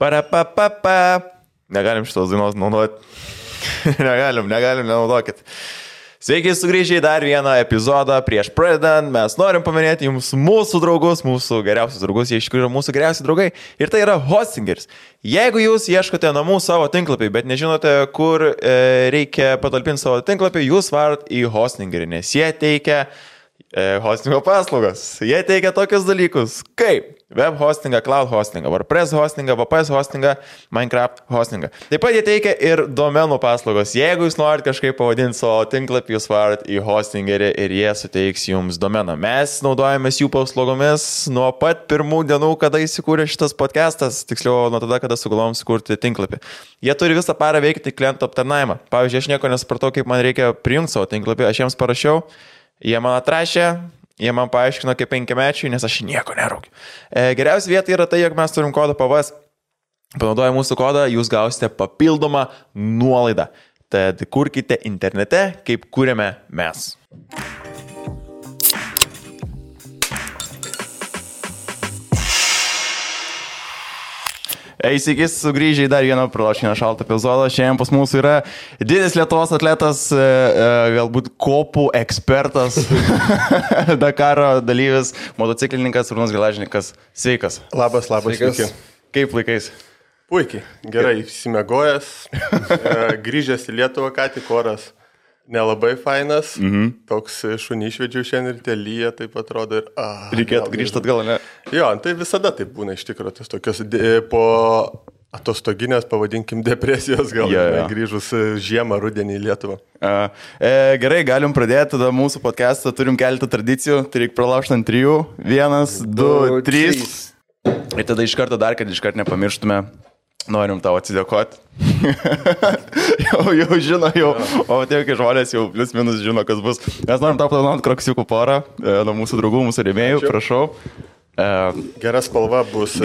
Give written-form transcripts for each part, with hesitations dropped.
Parapapapa. Negalim šitos dainos naudoti. negalim, nenaudokit. Sveiki, sugrįžę į dar vieną epizodą prieš pradedant. Mes norim paminėti jums mūsų draugus, mūsų geriausius draugus, jie iš tikrųjų yra mūsų geriausi draugai. Ir tai yra Hostingeris. Jeigu jūs ieškote namų savo tinklapį, bet nežinote, kur reikia patalpinti savo tinklapį, jūs varat į Hostingerį, nes jie teikia hostingo paslaugas. Jie teikia tokius dalykus kaip web hostingą, cloud hostingą, WordPress hostingą, VPS hostingą, Minecraft hostingą. Taip pat jie teikia ir domenų paslaugos. Jeigu jūs norit kažkaip pavadinti savo tinklapį, jūs varat į Hostingerį ir jie suteiks jums domeną. Mes naudojamės jų paslaugomis nuo pat pirmų dienų, kada įsikūrė šitas podcastas, tiksliau nuo tada, kada sugalvom sukurti tinklapį. Jie turi visą parą veikti klientų aptarnavimą. Pavyzdžiui, aš nieko nesupratau, kaip man reikia prijungti savo tinklapį, aš jiems parašiau. Jie man atrašė, jie man paaiškino kaip 5-mečiui, nes aš nieko neraukiu. Geriausia vieta yra tai, jog mes turim kodą PVS. Panaudoję mūsų kodą, jūs gausite papildomą nuolaidą. Tad kurkite internete, kaip kūrėme mes. Sveiki, sugrįžę į dar vieną pralošinę šaltą epizodą. Šiandien pas mūsų yra didis Lietuvos atletas, galbūt kopų ekspertas, Dakaro dalyvis, motociklininkas, Arūnas Gelažnikas. Sveikas. Labas, sveiki. Kaip laikais? Puikiai, gerai, išsimiegojęs, grįžęs į Lietuvą, ką tik oras nelabai fainas, toks šunį išvedžiau šiandien ir lyja, taip atrodo. Reikėtų grįžti atgal, ne? Jo, tai visada taip būna iš tikrųjų, tas tokios po atostoginės, pavadinkim, depresijos gal, grįžus žiemą, rudenį į Lietuvą. Gerai, galim pradėti tada mūsų podcastą, turim keletą tradicijų, tai reikia pralaužti ant 3, 1, 2, 3. Ir tada iš karto dar, kad iš karto nepamirštume. Norim tau atsidėkoti. jau žino, o tie, kai žmonės jau plius minus žino, kas bus. Mes norim tau padovanoti kroksiukų porą nuo mūsų draugų, mūsų rėmėjų, prašau. Geras spalva bus.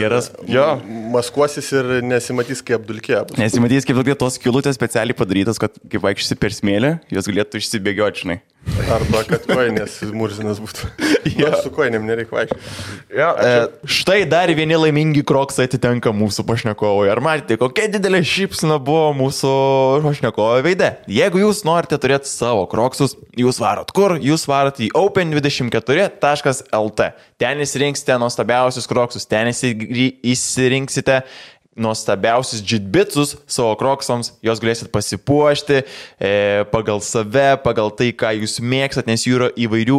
Maskuosis ir nesimatys kaip apdulkė. Nesimatys kaip apdulkė, tos skylutės specialiai padarytos, kad kaip vaikščiasi per smėlį, jos galėtų išsibėgioti, žinai. Arba kad koinės murzinas būtų. Su koinėm nereikia vaikščioti. Štai dar vieni laimingi kroksai atitenka mūsų pašnekovui. Ar matėte, kokia didelė šypsena buvo mūsų pašnekovo veide? Jeigu jūs norite turėti savo kroksus, jūs varot kur? Jūs varot į open24.lt. Ten įsirinksite nuostabiausius kroksus, ten įsirinksite nuostabiausius džitbitsus savo kroksams, jos galėsit pasipuošti pagal save, pagal tai, ką jūs mėgstat, nes jų yra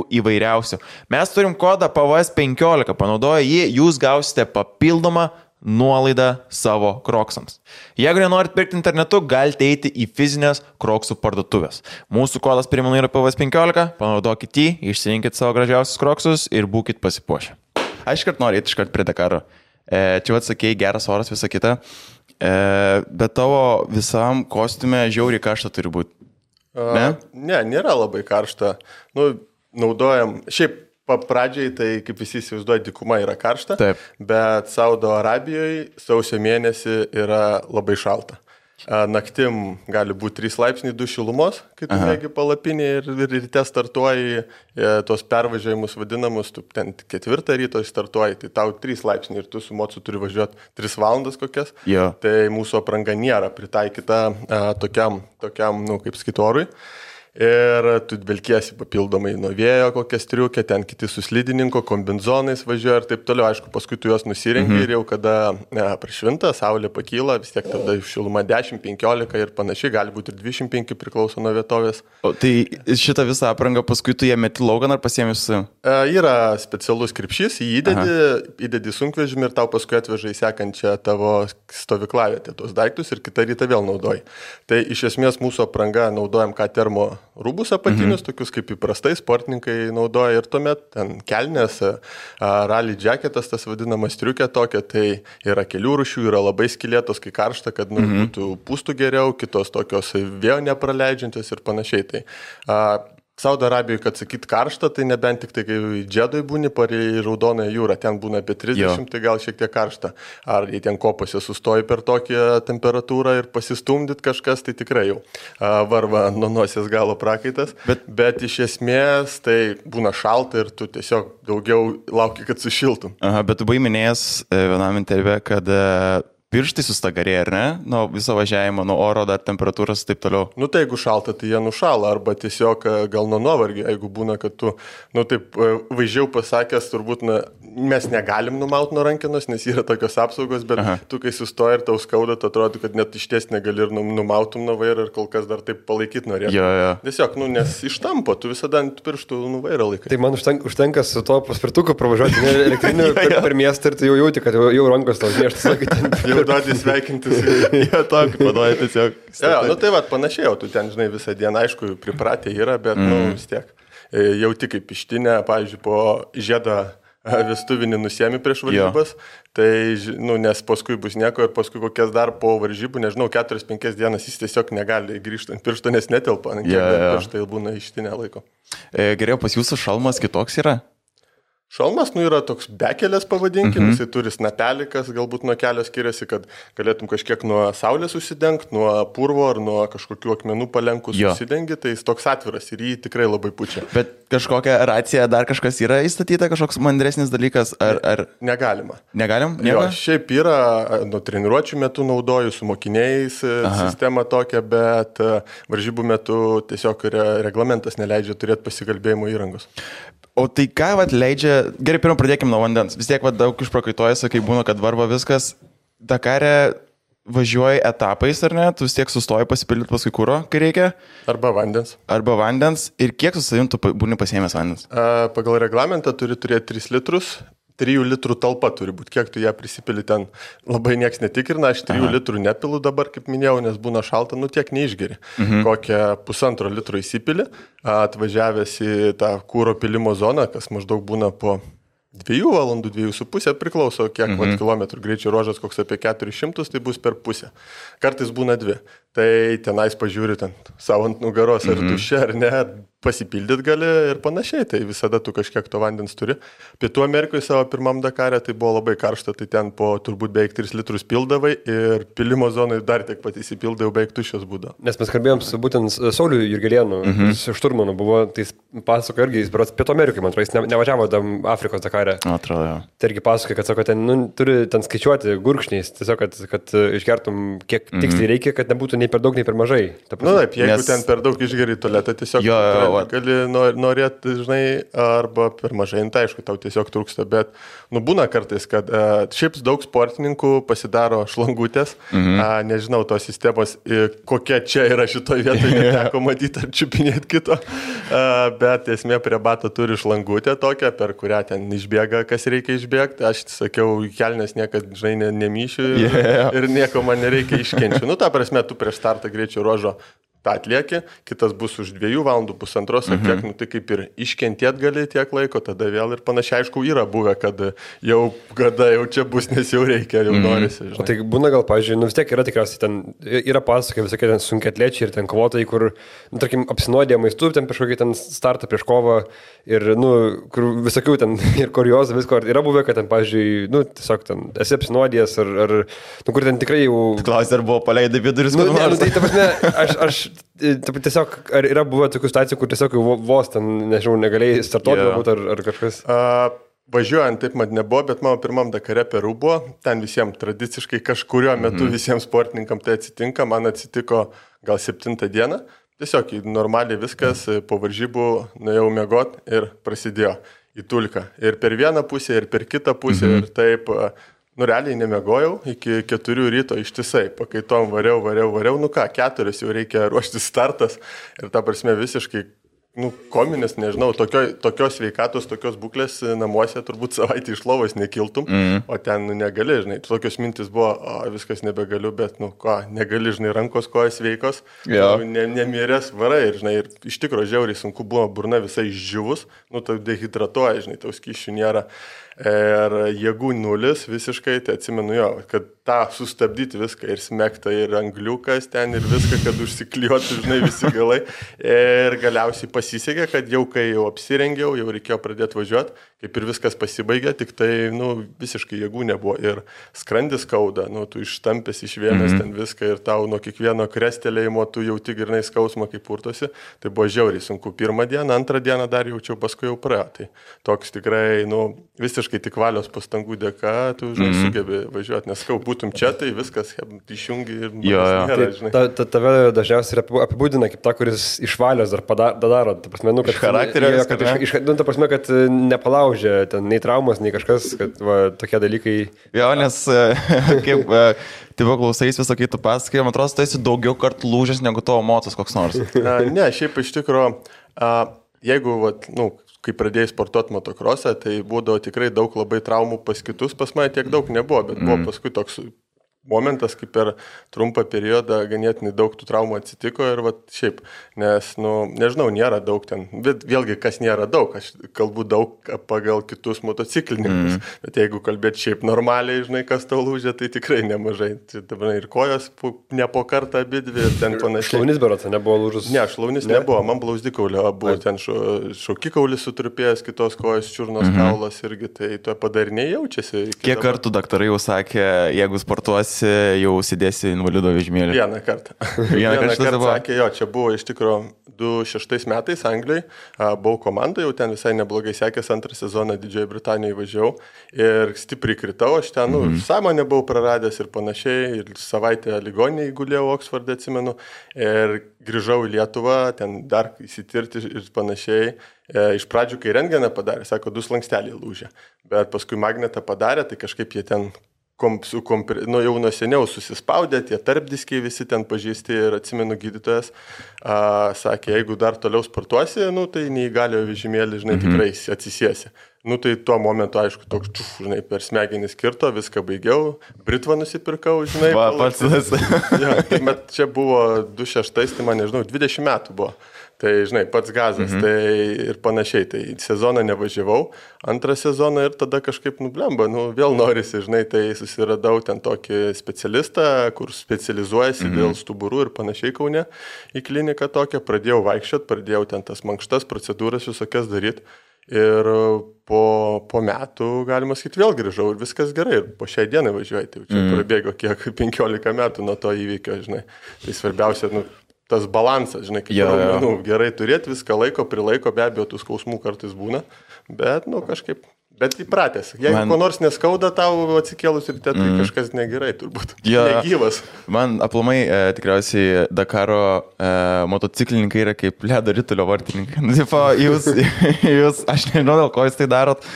įvairiausių. Mes turim kodą PVS15, panaudoję jį, jūs gausite papildomą nuolaidą savo kroksams. Jeigu nenorit pirkti internetu, galite eiti į fizinės kroksų parduotuvės. Mūsų kodas primenu yra PVS15, panaudokit jį, išsirinkit savo gražiausius kroksus ir būkit pasipuošę. Aš iškart noriu eiti iškart prie Dakaro. Čia atsakėjai, geras oras, visa kita, bet tavo visam kostiume žiauriai karšta turi būti. Ne, nėra labai karšta. Naudojam, šiaip pradžiai, tai kaip visi įsivaizduoja, dykuma yra karšta, taip. Bet Saudo Arabijoje sausio mėnesį yra labai šalta. Naktim gali būti 3 laipsniai 2 šilumos, kai tu mėgi palapinį ir ryte startuoji tos pervažiavimus vadinamus, tu ten 4 ryto startuoji, tai tau 3 laipsniai ir tu su mocu turi važiuoti 3 valandas kokias. Jo. Tai mūsų apranga nėra pritaikyta tokiam kaip skitorui. Ir tu vilkiesi papildomai nuo vėjo kokią striukę, ten kiti su slidininko, kombinzonais važiuoja ir taip toliau. Aišku, paskui tu juos nusirengi ir jau kada prašvinta, saulė pakyla, vis tiek tada šiluma 10-15 ir panašiai, gali būti ir 25 priklauso nuo vietovės. O tai šitą visą aprangą paskui tu ją meti laukan ar pasiemi su? Yra specialus krepšys, jį įdedi sunkvežimį ir tau paskui atveža į sekančią tavo stovyklavietę tos daiktus ir kitą rytą vėl naudoji. Tai iš esmės mūsų apranga naudojam ką termo rūbus apatinius, tokius kaip įprastai sportininkai naudoja ir tuomet ten kelnės, rally jacketas, tas vadinamas striukė tokia, tai yra kelių rūšių, yra labai skylėtos, kai karšta, kad būtų pūstų geriau, kitos tokios vėjo nepraleidžiančios ir panašiai. Tai Saudo Arabijoje, kad sakyt karšta, tai nebent tik tai, kai džedoj būni parei Raudonąją jūrą, ten būna apie 30, tai gal šiek tiek karšta. Ar jei ten kopose sustoji per tokią temperatūrą ir pasistumdyt kažkas, tai tikrai jau varva nuo nosies galo prakaitas. Bet iš esmės tai būna šalta ir tu tiesiog daugiau lauki, kad sušiltum. Aha, bet tu buvai minėjęs vienam interviu, kad pirštai sustagarėja, ar ne? Nuo viso važiavimo, nuo oro, dar temperatūros ir taip toliau. Nu tai jeigu šalta, tai jie nušala, arba tiesiog gal nuo nuovargio, jeigu būna, kad tu, nu taip vaizdžiau pasakęs, turbūt mes negalim numauti nuo rankenos, nes yra tokios apsaugos, bet tu kai sustoji ir tau skauda, tai atrodo, kad net išties negali ir numautum nuo vairo ir kol kas dar taip palaikyti norėtum. Jo. Tiesiog, nes ištampo, tu visada ant pirštų vairo laikai. Tai man užtenka su to paspirtuku pravažiuoti elektriniu per miestą ir tu jau jauti, kad jau rankos tau mieštas. Jau duoti sveikintis. Jie tokį paduoja tiesiog. Nu tai panašiai, tu ten, žinai, visą dieną, aišku, pripratę yra, bet, vis tiek. Jauti kaip ištinę, pavyzdžiui, po žiedą vestuvinį nusiemi prieš varžybas, tai, nes paskui bus nieko ir paskui kokias dar po varžybų, nežinau, 4-5 dienas jis tiesiog negali grįžti ant piršto, nes netelpa, pirštai būna ištinę laiko. Geriau, pas jūsų šalmas kitoks yra? Šalmas, yra toks bekelės pavadinkim, jisai turi snapelį, kas galbūt nuo kelio skiriasi, kad galėtum kažkiek nuo saulės užsidengti, nuo purvo ar nuo kažkokių akmenų palenkus užsidengi, tai jis toks atviras ir jį tikrai labai pučia. Bet kažkokia racija, dar kažkas yra įstatyta, kažkoks mandresnis dalykas, ar... Negalima. Negalim? Jo, šiaip yra, nuo treniruočių metu naudoju su mokiniais sistemą tokią, bet varžybų metu tiesiog reglamentas neleidžia turėti pasikalbėjimo įrangos. O tai ką leidžia, gerai, pirmą pradėkime nuo vandens, vis tiek daug išprakaituojasi, kai būna, kad varva viskas, Dakare važiuoji etapais, ar ne, tu vis tiek sustoji pasipildyti paskui kuro, kai reikia. Arba vandens. Ir kiek su savim tu būni pasiėmęs vandens? Pagal reglamentą turi turėti 3 litrus. 3 litrų talpa turi būti, kiek tu ją prisipili ten, labai nieks netikrina, aš 3 litrų nepilu dabar, kaip minėjau, nes būna šalta, tiek neišgeri. Kokią 1,5 litro įsipili, atvažiavęs į tą kūro pilimo zoną, kas maždaug būna po 2 valandų, 2,5, priklauso kiek kilometrų greičio ruožas, koks apie 400, tai bus per pusę. Kartais būna 2. Tai tenais pažiūri ten savo ant nugaros, ar tuščia, ar ne, pasipildyt gali ir panašiai, tai visada tu kažkiek to vandens turi. Pietų Amerikoje savo pirmam Dakare tai buvo labai karšta, tai ten po turbūt beveik 3 litrus pildavai ir pilimo zonai dar tiek pat įsipildavai, beveik tuščios būdavo. Nes mes kalbėjom su būtent Sauliu Jurgelėnu, šturmanu buvo, tai jis pasako irgi, jis berods Pietų Amerikoje, man atrodo, jis nevažiavo tam Afrikos Dakare. Atrodo. Tai irgi pasako, kad sako, ten turi ten skaičiuoti gurkšniais, tiesiog, kad išgertum kiek tiksliai reikia, kad nebūtų nei per daug, nei per mažai. Taip, jeigu ten per daug išgeri tualetą, tiesiog gali norėti, žinai, arba per mažai, tai aišku, tau tiesiog trūksta, bet būna kartais, kad šiaip daug sportininkų pasidaro šlangutės, nežinau tos sistemos, kokia čia yra šitoje vietoje, neteko matyti ar čiupinėti kito, bet esmė prie bato turi šlangutę tokią, per kurią ten išbėga, kas reikia išbėgti, aš sakiau, kelnes niekad, žinai, nemyšiu ir nieko man nereikia iškenčiu. Ta prasme, tu prieš startą greičio ruožo tą atlieki, kitas bus už 2 valandų, 1,5 ar kiek, tai kaip ir iškentėt gali tiek laiko, tada vėl ir panašiai, aišku, yra buvę, kad jau čia bus, nes jau reikia, jau norisi. O tai būna gal, pavyzdžiui, vis tiek yra tikriausiai ten, yra pasakai visokie ten sunkiatliečiai ir ten kovotojai, kur, tarkim, apsinuodė maistu, ten prieš kokį ten startą prieš kovą ir, kur visokių ten ir kuriozų visko, yra buvę, kad ten, pavyzdžiui, tiesiog ten esi apsinuodėjęs ar kur ten tikrai jau... Klausai, ar buvo paleidai viduris? Tai ta prasme, aš tiesiog, ar yra buvę tokių situacijų, kur tiesiog vos ten, nežinau, negalėjai startuoti ar kažkas? Važiuojant taip man nebuvo, bet mano pirmam Dakare Peru buvo, ten visiems tradiciškai kažkurio metu visiems sportininkam tai atsitinka, man atsitiko gal 7 dieną, tiesiog normaliai viskas, po varžybų nuėjau miegot ir prasidėjo į tulką. Ir per vieną pusę, ir per kitą pusę, ir taip... realiai nemiegojau, iki 4 ryto ištisai, pakaitom variau, 4 jau reikia ruoštis startas ir ta prasme visiškai, kominis, nežinau, tokios sveikatos, tokios būklės namuose turbūt savaitę iš lovos nekiltum, o ten negali, žinai, tokios mintis buvo, viskas nebegaliu, bet, negali, žinai, rankos kojas sveikos, nemiręs varai ir, žinai, ir iš tikrųjų žiauriai sunku buvo, burna visai išdžiūvus, tau dehidratuoja, žinai, tau skysčių nėra. Ir jėgų nulis visiškai, tai atsimenu kad tą sustabdyti viską ir smegta, ir angliukas ten, ir viską, kad užsikliuotų, žinai, visi galai. Ir galiausiai pasisekė, kad jau kai jau apsirengiau, jau reikėjo pradėti važiuoti, kaip ir viskas pasibaigė, tik tai, visiškai jėgų nebuvo. Ir skrandis skauda, tu ištampęs, išvėmęs ten viską ir tau nuo kiekvieno krestelėjimo tu jauti grynai skausmą, kaip purtosi. Tai buvo žiauriai sunku. 1 dieną, 2 dieną dar jaučiau, paskui jau praėjo. Tai toks tikrai, visiškai visiškai tik valios pastangų dėka, tu, žinai, sugebi važiuoti, nes kau būtum čia, tai viskas išjungi ir nėra, žinai. Tave dažniausiai apibūdina kaip ta, kuris iš valios dar daro, ta prasme, kad charakteris, ta prasme, kad nepalaužė, ten nei traumas, nei kažkas, kad tokie dalykai. Jo, nes kaip tipo klausais visą kitų pasakojimą, man atrodo, tu esi daugiau kartų lūžęs negu tavo motas koks nors. Ne, šiaip iš tikrųjų, jeigu, kai pradėjai sportuoti motokrosą, tai būdavo tikrai daug labai traumų pas kitus, pas mane tiek daug nebuvo, bet buvo paskui toks momentas, kaip per trumpą periodą ganėtinai daug tų traumų atsitiko ir šiaip, nes, nežinau, nėra daug ten, bet vėlgi, kas nėra daug, aš kalbu daug pagal kitus motociklininkus, bet jeigu kalbėt šiaip normaliai, žinai, kas tau lūžė, tai tikrai nemažai, tai ir kojos ne po kartą abidvi ir ten panašiai. Šlaunis berotas nebuvo lūžus? Ne, šlaunis nebuvo, man blauzdikaulio buvo, ten šaukikaulis sutrupėjęs, kitos kojos čiurnos kaulas irgi, tai tuo padariniai jaučiasi. Kiek kartų daktarai jau sakė, jeigu sportuosi, jau sėdėsi invalido vežimėlį? Vieną kartą. Vieną kartą sakė, jo, čia buvo iš tikrųjų 2006 metais Anglijai, buvau komanda, jau ten visai neblogai sekęs, antrą sezoną Didžiojo Britanijoje važiavau ir stipriai kritau, aš ten, sąmonę buvau praradęs ir panašiai, ir savaitę ligoninėje gulėjau Oksforde, atsimenu, ir grįžau į Lietuvą, ten dar įsitirti ir panašiai. Iš pradžių, kai rentgeną padarė, sako, 2 slanksteliai lūžė, bet paskui magnetą padarė, tai kažkaip jie ten jau nuo seniau susispaudė, tie tarpdiskiai visi ten pažįsti ir atsimenu gydytojas, sakė, jeigu dar toliau sportuosi, tai neįgaliojo vežimėlį, žinai, tikrai atsisiesi. Tai tuo momentu, aišku, toks, žinai, per smegenis kirto, viską baigiau, britvą nusipirkau, žinai. Bet čia buvo 2006, tai man, nežinau, 20 metų buvo. Tai, žinai, pats gazas, tai ir panašiai, tai sezoną nevažiavau, antrą sezoną ir tada kažkaip nublemba, vėl norisi, žinai, tai susiradau ten tokį specialistą, kur specializuojasi dėl stuburų ir panašiai Kaune į kliniką tokią, pradėjau vaikščiot, pradėjau ten tas mankštas, procedūras visokias daryti ir po metų, galima sakyti, vėl grįžau ir viskas gerai ir po šiai dienai važiuoju, tai čia prabėgo kiek 15 metų nuo to įvykio, žinai, tai svarbiausia, tas balansas, žinai, kaip gerai turėti viską prilaiko, be abejo, tų skausmų kartais būna, bet, kažkaip, bet įpratęs. Jeigu ko nors neskauda tau atsikėlus ir tai kažkas negerai, turbūt. Negyvas. Man aplamai tikriausiai Dakaro motociklininkai yra kaip ledo ritulio vartininkai. Jūs, aš nežinau, dėl ko jūs tai darot,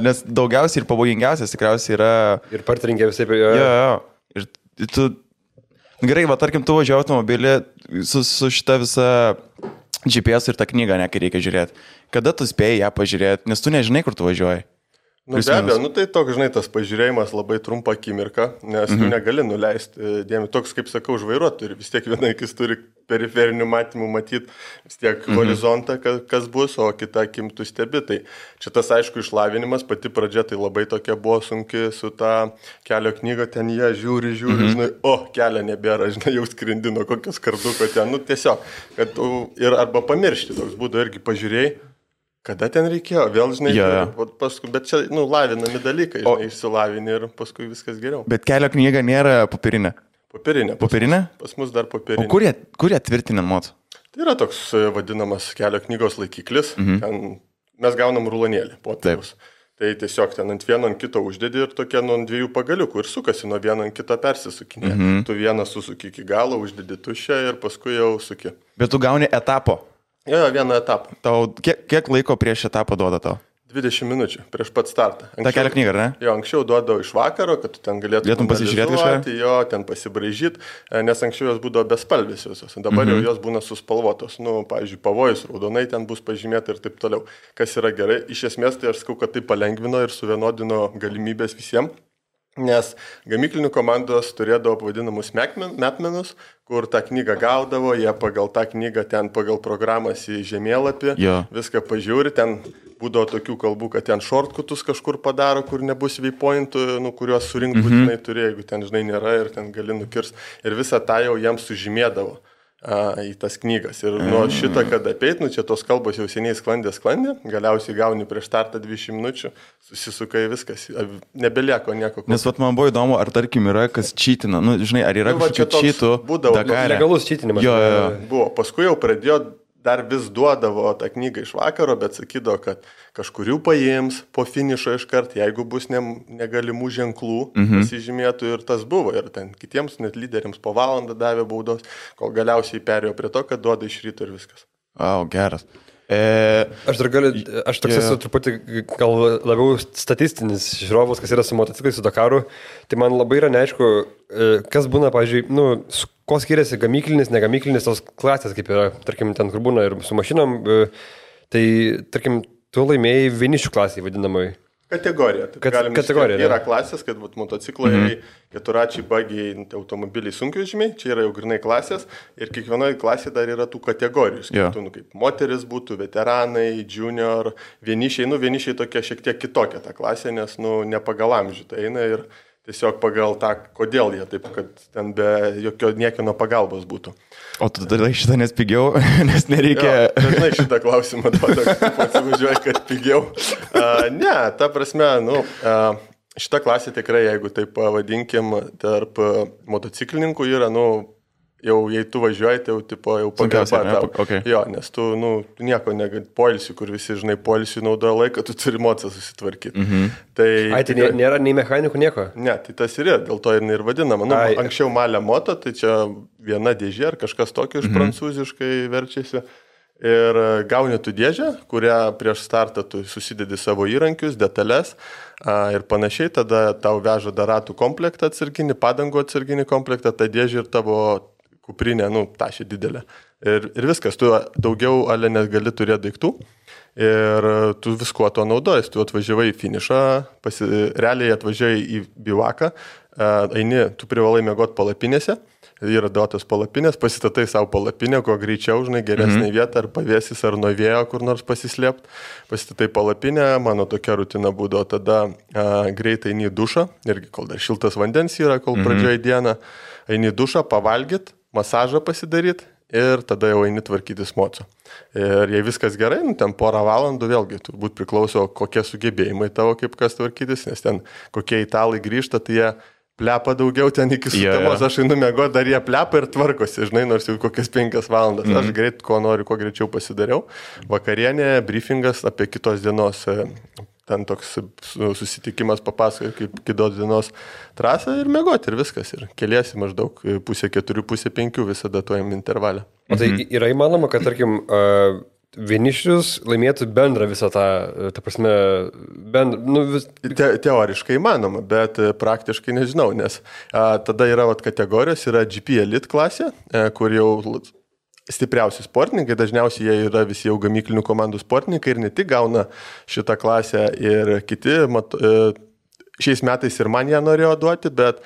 nes daugiausiai ir pavojingiausias tikriausiai yra... Ir partininkė visai... Ir tu... Gerai, tarkim, tu važiuoji automobilį su šita visa GPS ir tą knygą, kai reikia žiūrėti. Kada tu spėjai ją pažiūrėti, nes tu nežinai, kur tu važiuoji? Be abejo, tai toks, žinai, tas pažiūrėjimas labai trumpą akimirką, nes tu negali nuleisti dėmesio. Toks, kaip sakau, už vairuotojų, vis tiek viena akis turi periferinių matymų matyti, vis tiek horizontą, kas bus, o kita akim tu stebi. Tai čia tas, aišku, išlavinimas, pati pradžia tai labai tokia buvo sunki su ta kelio knyga, ten jie žiūri, žinai, kelio nebėra, žinai, jau skrindino kokios karduko ten, tiesiog, kad ir arba pamiršti, toks būdų irgi pažiūrėjai. Kada ten reikėjo, vėl, žinai, paskui, bet čia, lavinami dalykai, žinai, išsilavini ir paskui viskas geriau. Bet kelio knyga nėra popierinė? Popierinė? Pas mus dar popierinė. O kur jie tvirtina moto? Tai yra toks vadinamas kelio knygos laikiklis, ten mes gaunam rulonėlį, popieriaus. Tai tiesiog ten ant vieno ant kito uždedi ir tokie nuo 2 pagaliukų ir sukasi nuo vieno ant kito persisukinė. Tu vieną susuki iki galo, uždedi tuščią ir paskui jau suki. Bet tu gauni etapo? Jo, vieną etapą. Tau kiek laiko prieš etapą duoda tau? 20 minučių prieš pat startą. Ta kelio knyga, ar ne? Jo, anksčiau duodavo iš vakaro, kad tu ten galėtum pasižiūrėti kažką? Jo, ten pasibraižyti, nes anksčiau jos būdavo bespalvės visos. Dabar jau jos būna suspalvotos. Pavyzdžiui, pavojus raudonai ten bus pažymėta ir taip toliau. Kas yra gerai, iš esmės tai aš sakau, kad tai palengvino ir suvienodino galimybės visiems. Nes gamyklinių komandos turėdavo vadinamus metmenus, kur tą knygą gaudavo, jie pagal tą knygą ten pagal programas į žemėlapį, viską pažiūri, ten būdavo tokių kalbų, kad ten shortcutus kažkur padaro, kur nebus waypointų, kuriuos surinkti būtinai turi, jeigu ten, žinai, nėra ir ten gali nukirsti. Ir visą tą jau jiems sužymėdavo į tas knygas. Ir nuo šitą, kad apeit, čia tos kalbos jau seniai sklandė, galiausiai gauni prieš startą 20 minučių, susisukai viskas, nebelieko nieko. Nes man buvo įdomu, ar tarkim yra kas čytina, žinai, ar yra kažkokių čytų. Legalus čytinimas. Buvo, paskui jau pradėjo dar vis duodavo tą knygą iš vakaro, bet sakydavo, kad kažkurių paims po finišo iškart, jeigu bus negalimų ženklų, pasižymėtų ir tas buvo. Ir ten kitiems net lyderiams po valandą davė baudos, kol galiausiai perėjo prie to, kad duoda iš ryto ir viskas. Geras. Aš toks esu truputį gal labiau statistinis žiūrovas, kas yra su motociklais, su Dakaru. Tai man labai yra neaišku, kas būna, pavyzdžiui, kuo skiriasi gamyklinis, negamyklinis tos klasės, kaip yra, tarkim, ten, kur būna ir su mašinom. Tai, tarkim, tu laimėjai vienišių klasiai vadinamai. Kategorija. Kategorija. Yra klasės, kad motociklai, keturačiai, bagiai, automobiliai, sunkvežimiai, čia yra jau grinai klasės ir kiekvienoje klasėje dar yra tų kategorijų. Skirtų, kaip moteris būtų, veteranai, junior, vienišiai. Vienišiai tokia šiek tiek kitokia ta klasė, nes ne pagal amžių tai eina ir tiesiog pagal tą, kodėl jie taip, kad ten be jokio niekino pagalbos būtų. O tu darai šitą nes pigiau, nes nereikia... Dažnai šitą klausimą duoda, kad pasivažiuoji, kad pigiau. Ne, ta prasme, šita klasė tikrai, jeigu taip pavadinkim, tarp motociklininkų yra, jau jei tu važiuoji, tai jau pagarba tau. Okay. Jo, nes tu nieko negali, poilsių, kur visi, žinai, poilsių naudoja laiką, tu turi mocą susitvarkyti. Tai nėra nei mechanikų nieko? Ne, tai tas yra, dėl to ir vadinama. Anksčiau malė moto, tai čia viena dėžė ar kažkas tokio iš prancūziškai verčiasi. Ir gauni tu dėžę, kurią prieš startą tu susidedi savo įrankius, detalės ir panašiai, tada tau veža dar ratų komplektą atsarginį, padangų atsarginį komplektą, ta dėžė ir tavo kuprinė, tašė didelė. Ir viskas, tu daugiau ale negali turėti daiktų ir tu viskuo to naudojas, tu atvažiavai į finišą, realiai atvažiavai į bivaką, eini, tu privalai miegoti palapinėse, yra duotos palapinės, pasistatai savo palapinę, kuo greičiau, žinai, geresnė vieta, ar pavėsis, ar nuo vėjo kur nors pasislėpti, pasistatai palapinę, mano tokia rutina būdavo, tada greitai eini į dušą, irgi kol dar šiltas vandens yra, kol pradžioje dieną, eini į dušą, pavalgyt, masažą pasidaryti ir tada jau eini tvarkytis moco. Ir jei viskas gerai, ten porą valandų vėlgi turbūt priklauso, kokie sugebėjimai tavo, kaip kas tvarkytis, nes ten kokie italai grįžta, tai jie plepa daugiau ten iki sutemos, aš einu miegoti, dar jie plepa ir tvarkosi, žinai, nors jau kokias 5 valandas. Aš greit, ko noriu, kuo greičiau pasidariau. Vakarienė, briefingas apie kitos dienos, ten toks susitikimas papasakoja, kaip kitos dienos trasą ir miegoti ir viskas. Ir keliesi maždaug 3:30, 4:30 visada tojam intervalę. O tai yra įmanoma, kad, tarkim, vienišius laimėtų bendrą visą tą prasme, Teoriškai įmanoma, bet praktiškai nežinau, nes tada yra kategorijos, yra GP Elite klasė, kur jau stipriausi sportininkai, dažniausiai jie yra visi jau gamyklinių komandų sportininkai ir ne tik gauna šitą klasę ir kiti, šiais metais ir man ją norėjo duoti, bet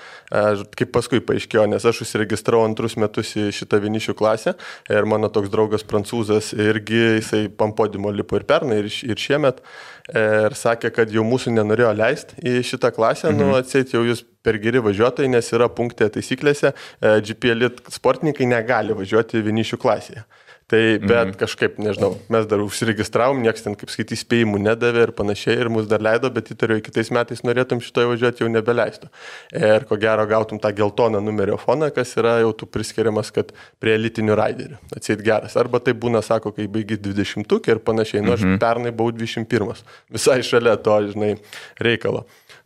kaip paskui paaiškėjo, nes aš užsiregistravau 2 metus į šitą vienišių klasę ir mano toks draugas prancūzas irgi, jisai pampodimo lipo ir pernai ir šiemet ir sakė, kad jau mūsų nenorėjo leisti į šitą klasę, atseit jau jūs per geri važiuotojai, nes yra punkte taisyklėse, GP Elite sportininkai negali važiuoti vienišių klasėje. Tai, bet kažkaip, nežinau, mes dar užsiregistravom, nieks ten, kaip skaitys, spėjimų nedavė ir panašiai, ir mus dar leido, bet įtariu, kitais metais norėtum šitoje važiuoti, jau nebeleistų. Ir ko gero gautum tą geltoną numerio foną, kas yra jau tu priskiriamas, kad prie elitinių raiderių. Atseit geras. Arba tai būna, sako, kai baigi 20 ir panašiai. Aš pernai buvau 21. Visai šalia to, žinai, reikalo.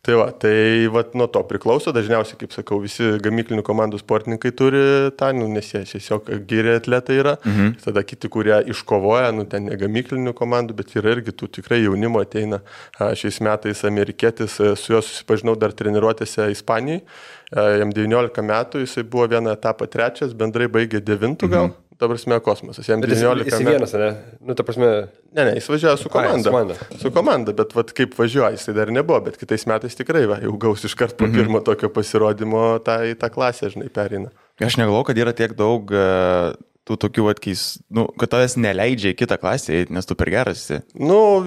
Tai nuo to priklauso, dažniausiai, kaip sakau, visi gamyklinių komandų sportininkai turi tą, nes jie tiesiog geri atletai yra, tada kiti, kurie iškovoja, ten ne gamyklinių komandų, bet yra irgi tų tikrai jaunimo ateina. Šiais metais amerikietis, su juo susipažinau dar treniruotėse Ispanijai, jam 19 metų, jisai buvo vieną etapą 3, bendrai baigė 9 gal. Ta prasme, kosmosas. Jam 19 metų. Jis vienas, ne? Ta prasme... Ne, jis važiavo su komanda. Su komanda, bet kaip važiuoja, jisai dar nebuvo, bet kitais metais tikrai jau gaus iškart po pirmo tokio pasirodymo į tą klasę, žinai, pereina. Aš negalvoju, kad yra tiek daug tų tokių atkeis, kad tavęs neleidžia į kitą klasę, nes tu per geras esi.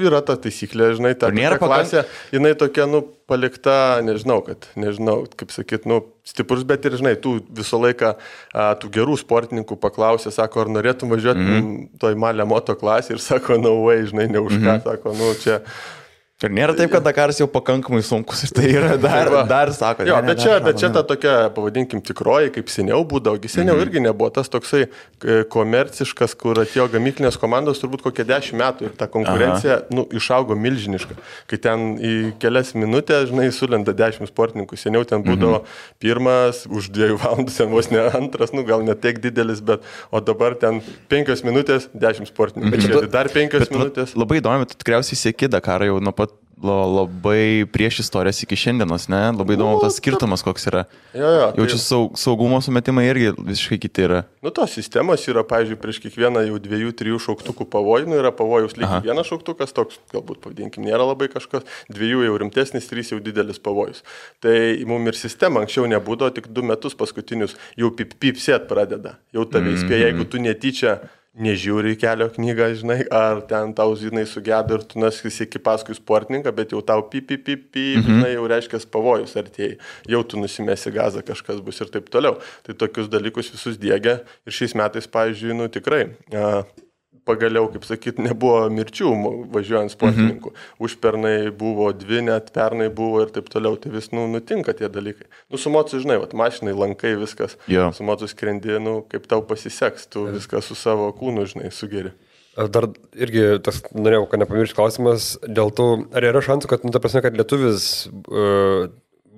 Yra ta taisyklė, žinai, ta klasė, jinai tokia, palikta, nežinau, kaip sakyt, stiprus, bet ir, žinai, tu visą laiką tų gerų sportininkų paklausė, sako, ar norėtum važiuoti toj malė moto klasė ir sako, no way, žinai, ne už ką, sako, čia Ir nėra taip, kad Dakaras jau pakankamai sunkus ir tai yra dar sako. Jo, bet čia ta tokia, pavadinkim, tikroji, kaip seniau būdavo. Seniau irgi nebuvo tas toksai komerciškas, kur atėjo gamyklinės komandos turbūt kokie 10 metų ir ta konkurencija išaugo milžiniška. Kai ten į kelias minutės, žinai, sulenda 10 sportininkų. Seniau ten būdavo pirmas, už 2 valandų, ten vos ne antras, gal ne tiek didelis, bet o dabar ten 5 minutės, 10 sportininkų. Dar 5 minutės. Labai įdomi, tu tikriausiai sėki Dakarą jau nuo pat labai prieš istorijas iki šiandienos, ne? Labai įdomu tas skirtumas, koks yra. Jau čia saugumo sumetimai irgi visiškai kiti yra. Tos sistemos yra, pavyzdžiui, prieš kiekvieną jau 2-3 šauktukų pavojų, yra pavojus lygiai vienas šauktukas, toks galbūt, pavadinkim, nėra labai kažkas, 2 jau rimtesnis, 3 jau didelis pavojus. Tai mums ir sistema anksčiau nebūdavo, tik 2 metus paskutinius jau pipsėt pradeda. Jau tave įspėja, jeigu tu netyčia nežiūri kelio knygą, žinai, ar ten tau, žinai, sugedo ir tu nesieki paskui sportininką, bet jau tau žinai, jau reiškia pavojus artėjai, jau tu nusimesi gazą, kažkas bus ir taip toliau. Tai tokius dalykus visus diegia ir šiais metais, pavyzdžiui, tikrai pagaliau, kaip sakyt, nebuvo mirčių važiuojant sportininkų. Užpernai buvo 2, net pernai buvo ir taip toliau. Tai vis, nutinka tie dalykai. Su mocu, žinai, mašinai, lankai, viskas. Su mocu skrendi, kaip tau pasiseks, tu viską su savo kūnu, žinai, sugeri. Dar irgi, norėjau, kad nepamiršti klausimas, dėl to, ar yra šansų, kad, ta prasme, kad lietuvis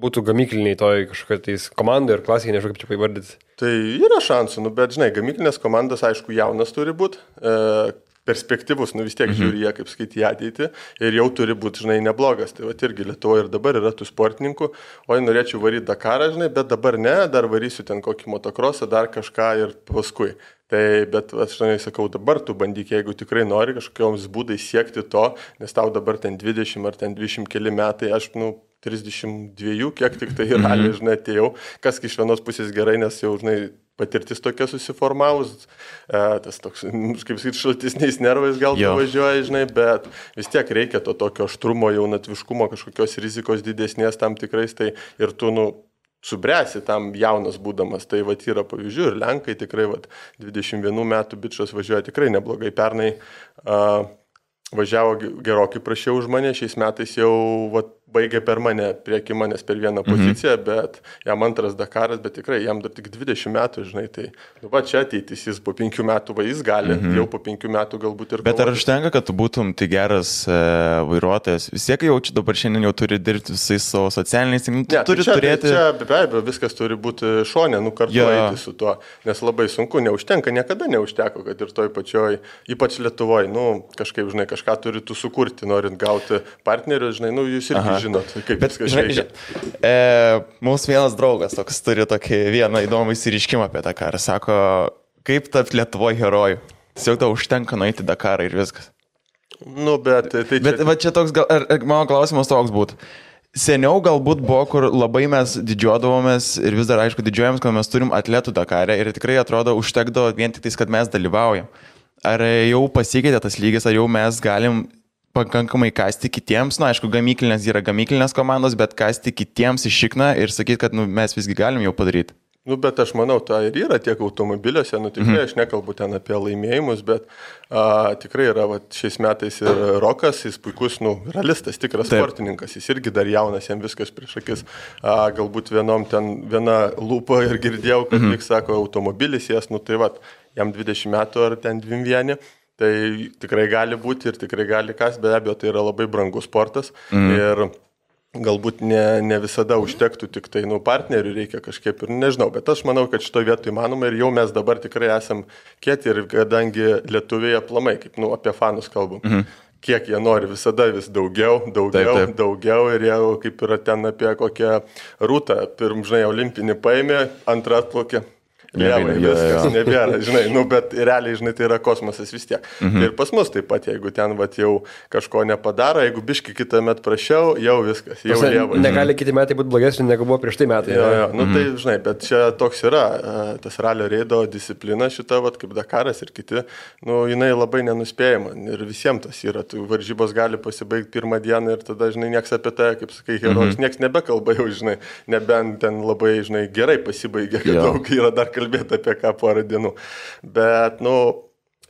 būtų gamykliniai toj kažkokiais komandai ir klasikai, nežinau, kaip čia įvardyti. Tai yra šansų, bet, žinai, gamyklinės komandas, aišku, jaunas turi būti, perspektyvus, vis tiek žiūri jie, kaip skaityti ateitį ir jau turi būti, žinai, neblogas. Tai va irgi Lietuvoje ir dabar yra tų sportininkų, norėčiau varyti Dakarą, žinai, bet dabar ne, dar varysiu ten kokį motokrosą, dar kažką ir paskui. Tai, bet aš sakau, dabar tu bandyk, jeigu tikrai nori kažkokioms būdais siekti to, nes tau dabar ten 20 ar ten 20 keli metai, aš, 32, kiek tik tai realiai, žinai, atėjau, kas iš vienos pusės gerai, nes jau, žinai, patirtis tokia susiformavus, tas toks, kaip sakyti, šaltisniais nervais gal tu važiuoji, žinai, bet vis tiek reikia to tokio aštrumo, jaunatviškumo, kažkokios rizikos didesnės tam tikrais, tai ir tu, subręsi tam jaunas būdamas, tai yra pavyzdžių ir Lenkai tikrai 21 metų bičas važiuoja tikrai neblogai, pernai važiavo gerokai prašiau už mane, šiais metais jau baigė per mane, prieki manęs per vieną poziciją, bet jam antras Dakaras, bet tikrai jam dar tik 20 metų, žinai, tai čia ateitis, jis po 5 metų jis gali, jau po 5 metų galbūt ir... Bet ar užtenka, kad tu būtum tai geras vairuotojas? Vis tiek jau čia dabar šiandien jau turi dirbti visais savo socialiniais, turi turėti... Čia be abejo, viskas turi būti šonė, kartu eiti su tuo, nes labai sunku, neužtenka, niekada neužteko, kad ir toj pačioj, ypač Lietuvoje, kažkaip, žinai, kažką turi tu sukurti, norint gauti partnerius, žinai, jūs irgi žinot, kaip viskas veikia. Mūsų vienas draugas toks turi tokį vieną įdomų įsiriškimą apie Dakarą. Sako, kaip tapti Lietuvoje herojų? Tiesiog tau užtenka nueiti Dakarą ir viskas. Bet čia toks, mano klausimas toks būtų. Seniau galbūt buvo, kur labai mes didžiuodavomės ir vis dar, aišku, didžiuojamės, kad mes turim atletų Dakarę ir tikrai atrodo užtekdavo vien tik tais, kad mes dalyvaujam. Ar jau pasikeitė tas lygis, ar jau mes galim pakankamai kasti kitiems, aišku, gamyklinės yra gamyklinės komandos, bet kasti kitiems iš šikną ir sakyti, kad mes visgi galim jau padaryti. Bet aš manau, tai ir yra tiek automobiliuose, tikrai aš nekalbu ten apie laimėjimus, bet tikrai yra šiais metais ir Rokas, jis puikus, realistas, tikras sportininkas, jis irgi dar jaunas, jam viskas prieš akis, galbūt viena lūpa ir girdėjau, kad lyg sako automobilis, jam 20 metų ar ten 21. Tai tikrai gali būti ir tikrai gali kas, be abejo, tai yra labai brangus sportas ir galbūt ne visada užtektų tik tai, partnerių reikia kažkaip ir nežinau, bet aš manau, kad šito vietu įmanoma ir jau mes dabar tikrai esam kieti ir kadangi lietuviai aplamai, kaip apie fanus kalbam, kiek jie nori visada vis daugiau ir jau kaip yra ten apie kokią rūtą, žinai, olimpinį paėmė, antrą atplaukė. Lievai, viskas nebėra, žinai, bet realiai, žinai, tai yra kosmosas vis tiek. Tai ir pas mus taip pat, jeigu ten jau kažko nepadaro, jeigu biški kitą metą prašiau, jau viskas, jau lievai. Negali kiti metai būti blogesni, negu buvo prieš tai metai. Tai, žinai, bet čia toks yra, tas ralio reido disciplina šita, kaip Dakaras ir kiti, jinai labai nenuspėjama ir visiems tas yra, varžybos gali pasibaigti pirmą dieną ir tada, žinai, nieks apie tai, kaip sakai, herojus, nieks nebekalba jau, žinai, nebent ten labai, žinai, gerai pasibaigė, kad daug yra dar kalbėti apie ką porą dienų. Bet,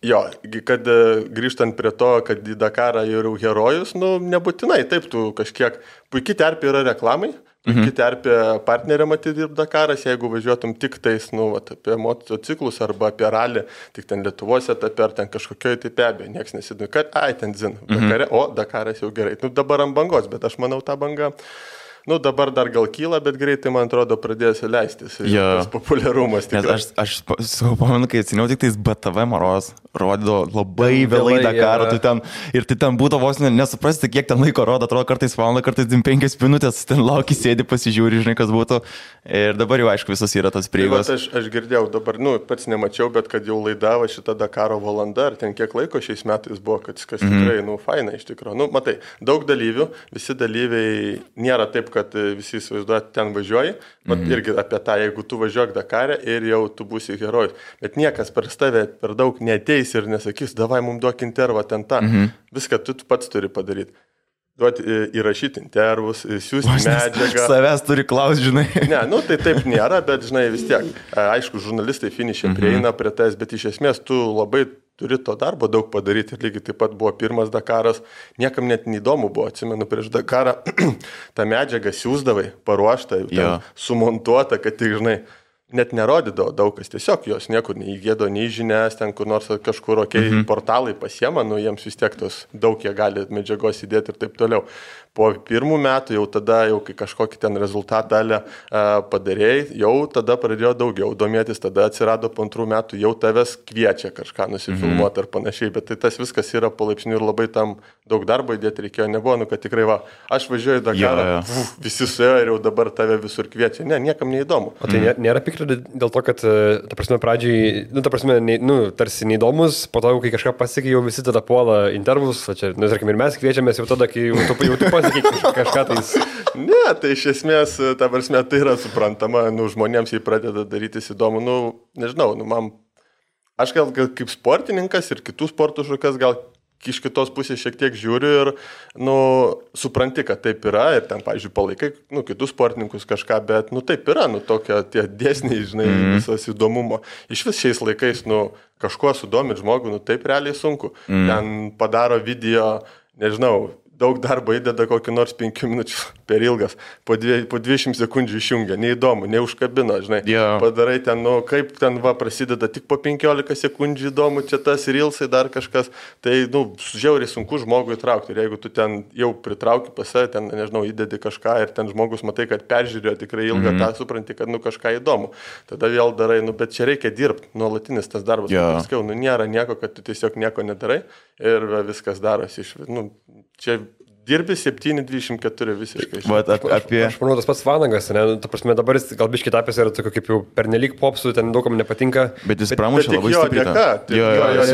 Jo, kad grįžtant prie to, kad į Dakarą jau herojus, nebūtinai, taip, tu kažkiek, puikiai terpė yra reklamai, puikiai terpė partnerė matyti dirbti Dakaras, jeigu važiuotum tik tais, apie motociklus arba apie ralį, tik ten Lietuvos etape ar ten kažkokioje tai pebė, nieks nesidūrė, kad ten zin, Dakare, o Dakaras jau gerai. Dabar ant bangos, bet aš manau tą bangą. Dabar dar gal kyla, bet greitai, man atrodo, pradės leistis. Tas populiarumas tikrai. Aš pamenu, kai atsiniau tik tais BTV Maros, rodo labai vėlai Dakarą, ir tai ten būtų vos nesuprasti, kiek ten laiko rodo, atrodo, kartais valandą, kartais 5 minutės, ten lauki, sėdi, pasižiūri, žinai, kas būtų. Ir dabar jau, aišku, visas yra tas prieigos. Aš girdėjau dabar, pats nemačiau, bet kad jau laidavo šitą Dakaro valandą, ar ten kiek laiko šiais metais buvo, kad viskas tikrai, faina iš tikrųjų. Matai, daug dalyvių, visi dalyviai nėra taip, kad visi įsivaizduoja, ten važiuoji, irgi apie tą, jeigu tu važiuok Dakarę ir jau tu būsi herojus. Bet niekas per tave per daug neateis ir nesakys, davai mums duok intervą ten tą. Viską tu pats turi padaryti. Duoti įrašyti intervus, siūsti medžiagą. Savęs turi klausti, žinai. Ne, tai taip nėra, bet žinai vis tiek. Aišku, žurnalistai finišė prieina prie tais, bet iš esmės tu labai turi to darbo daug padaryti. Ir lygiai taip pat buvo pirmas Dakaras. Niekam net neįdomu buvo, atsimenu, prieš Dakarą tą medžiagą siūsdavai, paruoštą, sumontuota, kad tik, žinai, net nerodydavo daug kas, tiesiog jos niekur neįgėdo, nei žinias, ten kur nors kažkur portalai pasiema, jiems vis tiek tos daug jie gali medžiagos įdėti ir taip toliau. Po pirmų metų jau tada, kai kažkokį ten rezultatą dalį padarėjai, jau tada pradėjo daugiau domėtis, tada atsirado po 2 metų, jau tavęs kviečia kažką nusifilmuoti ar panašiai, bet tai tas viskas yra palaipsniui ir labai tam daug darbo įdėti reikėjo, nebuvo, kad tikrai aš važiuoju į Dakarą, visi suėjo ir jau dabar tave visur kviečia, ne, niekam neįdomu. O tai nėra pikta dėl to, kad, ta prasme, pradžiai, tarsi neįdomus, po to, kai kažką pasiekė, jau visi tada puola intervus, čia, tarkim, ir mes kviečiamės jau tada, kai jau tu kažką tais. Ne, tai iš esmės, ta prasme, tai yra suprantama, žmonėms jį pradeda darytis įdomu, nežinau, aš gal kaip sportininkas ir kitų sportų šakas gal iš kitos pusės šiek tiek žiūriu ir, supranti, kad taip yra ir ten, pavyzdžiui, palaikai, kitus sportininkus kažką, bet, taip yra, tokia tie dėsniai, žinai, visas įdomumo. Iš vis šiais laikais, kažkuo sudomint žmogų, taip realiai sunku. Ten padaro video, nežinau, daug darbo įdeda kokį nors 5 minučių per ilgas, po 20 sekundžių išjungia, neįdomu, neužkabino, žinai, padarai ten, kaip ten prasideda tik po 15 sekundžių įdomu, čia tas rilsai dar kažkas, tai, žiauriai sunku žmogui įtraukti ir jeigu tu ten jau pritrauki pas save, ten, nežinau, įdedi kažką ir ten žmogus matai, kad peržiūrėjo tikrai ilgą, tą supranti, kad, kažką įdomu, tada vėl darai, bet čia reikia dirbti, nuolatinis tas darbas, paskiau, nėra nieko, kad tu tiesiog nieko nedarai ir viskas darosi iš, čia dirbi 7-24 visiškai. Aš manau, tas pats Vanagas, ta prasme, dabar jis gal biškį tapęs yra tokio kaip jau pernelyg popsų, ten daugam nepatinka. Bet jis pramušė labai stipriai. Jo,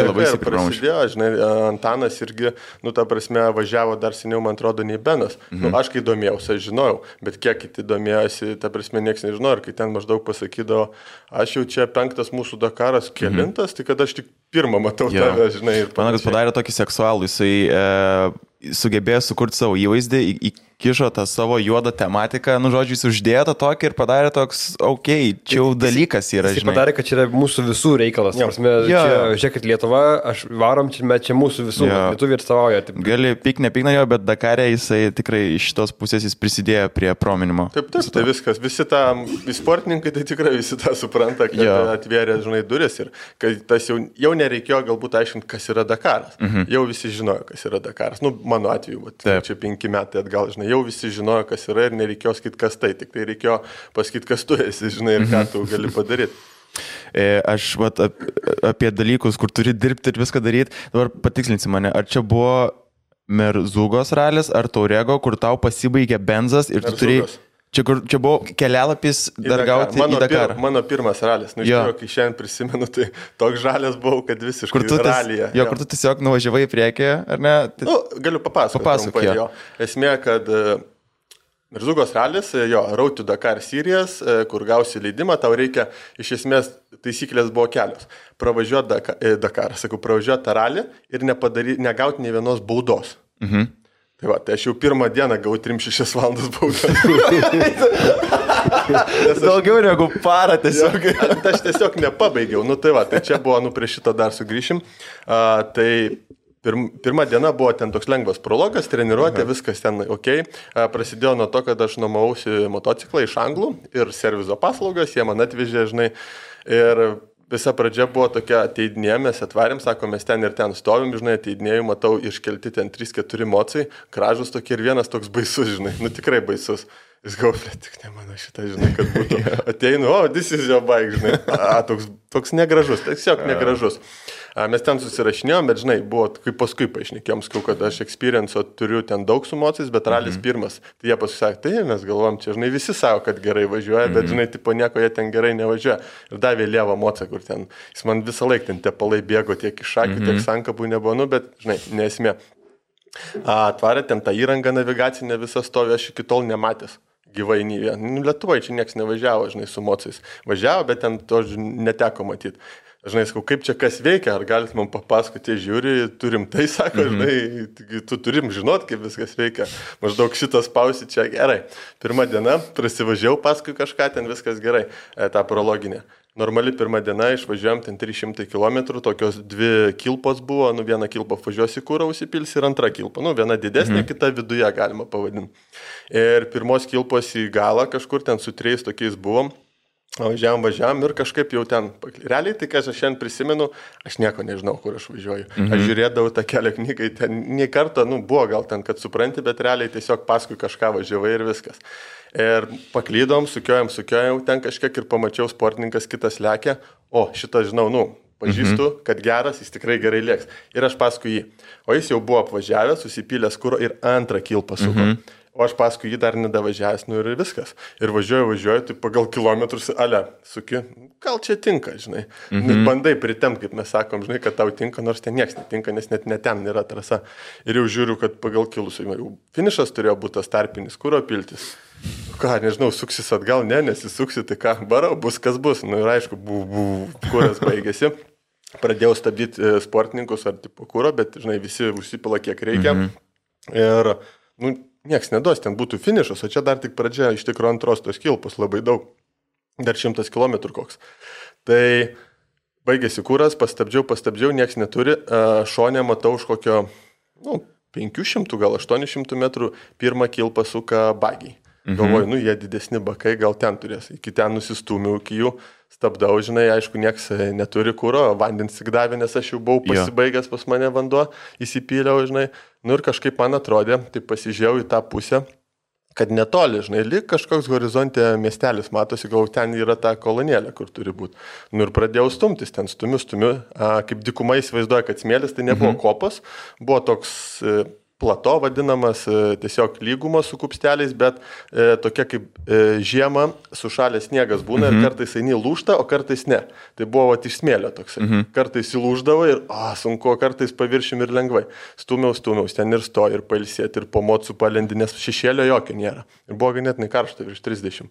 labai stipriai prasidėjo, žinai, Antanas irgi, ta prasme, važiavo dar seniau, man atrodo, nei Benas. Aš kai domėjausi, aš žinojau, bet kiek kiti domėjosi, ta prasme, nieks nežinojo, ir kai ten maždaug pasakydavo, aš jau čia 5 mūsų Dakaras, kelintas, tai kad aš tik pirmą matau tave, žinai. Vanagas padarė tokį seksualų, jisai sugebėjo sukurti savo įvaizdį, įkišo tą savo juodą tematiką, žodžiu, jis uždėjo tą tokį ir padarė toks, čia jau dalykas yra, žinai. Jis padarė, kad čia yra mūsų visų reikalas. Prasme, žiūrėkit, Lietuva, aš varom, čia mūsų visų, lietuviai atstovauja. Gali pikne jo, bet Dakare jisai tikrai iš šitos pusės jis prisidėjo prie prominimo. Taip, tai viskas, visi sportininkai tai tikrai visi tą supranta, kad atvėrė, žinai, duris ir kad tas jau nereikėjo galbūt aiškinti, kas yra Dakaras. Jau visi žinojo, kas yra Dakaras. Mano atveju, čia 5 metai atgal, žinai, jau visi žinojo, kas yra ir nereikėjo sakyti, kas tai, tik tai reikėjo pasakyti, kas tu esi, žinai, ir ką tu gali padaryti. Aš apie dalykus, kur turi dirbti ir viską daryti, dabar patikslinsi mane, ar čia buvo Merzugos ralis, ar Taurego, kur tau pasibaigė benzas ir tu turėjai... Čia buvo kelialapis dar gauti į Dakarą. Mano pirmas ralis. Kai šiandien prisimenu, tai toks žalės buvau, kad visiškai ralyje. Kur tu tiesiog nuvažiavai į priekį, ar ne? Galiu papasakoti. Esmė, kad Merzugos ralis, Road to Dakar Series, kur gausi leidimą, tau reikia, iš esmės, taisyklės buvo kelios. Pravažiuoti Dakarą, pravažiuoti tą ralį ir negauti nei vienos baudos. Tai aš jau pirmą dieną gavau 3-6 valandas baudą. Daugiau negu parą tiesiog. Aš tiesiog nepabaigiau. Nu tai va, tai čia buvo, prie šito dar sugrįšim. Tai pirma diena buvo ten toks lengvas prologas, treniruotė, viskas ten ok. Prasidėjo nuo to, kad aš nuomausi motociklą iš anglų ir servizo paslaugas, jie man atvežė, žinai. Ir visa pradžia buvo tokia, ateidinėjom, mes atvarėm, sako, mes ten ir ten stovim, žinai, ateidinėjom, matau, iškelti ten 3-4 mocai, gražus tokie ir vienas toks baisus, žinai, tikrai baisus. Jis galvoja, tik ne mano šitą, žinai, kad būtų. Ateinu, this is your bike, žinai. Toks negražus, tiesiog negražus. Mes ten susirašinėjom, bet, žinai, buvo, kaip paskui paaišnikėjom, kad aš experience'o turiu ten daug su mocais, bet ralis pirmas. Tai jie pasakė, tai mes galvom, čia, žinai, visi savo, kad gerai važiuoja, bet, žinai, tipo nieko jie ten gerai nevažiuoja. Ir davė lievą mocą, kur ten, jis man visą laiką ten tepalai bėgo tiek iš akių, tiek sankabų nebuvo, bet, žinai, nesmė. Atvarė ten tą įrangą navigacinę visą stovį, aš iki tol nematęs. Gyvai nei vieną. Lietuvoje čia niekas nevažiavo, žinai, su mocais. Važiavo, bet ten to neteko matyti. Žinai, sakau, kaip čia kas veikia, ar galit man papasakoti, žiūri, turim tai, sako, žinai, tu turim žinot, kaip viskas veikia. Maždaug šitas pausi čia gerai. Pirma diena, prasivažiau paskui kažką, ten viskas gerai, tą prologinę. Normali pirma diena, išvažiuojam ten 300 km, tokios 2 kilpos buvo, viena kilpa važiuosi kūrą, užsipils ir antra kilpa, viena didesnė, kita viduje galima pavadinti. Ir pirmos kilpos į galą kažkur ten su 3 tokiais buvom, važiavam ir kažkaip jau ten, realiai tai, ką aš šiandien prisimenu, aš nieko nežinau, kur aš važiuoju. Aš žiūrėdavau tą kelio knygą, ten nei kartą, buvo gal ten, kad supranti, bet realiai tiesiog paskui kažką važiavai ir viskas. Ir paklydom, sukiojom ten kažkiek ir pamačiau sportininkas kitas lekia, šitą žinau, pažįstu, kad geras, jis tikrai gerai lėks. Ir aš paskui jį. O jis jau buvo apvažiavęs, susipylęs kuro ir antrą kilpą suko. O aš paskui jį dar nedavažiavęs, ir viskas. Ir važiuoju, tai pagal kilometrus, suki, gal čia tinka, žinai. Bandai pritemti, kaip mes sakom, žinai, kad tau tinka, nors ten nieks netinka, nes net ten nėra trasa. Ir jau žiūriu, kad pagal kilus, jau finišas turėjo būti tas tarpinis kuro piltis. Ką, nežinau, suksis atgal, nesisuksi, tai ką, barau, bus kas bus. Ir aišku, kuras baigėsi. Pradėjau stabdyti sportininkus ar tipo kuro, bet, žinai, visi užsipila kiek reikia. Ir, nieks neduos, ten būtų finišas, o čia dar tik pradžia, iš tikrųjų antros tos kilpos labai daug. Dar 100 km koks. Tai baigėsi kuras, pastabdžiau, nieks neturi. Šone matau už kokio, 500, gal 800 metrų pirmą kilpą suka bagiai. Galvoju, jie didesni bakai, gal ten turės. Iki ten nusistūmiau, iki jų stabdau, žinai, aišku, nieks neturi kuro, vandens tik davė, nes aš jau buvau pasibaigęs pas mane vanduo, įsipyliau, žinai. Ir kažkaip man atrodė, tai pasižiūrėjau į tą pusę, kad netoli, žinai, lyg kažkoks horizonte miestelis matosi, gal ten yra ta kolonėlė, kur turi būti. Ir pradėjau stumtis, ten stumiu, kaip dykuma įsivaizduoja, kad smėlis, tai nebuvo kopas, buvo toks plato vadinamas, tiesiog lygumos su kupsteliais, bet tokia kaip žiema sušalęs sniegas būna ir kartais eini lūžta, o kartais ne. Tai buvo iš smėlio toksai. Kartais įlūždavo ir sunku, kartais paviršim ir lengvai. Stūmiaus, ten ir stoji, ir pailsėti, ir po mocų palendi, nes šešėlio jokio nėra. Ir buvo ganėtinai karšta, virš 30.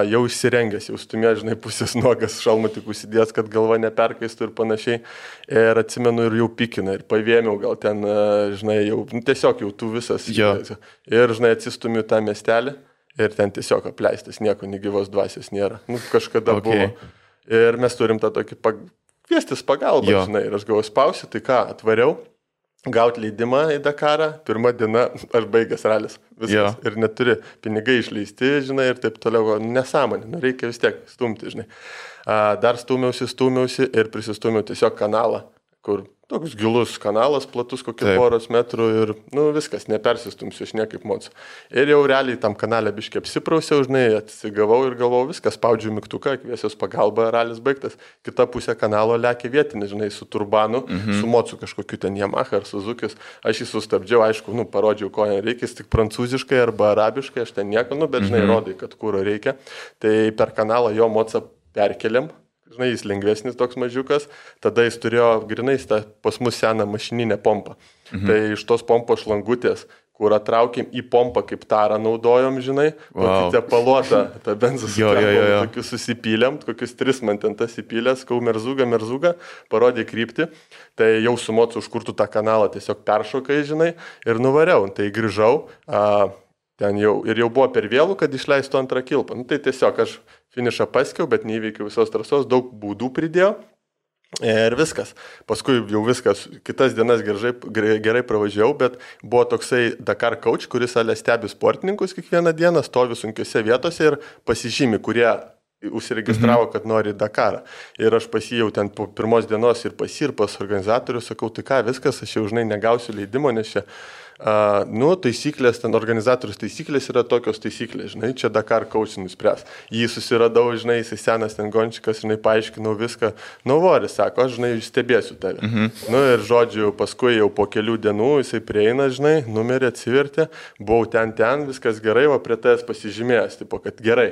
Jau išsirengęs, jau stumė, žinai, pusės nuogas, šalmą tik užsidės, kad galva neperkaistų ir panašiai. Ir atsimenu ir jau pikina, ir pavėmiau gal ten, žinai, jau tiesiog jau tu visas. Ir, žinai, atsistumiu tą miestelį ir ten tiesiog apleistas, nieko negyvos dvasios nėra. Kažkada buvo. Ir mes turim tą tokį kviestis pagalbą, žinai, ir aš gavau spausiu, tai ką, atvariau. Gauti leidimą į Dakarą, pirmą dieną aš baigęs ralis, viskas, ir neturi pinigai išleisti, žinai, ir taip toliau, nesąmonė, reikia vis tiek stumti, žinai. Dar stūmiausi ir prisistūmiau tiesiog kanalą, kur toks gilus kanalas, platus kokių poros metrų ir, viskas, nepersistumsiu, aš niekaip mocu. Ir jau realiai tam kanalę biškai apsiprausiau, žinai, atsigavau ir galvau, viskas, spaudžiu mygtuką, kviesios pagalba, ralis baigtas. Kita pusė kanalo lekia vietinė, žinai, su turbanu, su mocu kažkokiu ten Yamaha ar Suzukis. Aš jį sustabdžiau, aišku, parodžiau, ko reikia, tik prancūziškai arba arabiškai, aš ten nieko, bet, žinai, rodai, kad kūro reikia. Tai per kanalą jo mocą perkeliam. Žinai, jis lengvesnis toks mažiukas, tada jis turėjo grinais tą pas mus seną mašininę pompą. Tai iš tos pompos šlangutės, kur atraukėm į pompą kaip tarą naudojom, žinai, tepaluotą tą benzus, tokius susipylėm, kokius 3 man ten tas įpylės, kau merzugą, parodė kryptį, tai jau su mocu užkurtų tą kanalą tiesiog peršokai, žinai, ir nuvariau, tai grįžau. ten jau buvo per vėlų, kad išleistų antrą kilpą. Nu, tai tiesiog aš finišą paskiau, bet neįveikiau visos trasos, daug būdų pridėjau. Ir viskas. Paskui jau viskas, kitas dienas gerai pravažiavau, bet buvo toksai Dakar coach, kuris stebi sportininkus kiekvieną dieną, stovi sunkiose vietose ir pasižymi, kurie užsiregistravo, kad nori Dakarą. Ir aš pasijau ten po pirmos dienos ir pas organizatorių, sakau, tai ką, viskas, aš jau žinai negausiu leidimo, nes čia taisyklės, ten organizatorius taisyklės yra tokios taisyklės, žinai, čia Dakar coach nuspręs. Jį susiradau, žinai, jisai senas ten gončikas, žinai, paaiškinau viską. Voris, sako, aš, žinai, stebėsiu tave. Ir žodžiu, paskui jau po kelių dienų jisai prieina, žinai, numerį atsivertė, buvau ten, viskas gerai, o prie tavęs pasižymėjęs, tipo, kad gerai.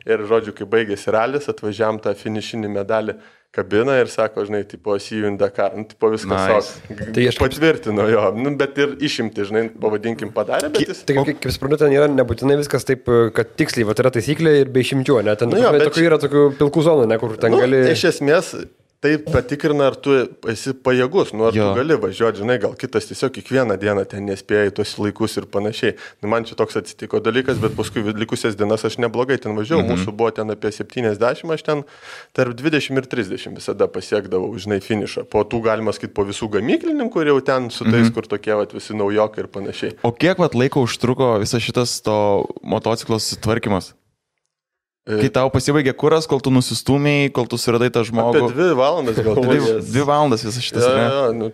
Ir žodžiu, kai baigėsi ralis, atvažiavam tą finišinį medalį kabiną ir sako, žinai, tipo, see you in Dakar. Tipo, viskas tai aš patvirtino jo, bet ir išimti, žinai, pavadinkim, padarė, bet jis... Tai kaip suprantu, ten yra nebūtinai viskas taip, kad tiksliai, va, yra taisyklė ir be išimčių, ne? Ten yra tokių pilkų zonų, ne, kur ten gali... Iš esmės, tai patikrina, ar tu esi pajėgus, ar tu gali važiuoti, žinai, gal kitas tiesiog kiekvieną dieną ten nespėjai tuos laikus ir panašiai. Man čia toks atsitiko dalykas, bet paskui likusias dienas aš neblogai ten važiavau, mūsų buvo ten apie 70, aš ten tarp 20 ir 30 visada pasiekdavau, žinai, finišą. Po tų galima sakyti po visų gamyklininkų ir jau ten su tais, kur tokie visi naujokai ir panašiai. O kiek laiko užtruko visas šitas to motociklo sutvarkymas? Kai tau pasibaigė kuras, kol tu nusistūmėjai, kol tu suradai tą žmogų. Apie 2 valandas gal. 2 valandas visas šitas.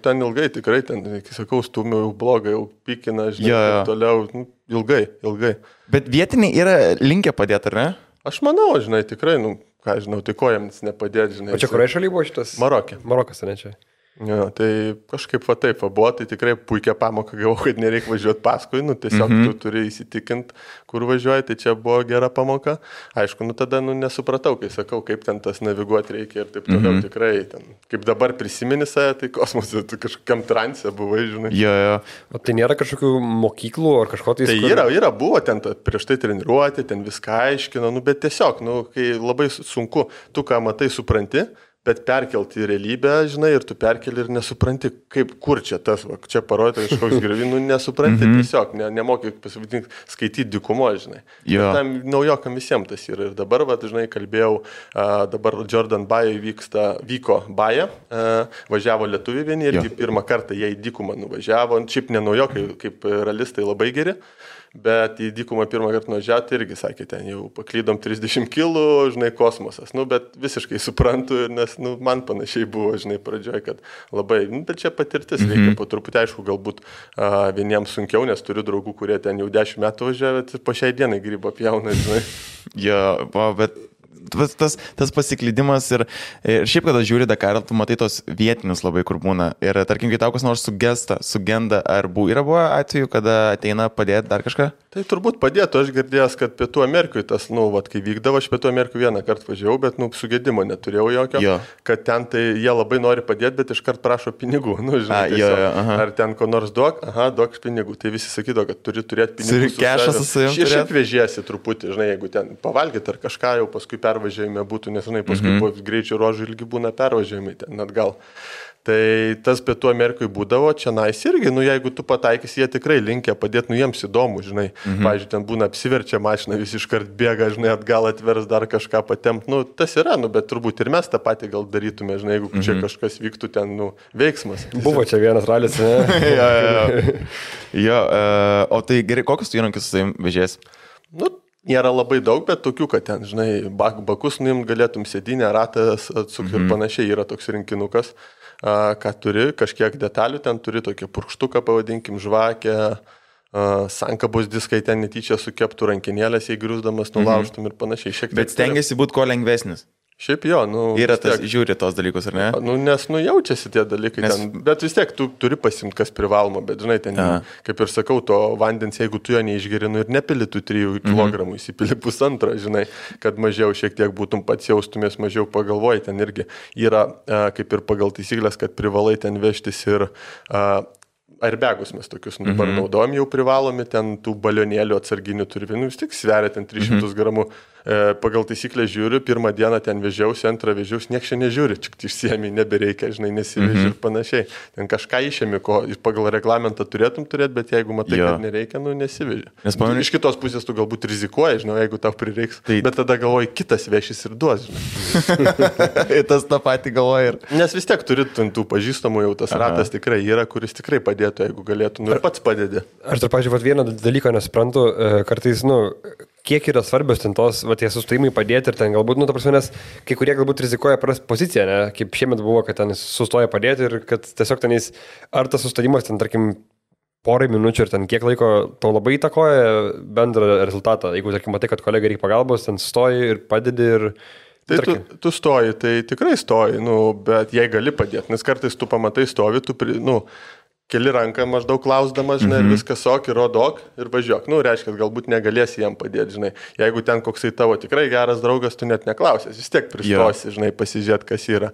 Ten ilgai tikrai, ten, kai sakau, stūmiau jau blogą, jau pikina, žinai, toliau, ilgai. Bet vietiniai yra linkę padėti, ar ne? Aš manau, žinai, tikrai, ką žinau, tai ko jiems nepadėti, žinai. O čia kurai šaly buvo šitas? Marokė. Marokas, ne čia? Ja, tai kažkaip taip buvo, tai tikrai puikia pamoka gavau, kad nereikia važiuoti paskui, tiesiog tu turi įsitikinti, kur važiuoji, tai čia buvo gera pamoka. Aišku, tada nesupratau, kai sakau, kaip ten tas naviguoti reikia ir taip toliau, tikrai ten, kaip dabar prisimeni save, tai kosmose, tu kažkokiam transe buvai, žinai. Jo. O tai nėra kažkokių mokyklų ar kažko tai... Tai yra, buvo ten prieš tai treniruoti, ten viską aiškino, bet tiesiog, kai labai sunku, tu ką matai, supranti, bet perkelti į realybę, žinai, ir tu perkeli ir nesupranti, kur čia tas, čia parodė kažkoks griuvinų, nesupranti, tiesiog, nemoki pasivadinti, skaityti dykumo, žinai. Tam naujokam visiems tas yra. Ir dabar, žinai, kalbėjau, dabar Jordan Baja vyko Baja, važiavo lietuviai vieni, irgi pirmą kartą jie į dykumą nuvažiavo, šiaip ne naujokai, kaip realistai labai geri. Bet į dykumą pirmą kartą nuvažiavti irgi, sakė, ten jau paklydom 30 kilų, žinai, kosmosas. Bet visiškai suprantu, nes, man panašiai buvo, žinai, pradžioj, kad labai, bet čia patirtis reikia po truputį, aišku, galbūt vieniems sunkiau, nes turiu draugų, kurie ten jau 10 metų važiavę ir po šiai dienai grybą pjauna, žinai. Bet tas pasiklydimas ir šiaip, kada žiūri Dakarą, tu matai tos vietinius labai, kur būna. Ir tarkim, kai tau kas nors sugenda, ar yra buvo atveju, kada ateina padėti dar kažką? Tai turbūt padėtų, aš girdėjęs, kad Pietų Amerikoje tas, kai vykdavo, aš Pietų Amerikoje vieną kartą važiavau, bet, sugedimo neturėjau jokio, kad ten tai jie labai nori padėti, bet iškart prašo pinigų, žinai, ar ten ko nors duok pinigų, tai visi sakydavo, kad turi turėti pinigų. Turi kešą su savimi. Šiaip vežėsi truputį, žinai, jeigu ten pavalgyti ar kažką jau paskui pervažiavime būtų, nes, žinai, paskui po greičio ruožų ilgi būna pervažiavimai ten atgal. Tai tas Pietų Amerikoje būdavo, čia nais irgi, jeigu tu pataikysi, jie tikrai linkia padėti, jiems įdomu, žinai. Pavyzdžiui, ten būna apsiverčia mašina, visi iškart bėga, žinai, atgal atvers dar kažką patempt. Tas yra, bet turbūt ir mes tą patį gal darytume, žinai, jeigu čia kažkas vyktų ten, veiksmas. Buvo čia vienas ralis, ne? O tai gerai, kokius tu įrankius su savim vežės? Nėra labai daug, bet tokių, kad ten, žinai, bakus nuimt galėtum, sėdinę, ratas atsukti ir panašiai, yra toks rinkinukas. Ką turi, kažkiek detalių, ten turi tokį purkštuką, pavadinkim, žvakę, sankabos diskai ten netyčia sukeptų rankinėlės, jei griūsdamas nulaužtum ir panašiai. Bet stengiasi būti kuo lengvesnis. Šiaip jo, yra tas, žiūri tos dalykus, ar ne? Nes jaučiasi tie dalykai ten, bet vis tiek tu turi pasimti, kas privaloma, bet žinai, ten, kaip ir sakau, to vandens, jeigu tu jo neišgerinu ir nepili tų 3 kg, įsipili 1,5, žinai, kad mažiau šiek tiek būtum pats jaustumės, mažiau pagalvoji, ten irgi yra, kaip ir pagal taisyklės, kad privalai ten vežtis ir airbagus mes tokius dabar naudojam, jau privalomi, ten tų balionėlių atsarginių turi, vis tik sveria ten 300 gramų. Pagal taisyklę žiūriu, pirmą dieną ten vežiausi, antrą vežiausi, nieks čia nežiūri, tik išsiemi, nebereikia, žinai, nesiveži ir panašiai. Ten kažką išėmi, ko pagal reglamentą turėtum turėti, bet jeigu matai, kad nereikia, nesiveži. Iš kitos pusės tu galbūt rizikuoji, žinai, jeigu tau prireiks, bet tada galvoji, kitas vešis ir duos, žinai. Tas tą patį galvoja ir... Nes vis tiek turi tų pažįstamų, jau tas ratas tikrai yra, kuris tikrai padėtų, jeigu galėtų, ir pats padėdė. Aš dar, pažiūrėjau, vieną dalyką nesuprantu, kartais, kiek yra svarbios ten tos, tie sustojimai padėti ir ten galbūt, ta prasme, nes kai kurie galbūt rizikuoja prarasti poziciją, ne? Kaip šiemet buvo, kad ten sustoja padėti ir kad tiesiog tenais, ar tas sustojimas ten, tarkim, porai minučių ir ten kiek laiko to labai įtakoja bendrą rezultatą. Jeigu, tarkim, matai, kad kolegai reikia pagalbos, ten stoji ir padedi ir... Tai tu stoji, tai tikrai stoji, bet jei gali padėti, nes kartais tu pamatai stovi, keli ranką maždaug klausdamas, žinai, viskas ok, rodok ir važiuok. Reiškia, galbūt negalėsi jam padėti, žinai. Jeigu ten koksai tavo tikrai geras draugas, tu net neklausęs, vis tiek pristosi, žinai, pasižiūrėt, kas yra.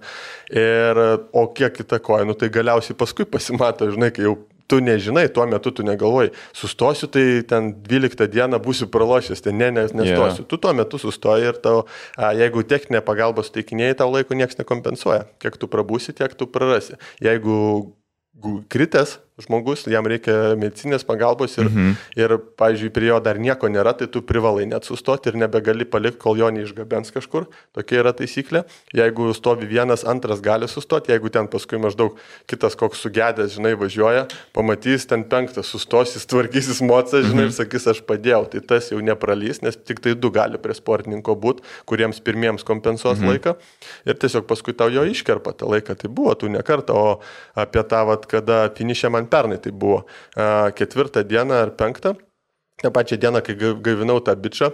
O kiek įtakoja, tai galiausiai paskui pasimato, žinai, kai jau tu nežinai, tuo metu tu negalvoji, sustosiu, tai ten 12 dieną būsiu pralošęs, tai nestosiu. Tu tuo metu sustoji ir tau, jeigu techninė pagalba suteikinėjai, tau laiko nieks nekompensuoja. Kiek tu prabūsi, tiek tu prarasi. Jeigu kritęs žmogus, jam reikia medicinės pagalbos ir, pavyzdžiui, prie jo dar nieko nėra, tai tu privalai net sustoti ir nebegali palikti, kol jo neišgabens kažkur. Tokia yra taisyklė. Jeigu stovi vienas, antras gali sustoti, jeigu ten paskui maždaug kitas koks sugedęs, žinai, važiuoja, pamatys ten penktas, sustosis, tvarkysis mocas, žinai, ir sakys, aš padėjau. Tai tas jau nepralys, nes tik tai 2 gali prie sportininko būti, kuriems pirmiems kompensuos laiką. Ir tiesiog paskui tau jo iškerpa tą laiką. Tai buvo tų nekartą, o apie tą, kada finišė man pernai, tai buvo 4 dieną ar 5. tą pačią dieną, kai gaivinau tą bičą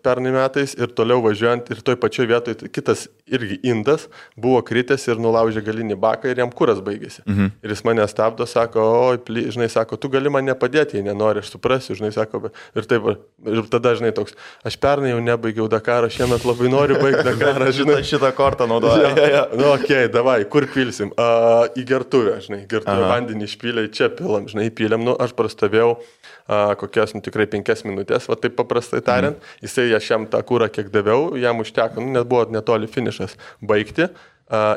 pernai metais ir toliau važiuojant ir toj pačioj vietoj kitas irgi indas buvo kritęs ir nulaužė galinį baką ir jam kuras baigėsi. Ir jis mane stabdo, sako, oi, žinai, sako, tu gali man nepadėti, jei nenori, aš suprasiu, žinai, sako, ir taip, ir tada, žinai, toks, aš pernai jau nebaigiau Dakarą, šiemet labai noriu baigti Dakarą, žinai. Šitą kortą naudoju. Nu, okei, davai, kur pilsim? Į gertuvę, žinai, gertuvę vandenį išpylė, čia pilam, žinai, įpylėm, nu, aš prastovėjau kokias, tikrai 5 minutės, va taip paprastai tariant, jisai aš jam tą kūrą kiek daviau, jam užteko, nes buvo netoli finišas baigti.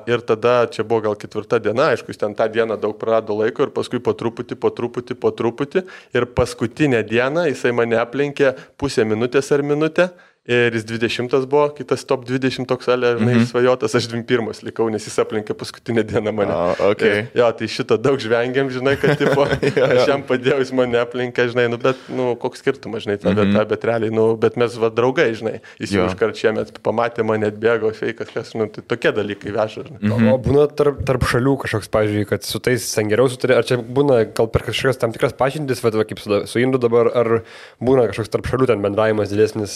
Ir tada čia buvo gal 4 diena, aišku, jis ten tą dieną daug prarado laiko ir paskui po truputį ir paskutinę dieną jisai mane aplenkė pusę minutės ar minutę. Ir jis 20 buvo, kitas top 20 toks žinai, svajotas, aš 21 likau, nes jis aplenkė paskutinę dieną mane. Okay. Jo, tai šitą daug žvengiam, žinai, kad tipo, aš jam padėjau, jis mane aplenkė, žinai, nu, bet, nu, koks skirtumas, žinai, ta vieta, bet realiai, nu, bet mes va draugai, žinai, jis jau iškart šiemet pamatė mane, atbėgo, feikas, kas, nu, tai tokie dalykai veža, žinai. O būna tarp šalių kažkoks, pavyzdžiui, kad su tais ten geriau sutarė, ar čia būna gal per kažkokias tam tikras pažintis, va, kaip su Indu dabar, ar būna kažkoks tarp šalių ten bendravimas didesnis?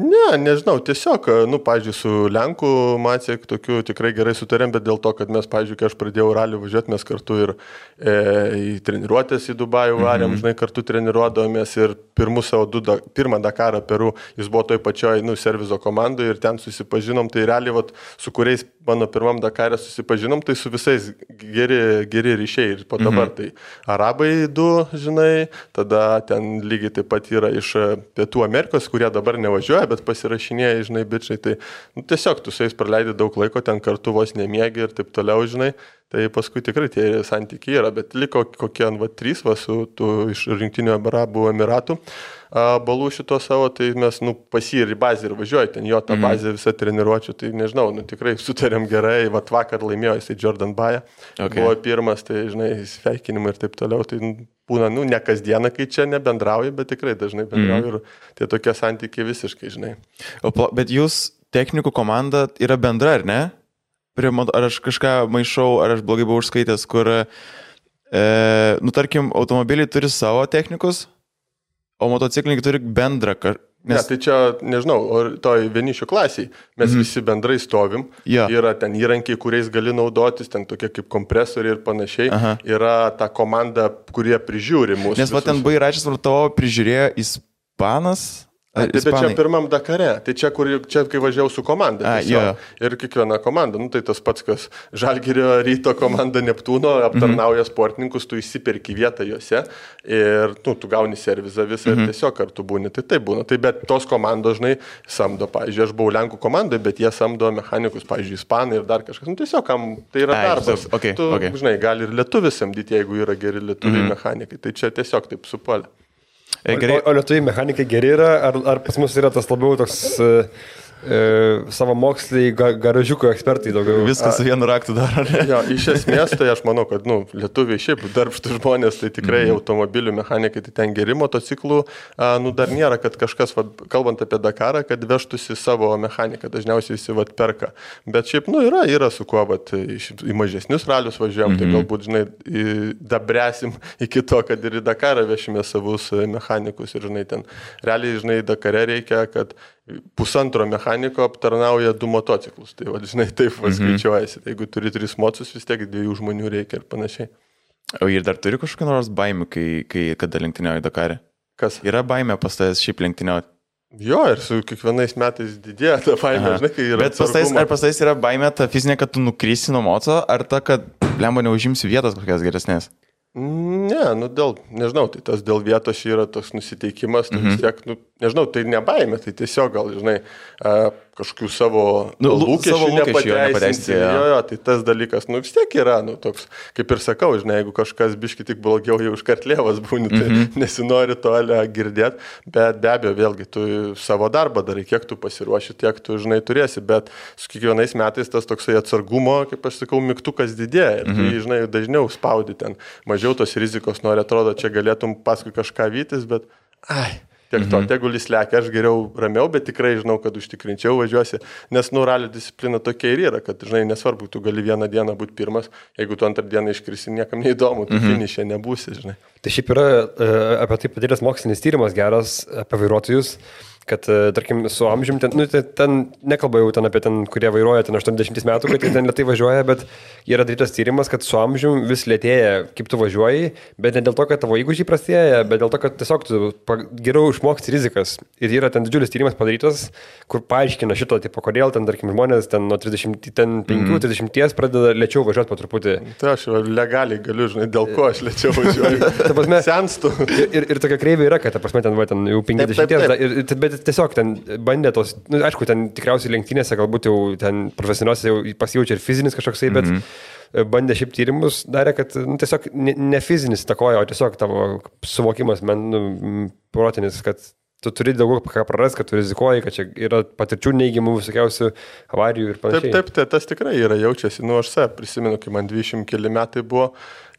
Ne, nežinau, tiesiog, nu, pavyzdžiui, su Lenku Maciek tokiu tikrai gerai sutarėm, bet dėl to, kad mes, pavyzdžiui, kai aš pradėjau ralį važiuoti, mes kartu ir į treniruotės į Dubajų varėm, žinai, kartu treniruodavomės ir pirmą Dakarą Peru, jis buvo toj pačioj, nu, servizo komandoje ir ten susipažinom, tai realiai, vat, su kuriais mano pirmam Dakarė susipažinom, tai su visais geri ryšiai ir po dabar tai arabai 2, žinai, tada ten lygiai taip pat yra iš Pietų Amerikos, kurie dabar nevažiuoja, bet pasirašinėja, žinai, bičiai, tai nu, tiesiog tu su jais praleidai daug laiko, ten kartu vos nemiegi ir taip toliau, žinai, tai paskui tikrai tie santykiai yra, bet liko kokie 3 su iš Rinktinių Arabų Emiratų balų šito savo, tai mes, nu, pasį ir į bazę ir važiuoju, ten jo tą bazę visą treniruočių, tai nežinau, nu, tikrai sutarėm gerai, vat vakar laimėjo jisai Jordan Baja, buvo pirmas, tai, žinai, sveikinimai ir taip toliau, tai būna, nu, ne kasdieną, kai čia nebendrauji, bet tikrai dažnai bendrauji ir tie tokie santykiai visiškai, žinai. Bet jūs technikų komanda yra bendra, ar ne? Ar aš kažką maišau, ar aš blogai buvau užskaitęs, kur, nu, tarkim, automobiliai turi savo technikus, o motociklininkai turi bendrą. Ne, tai čia, nežinau, toj vienišių klasiai mes visi bendrai stovim, yra ten įrankiai, kuriais gali naudotis, ten tokie kaip kompresoriai ir panašiai, yra ta komanda, kurie prižiūri mūsų. Nes va ten Bairačius tavo prižiūrėjo Ispanas, Bet čia pirmam Dakare, tai čia kai važiavau su komanda. Ir kiekviena komanda, tai tas pats, kas Žalgirio Ryto komanda Neptūno aptarnauja sportininkus, tu įsiperki vietą juose ir tu gauni servizą visą ir tiesiog kartu būni. Tai taip būna. Tai bet tos komandos, žinai, samdo, pavyzdžiui, aš buvau Lenkų komandoje, bet jie samdo mechanikus, pavyzdžiui, ispanai ir dar kažkas. Tiesiog tai yra darbas. Žinai, gali ir lietuvis samdyti, jeigu yra geri lietuviai mechanikai. Tai čia tiesiog taip supuolė. O lietuviai mechanikai geri yra, ar pas mus yra tas labiau toks savo moksliai garažiuko ekspertai daugiau? Viskas su vienu raktu daro. Jo, iš esmės, tai aš manau, kad lietuviai šiaip darbštų žmonės, tai tikrai automobilių mechanikai, tai ten geri motociklų, dar nėra, kad kažkas, kalbant apie Dakarą, kad vežtųsi savo mechaniką, dažniausiai visi perka. Bet šiaip, yra su kuo, į mažesnius ralius važiuojam, tai galbūt, žinai, dabręsim iki to, kad ir į Dakarą vešime savus mechanikus ir, žinai, ten realiai, žinai, Dakare reikia, kad pusantro mechaniko aptarnauja 2 motociklus. Tai, žinai, taip skaičiuojasi. Tai jeigu turi 3 mocus, vis tiek 2 žmonių reikia ir panašiai. O ir dar turi kažkokią nors baimę, kada lenktyniauji Dakare? Kas? Yra baimė pas tavęs šiaip lenktyniauti? Jo, ir su kiekvienais metais didėja ta baimė, žinai, kai yra. Bet pas tavęs yra baimė ta fizinė, kad tu nukrysi nuo moco, ar ta, kad lemba neužimsi vietos kokias geresnės? Ne, nežinau, tai tas dėl vietos yra toks nusiteikimas, tai vis tiek, nežinau, tai ne baimė, tai tiesiog gal, žinai, kažkokių savo lūkesčių nepateisinti. Jo, tai tas dalykas, vis tiek yra, toks, kaip ir sakau, žinai, jeigu kažkas biški tik blogiau jau iškartlėvas būni, tai nesinori to girdėti, bet be abejo, vėlgi, tu savo darbą darai, kiek tu pasiruoši, tiek tu, žinai, turėsi, bet su kiekvienais metais tas toksai atsargumo, kaip aš sakau, mygtukas didėja ir tu, žinai, dažniau spaudi ten, mažiau tos rizikos nori, atrodo, čia galėtum paskui kažką vytis, bet tiek to, tegul jis lekia, aš geriau ramiau, bet tikrai žinau, kad užtikrinčiau važiuosi, nes ralio disciplina tokia ir yra, kad, žinai, nesvarbu, tu gali vieną dieną būti pirmas, jeigu tu antrą dieną iškrisi, niekam neįdomu, tu finišė nebūsi, žinai. Tai šiaip yra apie tai padaręs mokslinis tyrimas geras apie vairuotojus, kad, tarkim, su amžiumi, ten nekalba jau ten apie ten, kurie vairuoja ten 80 metų, kad jie ten lėtai važiuoja, bet yra darytas tyrimas, kad su amžiumi vis lėtėja, kaip tu važiuoji, bet ne dėl to, kad tavo įgūdžiai prastėja, bet dėl to, kad tiesiog tu geriau išmoksti rizikas. Ir yra ten didžiulis tyrimas padarytas, kur paaiškina šito, tipo, kodėl ten, tarkim, žmonės ten nuo 35-30 pradeda lėčiau važiuoti po truputį. Tai aš legaliai galiu, žinai, dėl ko aš lėčiau važiuoju. Senstu. Ir tokia kreivė yra, kad, ta prasme, ten jau 50, bet tiesiog ten bandė tos, aišku, ten tikriausiai lenktynėse galbūt jau ten profesionaliuose jau pasijaučia ir fizinis kažkoksai, bet bandė šiaip tyrimus, darė, kad tiesiog ne fizinis įtakoja, o tiesiog tavo suvokimas, protinis, kad tu turi daugiau ką praras, kad tu rizikuoji, kad čia yra patirčių neigiamų visokiausių avarijų ir panašiai. Taip, tas tikrai yra, jaučiasi. Aš prisimenu, kai man 20 keli metai buvo,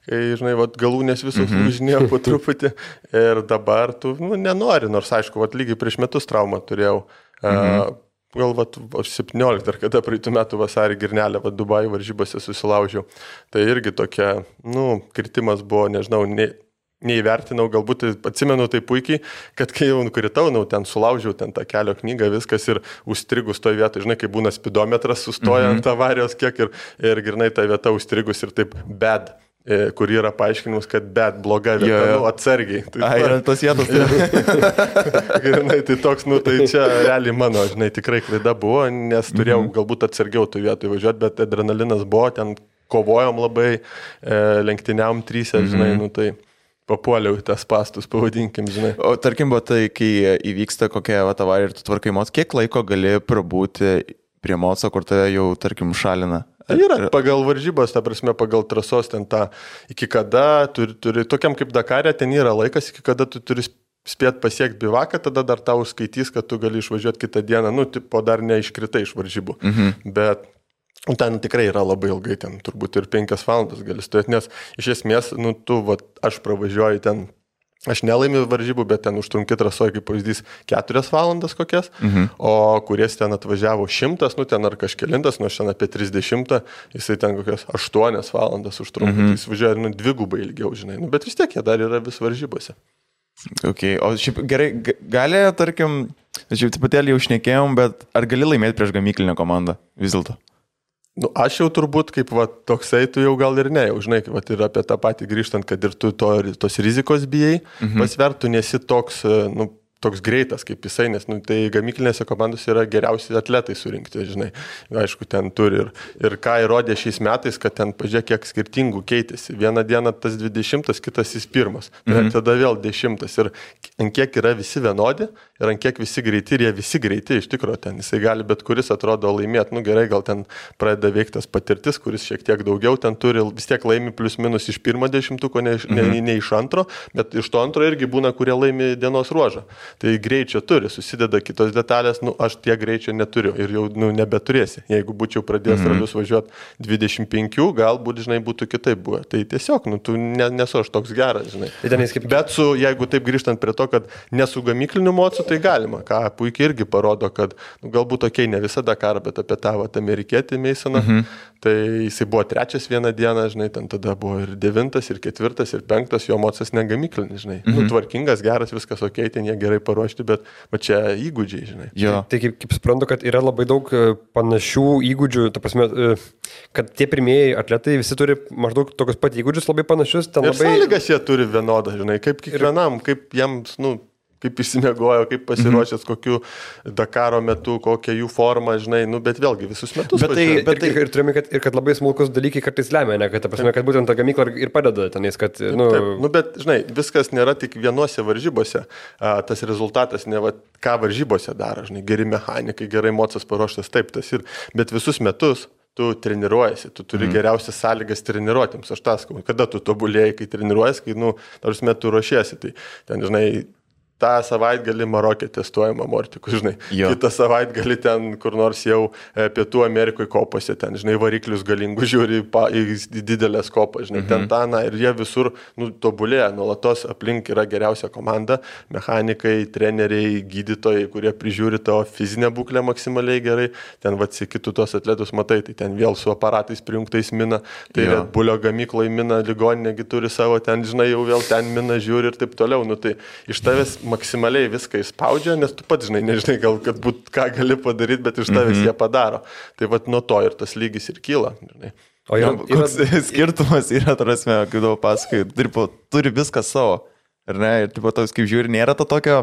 kai, žinai, galūnės visos lūžinėjo po truputį ir dabar tu nenori, nors aišku, lygiai prieš metus traumą turėjau. Gal aš 17 ar kada praeitų metų vasarį Girnelę Dubai varžybose susilaužiau. Tai irgi tokia, kritimas buvo, nežinau, neįvertinau, galbūt atsimenu tai puikiai, kad kai jau nukritau, ten sulaužiau ten tą kelio knygą, viskas ir užstrigus toje vietoje, žinai, kai būna spidometras sustoja ant avarijos kiek ir grynai ta vieta užstrigus ir taip bad, kur yra paaiškinimas, kad bet bloga vieta, atsargiai. Yra tos vietos. Grynai, tai toks, tai čia realiai mano, žinai, tikrai klaida buvo, nes turėjau galbūt atsargiau tų vietų įvažiuoti, bet adrenalinas buvo, ten kovojom labai, lenktyniavom 3, žinai, tai papuoliau į tas pastus, pavadinkim, žinai. O tarkim, tai kai įvyksta kokia avarija ir tu tvarkai moc, kiek laiko gali prabūti prie moco, kur tave jau, tarkim, šalina? Tai yra pagal varžybos, ta prasme, pagal trasos ten tą, iki kada turi, tokiam kaip Dakare, ten yra laikas, iki kada tu turi spėt pasiekti bivaką, tada dar tau skaitys, kad tu gali išvažiuoti kitą dieną, tipo dar neiškritai iš varžybų. Bet ten tikrai yra labai ilgai, ten turbūt ir 5 valandas gali stovėti, nes iš esmės, aš pravažiuoju ten, aš nelaimiu varžybų, bet ten užtrunki trasoje, kaip pavyzdys, 4 valandas kokias, o kuris ten atvažiavo 100, ten ar kažkelintas, aš ten apie 30, jisai ten kokias 8 valandas užtrunka, tai jis važiuoja dvigubai ilgiau, žinai, bet vis tiek jie dar yra vis varžybose. Okay. O šiaip gerai, gali, tarkim, šiaip tipatėlį jau šnekėjom, bet ar gali laimėti prieš gamyklinę komandą vis dėlto? Aš jau turbūt kaip toksai, tu jau gal ir ne, jau žinai, ir apie tą patį grįžtant, kad ir tu tos rizikos bijai, pasvert, tu nesi toks, toks greitas kaip jisai, nes tai gamyklinėse komandose yra geriausi atletai surinkti, žinai. Aišku, ten turi ir ką įrodė šiais metais, kad ten pažiūrėk, kiek skirtingų keitėsi. Vieną dieną tas 20, kitas jis 1. Tada vėl 10. Ir ant kiek yra visi vienodi, ir ant kiek visi greiti, ir jie visi greiti, iš tikrųjų ten. Jisai gali bet kuris atrodo laimėti. Gerai, gal ten pradeda veiktas patirtis, kuris šiek tiek daugiau ten turi, vis tiek laimi plius minus iš 10, ne iš 2, bet iš to 2 irgi būna, kurie laimi dienos ruožą. Tai greičio turi, susideda kitos detalės, aš tiek greičio neturiu ir jau nebeturėsi. Jeigu būčiau pradėjęs ralius važiuoti 25, galbūt, žinai, būtų kitaip buvę. Tai tiesiog, tu nesu aš toks geras, žinai. Bet jeigu taip grįžtant prie to, kad nesu gamykliniu mocu, tai galima, ką puikiai irgi parodo, kad galbūt ne visada karą, bet apie tą amerikietį Meisoną, tai jisai buvo 3 vieną dieną, žinai, ten tada buvo ir 9, ir 4, ir 5, jo mocas negamyklinis, žinai. Tvarkingas, geras, viskas ok, ten jie gerai paruošti, bet čia įgūdžiai, žinai. Jo. Tai kaip suprantu, kad yra labai daug panašių įgūdžių, ta prasme, kad tie pirmieji atletai visi turi maždaug tokius pat įgūdžius, labai panašius. Ir labai... sąlygas jie turi vienodą, žinai, kaip kiekvienam, kaip jiems, kaip išsimiegojo, kaip pasiruošęs, kokiu Dakaro metu, kokia jų forma, žinai, bet vėlgi visus metus. Bet ir turime, kad labai smulkus dalykai kartais lemia, ne, kad būtent ta gamykla ir padeda tenais, kad... Taip, bet, žinai, viskas nėra tik vienose varžybose, tas rezultatas ne ką varžybose daro, žinai, geri mechanikai, gerai mocas paruoštas, taip, tas ir, bet visus metus tu treniruojasi, tu turi geriausias sąlygas treniruotėms, aš tas, kada tu tobulėjai, kai treniruojasi, kai, tarsi metu ruošiesi, tai ten, žinai, tą savaitgalį Marokė testuojama mortikų, žinai. Kitą savaitgalį ten kur nors jau Pietų Amerikoje kopose, ten, žinai, variklius galingų žiūri į didelės kopas, žinai, ten taną ir jie visur tobulėja, nuolatos aplink yra geriausia komanda, mechanikai, treneriai, gydytojai, kurie prižiūri tavo fizinę būklę maksimaliai gerai, ten kitų tos atletus matai, tai ten vėl su aparatais prijungtais mina, tai Red Bullio gamykloje mina, ligoninėgi turi savo, ten, žinai, jau vėl ten mina, žiūri ir taip toliau, tai iš tavęs maksimaliai viską įspaudžia, nes tu pats, žinai, nežinai, gal kad būt ką gali padaryti, bet iš tavęs jie padaro. Tai nuo to ir tas lygis ir kyla. Žinai. O koks skirtumas yra, tarasme, kaip daug pasakai, turi viską savo. Ar ne? Ir toks, kaip žiūri, nėra to tokio,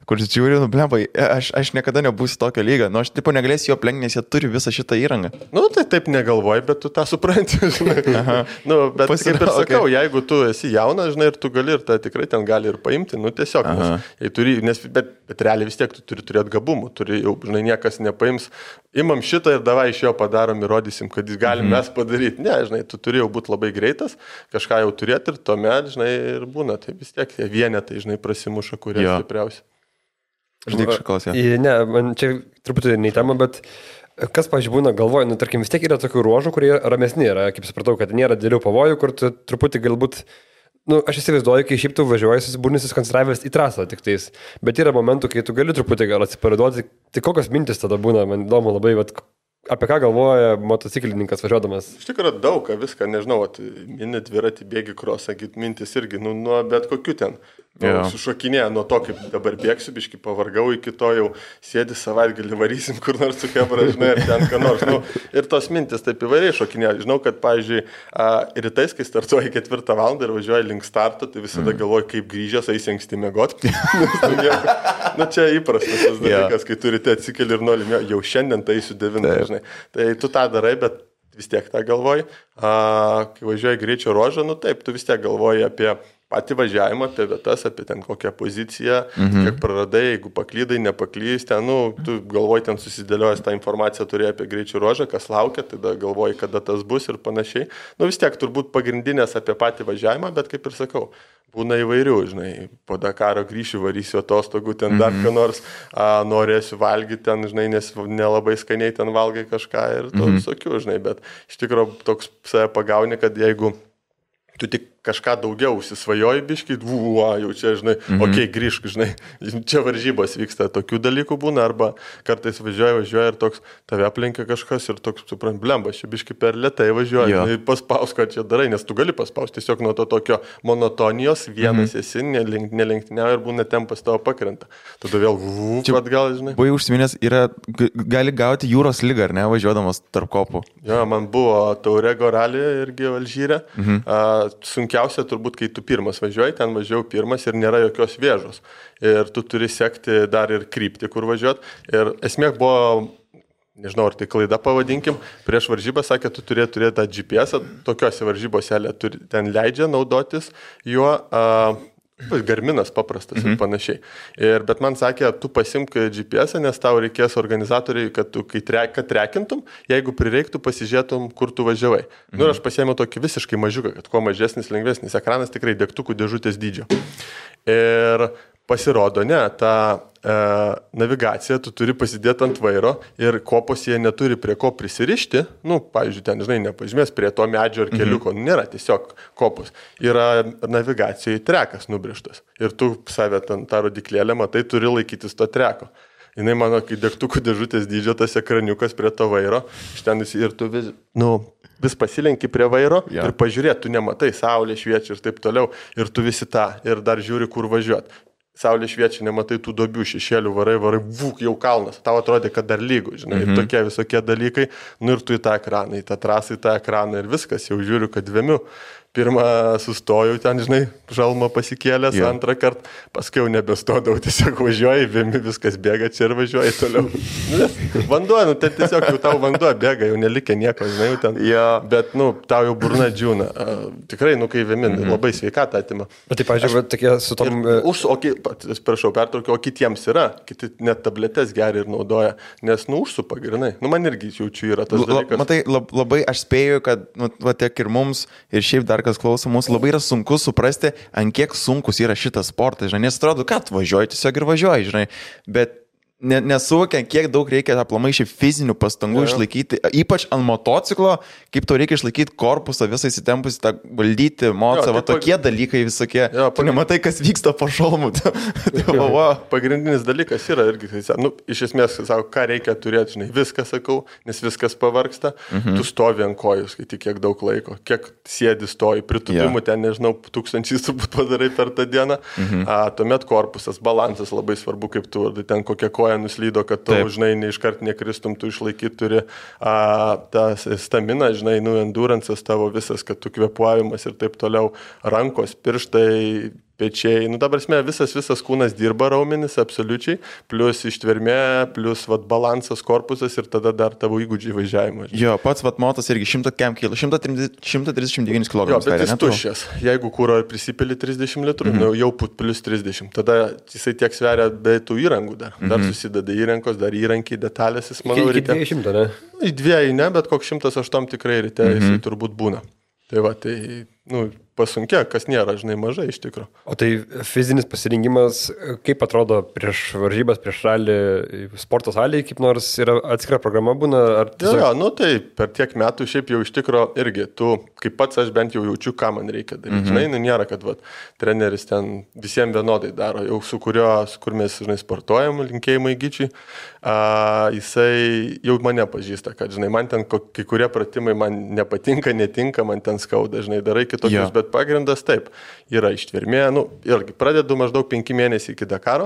kur žiūri, blembai, aš niekada nebūsiu tokio lygio. Aš negalėsiu jo aplenkti, nes jie turi visą šitą įrangą. Tai taip negalvoji, bet tu tą supranti, žinai. Bet kaip ir sakau, jeigu tu esi jaunas, žinai, ir tu gali, ir tai tikrai ten gali ir paimti, tiesiog. Bet realiai vis tiek tu turi turėti gabumų, jau, žinai, niekas nepaims. Imam šitą ir davai iš jo padarom, įrodysim, kad jis galim mes padaryti. Ne, žinai, tu turi jau būti labai greitas, kažką jau turėti ir tuomet, žinai, ir būna. Tai vis tiek tie vienetai, žinai, prasimuša, kurie stipriausi. Žinai, kažkas, Ne, man čia truputį nei tema, bet kas, pavyzdžiui, būna galvoju, tarkim, vis tiek yra tokių ruožų, kurie ramesni yra, kaip supratau, kad nėra didelių pavojų, kur tu truputį galbūt, aš įsivaizduoju, kai šiaip tu važiuoji, susibūni susikoncentravęs į trasą tik tais, bet yra momentų, kai tu gali truputį gal atsipalaiduoti, tai kokios mintis tada būna, man įdomu labai, apie ką galvoja motociklininkas važiuodamas? Iš tikrųjų daug, viską, nežinau, mini dviratį, bėgi krosą, mintis irgi, nuo bet kokių ten. Sušokinėja nuo to, kaip dabar bėgsiu, biškai pavargau, iki to jau sėdi savaitgalį, varysim kur nors su kebra, žinai, ir ten ką nors. Ir tos mintis taip įvairiai šokinėja. Žinau, kad, pavyzdžiui, rytais, kai startuoji 4 valandą ir važiuoji link starto, tai visada galvoji, kaip grįžęs, eisi anksti miegoti. Čia įprastas tas dalykas, kai turite atsikeli ir nori, jau šiandien tai eisiu 9, žinai. Tai tu tą darai, bet vis tiek tą galvoji. Kai važiuoji greičio ruožą, taip, tu vis tiek galvoji apie patį važiavimą, apie vietas, apie ten kokią poziciją, kiek praradai, jeigu paklydai, nepaklys, ten, tu galvoji, ten susidėliojęs tą informaciją turėjai apie greičio ruožą, kas laukia, tada galvoji, kada tas bus ir panašiai. Vis tiek turbūt pagrindinės apie patį važiavimą, bet kaip ir sakau, būna įvairių, žinai, po Dakaro grįšiu, varysiu atostogų, ten dar ką nors, norėsiu valgyti ten, žinai, nes nelabai skaniai ten valgai kažką ir to visokių, žinai, bet iš tikrųjų toks save pagauni, kad jeigu tu tik kažką daugiau užsisvajoji biškai, jau čia, žinai, grįžk, žinai, čia varžybos vyksta, tokių dalykų būna, arba kartais važiuoja ir toks tave aplenkia kažkas ir toks, suprant, blembas, čia biškai per lėtai važiuoja, paspaus, ką čia darai, nes tu gali paspausti tiesiog nuo to tokio monotonijos, vienas esi, nelenktyniauja ir būna tempas tavo pakrenta. Tada vėl atgal, žinai. Buvai užsiminęs, gali gauti jūros ligą, ar ne, važiuodamas tarp kopų? Jo, man buvo Taurego rally irgi Alžyre, sunkiai sunkiausia turbūt, kai tu pirmas važiuoji, ten važiuoju pirmas ir nėra jokios vėžos. Ir tu turi sekti dar ir kryptį, kur važiuot. Ir esmė buvo, nežinau, ar tai klaida pavadinkim, prieš varžybą sakė, tu turėtų turėti tą GPS, tokiuose varžybose ten leidžia naudotis juo, Garminas paprastas ir panašiai. Bet man sakė, tu pasimk GPS, nes tau reikės organizatoriai, kad tu kad trekintum, jeigu prireiktų, pasižiūrėtum, kur tu važiavai. Ir aš pasiėmiau tokį visiškai mažiuką, kad kuo mažesnis, lengvesnis ekranas, tikrai degtukų dėžutės dydžio. Ir pasirodo, ne, ta navigacija tu turi pasidėti ant vairo ir kopos jie neturi prie ko prisirišti, pavyzdžiui, ten, žinai, nepažymės prie to medžio ar keliuko, nėra tiesiog kopos. Yra navigacijai trekas nubrėžtas ir tu save ten tą rodiklėlę matai, turi laikytis to treko. Jinai mano, kai degtukų dėžutės dydžio tas ekraniukas prie to vairo, ir tu vis pasilenki prie vairo ir pažiūrėt, tu nematai, saulė šviečia ir taip toliau, ir tu visi tą, ir dar žiūri, kur važiuot. Saulė šviečia, nematai tų duobių, šešėlių, varai, jau kalnas, tau atrodė, kad dar lygų, žinai, ir tokie visokie dalykai, ir tu į tą ekraną, į tą trasą, į tą ekraną ir viskas, jau žiūriu, kad vėmiu. Pirmą sustojau ten, žinai, žalmą pasikėlęs, antrą kartą, paskui jau nebestodavau, tiesiog važiuoji, vėmi, viskas bėga čia ir važiuoji toliau. Vanduo, tai tiesiog jau tau vanduo bėga, jau nelikė nieko, žinai, jau ten. Bet, tau jau burna džiūna. Tikrai, kai vėmi, labai sveikatą atima. Bet tai, pažiūrėjau, tokie su tom... Prašau, pertraukiau, o kitiems yra, kiti net tabletės geria ir naudoja, nes, užsupa grinai. Man irgi jaučiu yra tas dalykas. Matai, labai aš spėju, kad, tiek ir mums, ir šiaip dar kas klauso mūsų, labai yra sunku suprasti, ant kiek sunkus yra šitas sportas, žinai, nes atrodo, kad važiuoji, tiesiog ir važiuoji, žinai, bet nesuvokiant, kiek daug reikia aplamai šiaip fizinių pastangų išlaikyti, ypač ant motociklo, kaip tau reikia išlaikyti korpusą, visą įsitempusį, tą valdyti motocą, tokie dalykai visokie, tu nematai, kas vyksta po šalmu. Pagrindinis dalykas yra irgi, iš esmės, sako, ką reikia turėti, žinai, viską sakau, nes viskas pavargsta, tu stovi ant kojų, skaitai, kiek daug laiko, kiek sėdi stoji, pritupimų ten, nežinau, 1000 turbūt padarai per tą dieną, tuomet korpusas, balansas labai svarbu, kaip tu, ten kokia koja nuslydo, kad tu, žinai, neiškart nekristum, tu išlaikyti turi tą staminą, žinai, endurance'as tavo visas, kad tu kvėpuojamas ir taip toliau, rankos, pirštai, pečiai, dabar visas kūnas dirba raumenis, absoliučiai, plus ištvermė, plus balansas, korpusas ir tada dar tavo įgūdžiai važiavimo. Jo, pats motas irgi 100 kg, 139 kg. Jo, bet jis tuščias. Jeigu kūro prisipili 30 litrų, jau plus 30, tada jisai tiek sveria be tų įrangų dar. Dar susideda įrankos, dar įrankiai, detalės, jis manau ryte. Iki 200, ne? Į 2 ne, bet koks 108 tikrai ryte jisai turbūt būna. Tai pasunkia, kas nėra, žinai, mažai iš tikrųjų. O tai fizinis pasirengimas, kaip atrodo prieš varžybas, prieš ralį, sporto salėje, kaip nors yra atskira programa būna? Tiesiog... tai per tiek metų šiaip jau iš tikrųjų irgi, tu, kaip pats aš bent jau jaučiu, ką man reikia daryti. Žinai, nėra, kad treneris ten visiems vienodai daro, jau kur mes, žinai, sportuojam, linkėjimai Gyčiui, jisai jau mane pažįsta, kad, žinai, man ten kai kurie pratimai man nepatinka, netinka, man ten skauda, žinai, darai kitokius, bet pagrindas taip, yra ištvermė, irgi pradedu maždaug 5 mėnesiai iki Dakaro,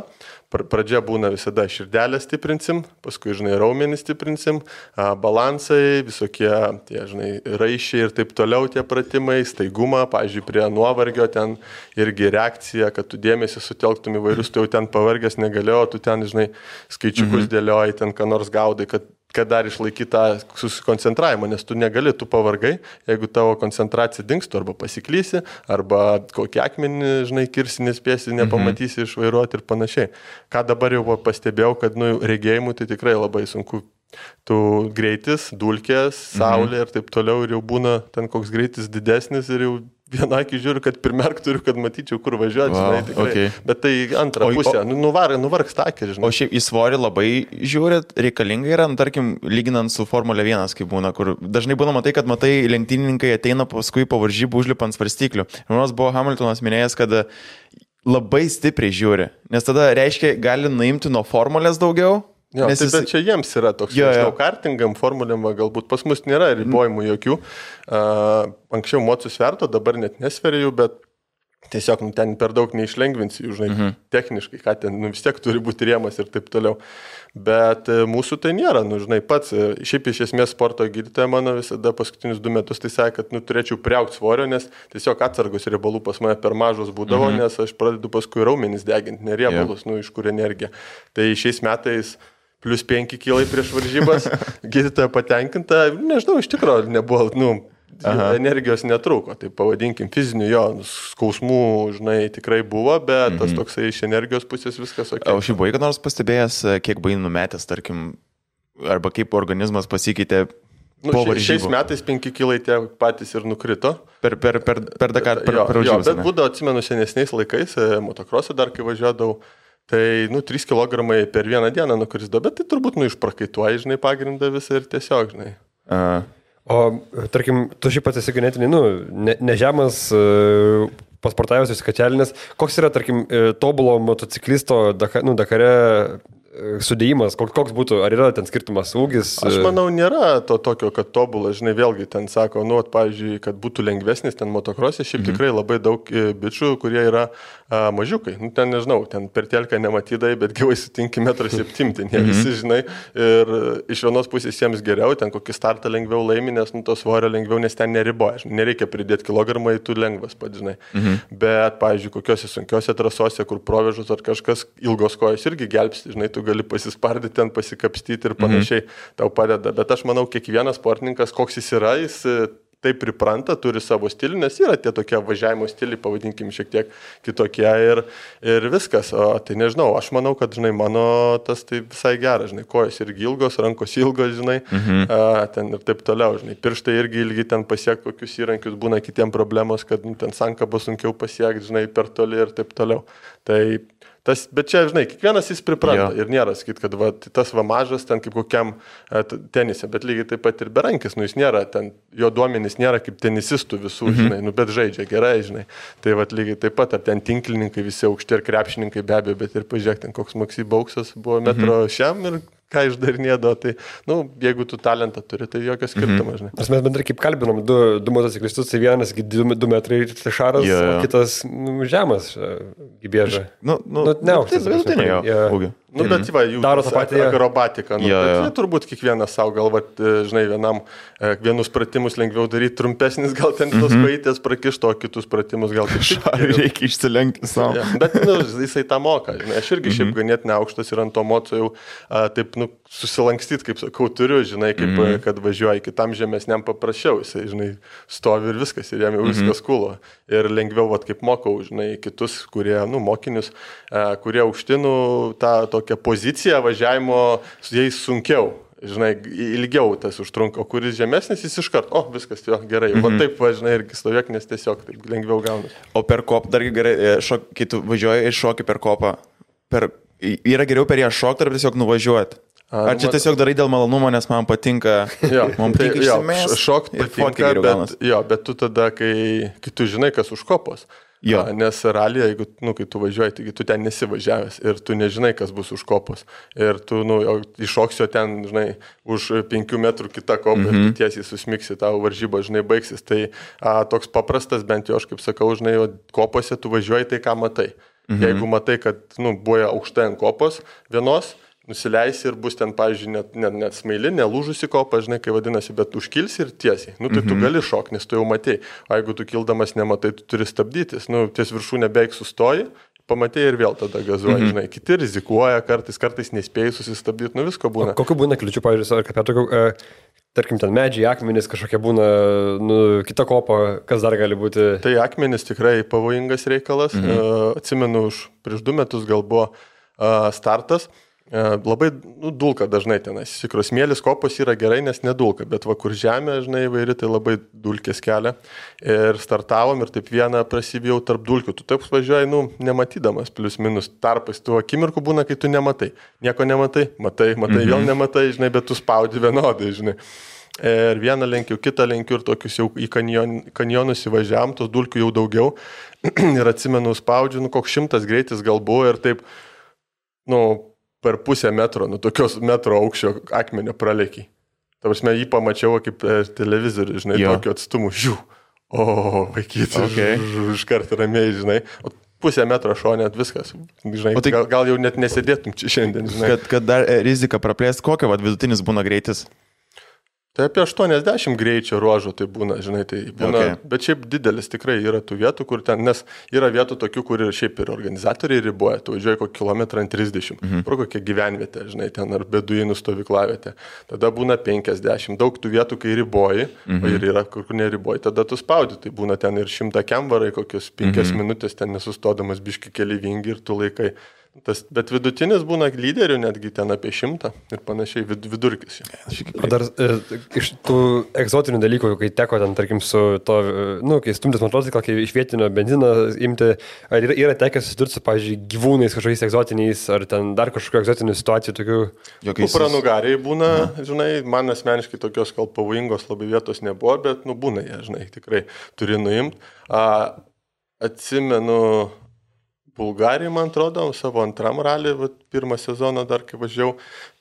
pradžia būna visada širdelę stiprinsim, paskui, žinai, raumenį stiprinsim, balansai, visokie, tie, žinai, raišiai ir taip toliau tie pratimai, staigumą, pavyzdžiui, prie nuovargio ten irgi reakcija, kad tu dėmesį sutelktum įvairius, tu jau ten pavargęs negalėjo, tu ten, žinai, skaičiukus dėlioji, ten ką nors gaudai, kad dar išlaikyti tą susikoncentravimą, nes tu negali, tu pavargai, jeigu tavo koncentracija dingstų, arba pasiklysi, arba kokį akmenį, žinai, kirsi, nespėsi, nepamatysi išvairuoti ir panašiai. Ką dabar jau pastebėjau, kad, regėjimų tai tikrai labai sunku. Tu greitis, dulkės, saulė ir taip toliau, ir jau būna ten koks greitis didesnis ir jau vieną akį žiūriu, kad pirmerk turiu, kad matyčiau, kur važiuoti, žinai, tikrai. Okay. Bet tai antrą pusę, nuvargs takį, žinai. O šiaip į svorį labai žiūrit, reikalinga yra, tarkim, lyginant su Formulė 1, kaip būna, kur dažnai būna tai, kad matai, lenktynininkai ateina paskui po varžybų užlipa ant svarstyklių. Nors buvo Hamiltonas minėjęs, kad labai stipriai žiūri, nes tada reiškia, gali nuimti nuo Formulės daugiau. Jo, bet čia jiems yra toks, žinau, kartingam, formulėm, galbūt pas mus nėra ribojimų jokių. Anksčiau mocų sverto, dabar net nesveriu, bet tiesiog ten per daug neišlengvinsi jų, žinai, techniškai, ką ten, vis tiek turi būti rėmas ir taip toliau. Bet mūsų tai nėra, žinai, pats, šiaip iš esmės sporto gydytoja mano visada paskutinius 2 metus tai sakė, kad turėčiau priaugti svorio, nes tiesiog atsargos riebalų pas mane per mažos būdavo, nes aš pradedu paskui raumenis deginti, ne riebalus, iš kur energija. Tai šiais metais plus 5 kilai prieš varžybas, gydytoja patenkinta, nežinau, iš tikrųjų nebuvo, energijos netrūko, tai pavadinkim fizinių, skausmų, žinai, tikrai buvo, bet tas toksai iš energijos pusės viskas ok. O šiaip buvai, kad nors pastebėjęs, kiek buvai numetęs, tarkim, arba kaip organizmas pasikeitė po varžybų? Šiais metais 5 kilai tie patys ir nukrito. Per Dakar, per varžybas. Bet būdavo, atsimenu, senesniais laikais, motokrosą dar kai važiuodavau, tai, 3 kg per vieną dieną nukrisdavo, bet tai turbūt, išprakaituoji, žinai, pagrindą visą ir tiesiog, žinai. O, tarkim, tu šiaip pats esi ganėtinai, nežemas, pasportavęs, išskačialinės. Koks yra, tarkim, tobulo motociklisto Dakare sudėjimas, koks būtų, ar yra ten skirtumas ūgis? Aš manau, nėra to tokio, kad tobulas, žinai, vėlgi ten sako, pavyzdžiui, kad būtų lengvesnis ten motokrosė, šiaip tikrai labai daug bičių, kurie yra mažiukai. Ten, nežinau, ten per telką nematydai, bet gyvai sutinki 1,7 m, ten jie visi, žinai, ir iš vienos pusės jiems geriau, ten kokį startą lengviau laimi, nes to svorio lengviau, nes ten neriboja, žinai, nereikia pridėti kilogramą, tu lengvas pat, žinai. Bet, pavyzdžiui, kokiose sunkiose trasose, kur provežus ar kažkas ilgos kojos irgi gelbsti, žinai, tu gali pasispardyti ten, pasikapstyti ir panašiai, tau padeda. Bet aš manau, kiekvienas sportininkas, koks jis yra, jis taip pripranta, turi savo stilių, nes yra tie tokie važiavimo stiliai, pavadinkim, šiek tiek kitokie ir viskas. O tai nežinau, aš manau, kad, žinai, mano tas tai visai geras, žinai, kojos irgi ilgos, rankos ilgos, žinai, ten ir taip toliau, žinai, pirštai irgi ilgi ten pasiekti kokius įrankius, būna kitiem problemos, kad ten sankabą sunkiau pasiekti, žinai, per toli ir taip toliau. Tai bet čia, žinai, kiekvienas jis pripranta ir nėra sakyt, kad tas mažas ten kaip kokiam tenise, bet lygiai taip pat ir berankis, jis nėra ten, jo duomenys nėra kaip tenisistų visų, žinai, bet žaidžia gerai, žinai. Tai lygiai taip pat, ar ten tinklininkai visi aukšti ir krepšininkai be abejo, bet ir pažiūrėk, ten koks Maksy Bauksas buvo metro šiam ir ką išdarinėdavo, tai, jeigu tu talentą turi, tai jokios skirtumas, žinai. Mes bendrai kaip kalbinom, du motociklistus, tai vienas 2 metrai šaras, o kitas žemas gybėža. Neaukštas. Bet jų daro tą patį akrobatiką. Bet jie turbūt kiekvienas savo galva, žinai, vienus pratimus lengviau daryti, trumpesnis gal ten tos kojytės prakišto, o kitus pratimus gal tik reikia išsilenkti savo. Bet jisai tą moka, žinai. Aš irgi šiaip ganėtinai aukštas ir ant to moco jau taip, susilankstyti, kaip sakau, turiu, žinai, kaip kad važiuoja kitam žemesniam paprasčiau, jisai, žinai, stovi ir viskas, ir jam jau viskas kulo. Ir lengviau, kaip mokau, žinai, kitus, kurie, mokinius, kurie aukštinu tą tokią poziciją važiavimo, su jais sunkiau. Žinai, ilgiau tas užtrunka, o kuris žemesnis, jis iškart, viskas, gerai, taip, žinai, irgi stovėk, nes tiesiog taip lengviau gaunas. O per kopą, dargi gerai, kai tu važiuoji ir šoki per kopą, yra geriau per ją šokti ar tiesiog nuvažiuoti? Ar čia tiesiog darai dėl malonumo, nes man patinka, šokti patinka, bet tu tada, kai tu žinai, kas už kopos. Nes rallyje, jeigu, kai tu važiuoji, taigi tu ten nesivažiavęs ir tu nežinai, kas bus už kopos. Ir tu, iššoksio ten, žinai, už 5 metrų kitą kopą ir tu tiesiai susmiksi, tavo varžyba, žinai, baigsis. Tai toks paprastas, bent jau aš kaip sakau, žinai, kopose tu važiuoji tai, ką matai. Jeigu matai, kad, buvo aukštai ant kopos vienos, nusileisi ir bus ten, pavyzdžiui, net smaili, nelūžusi kopa, žinai, kai vadinasi, bet užkilsi ir tiesiai. Tai tu gali šokti, nes tu jau matei. O jeigu tu kildamas nematai, tu turi stabdytis. Ties viršūnė beveik sustoji, pamatai ir vėl tada gazuoji, žinai. Kiti rizikuoja, kartais nespėjai susistabdyti, visko būna. Kokiu būna kliučių, pavyzdžiui, ar kaip tokiu, tarkim, ten medžiai, akmenys kažkokie būna, kita kopa, kas dar gali būti? Tai akmenys tikrai pavojingas reikalas. Atsimenu, prieš 2 metus gal buvo startas. Labai dulka dažnai tenais. Tikros smėlis kopos yra gerai, nes nedulka, bet kur žemė, žinai, įvairi, tai labai dulkės kelia. Ir startavom ir taip vieną prasibijau tarp dulkių. Tu taip važiuoji, nematydamas, plius minus tarpais. Tu akimirkų būna, kai tu nematai. Nieko nematai, matai, vėl nematai, žinai, bet tu spaudi vienodai, žinai. Ir vieną lenkiu, kitą lenkiu ir tokius jau į kanjonus įvažiavam, tos dulkių jau daugiau. Ir atsimenu, spaudžiu, koks 100 greitis gal buvo ir taip, per pusę metro, tokios metro aukščio akmenio pralėkiai. Ta prasme, jį pamačiau kaip televizorių, žinai, tokiu atstumu, Vaikyti, iš karto ramiai, žinai. Pusę metro šonė, viskas. Žinai, tai, gal jau net nesėdėtum čia šiandien, žinai. Kad dar rizika praplės, kokio vidutinis būna greitis? Tai apie 80 greičio ruožų tai būna, žinai, tai būna, bet šiaip didelis tikrai yra tų vietų, kur ten, nes yra vietų tokių, kur ir šiaip ir organizatoriai riboja, tu važiuoji kokį kilometrą ant 30, pro kokią gyvenvietę, žinai, ten ar beduinų stovyklavietę, tada būna 50, daug tų vietų, kai riboji, o ir yra, kur neriboji, tada tu spaudi, tai būna ten ir 100 kemvarai, kokios 5 minutės ten nesustodamas biški keli vingi ir tu laikai. Bet vidutinis būna lyderių netgi ten apie 100 ir panašiai vidurkis. O dar iš tų egzotinių dalykų, kai teko ten, tarkim, su to, kai stumtis motociklą, kai iš vietinio benziną imti, ar yra tekę susidurti su, pavyzdžiui, gyvūnais kažkokiais egzotiniais, ar ten dar kažkokių egzotinių situacijų tokių? Kupranugariai būna, žinai, man asmeniškai tokios gal pavojingos labai vietos nebuvo, bet, būna jie, žinai, tikrai turi nuimti. Atsimenu, Bulgarijai, man atrodo, savo antram ralį, pirmą sezoną dar kai važiavau,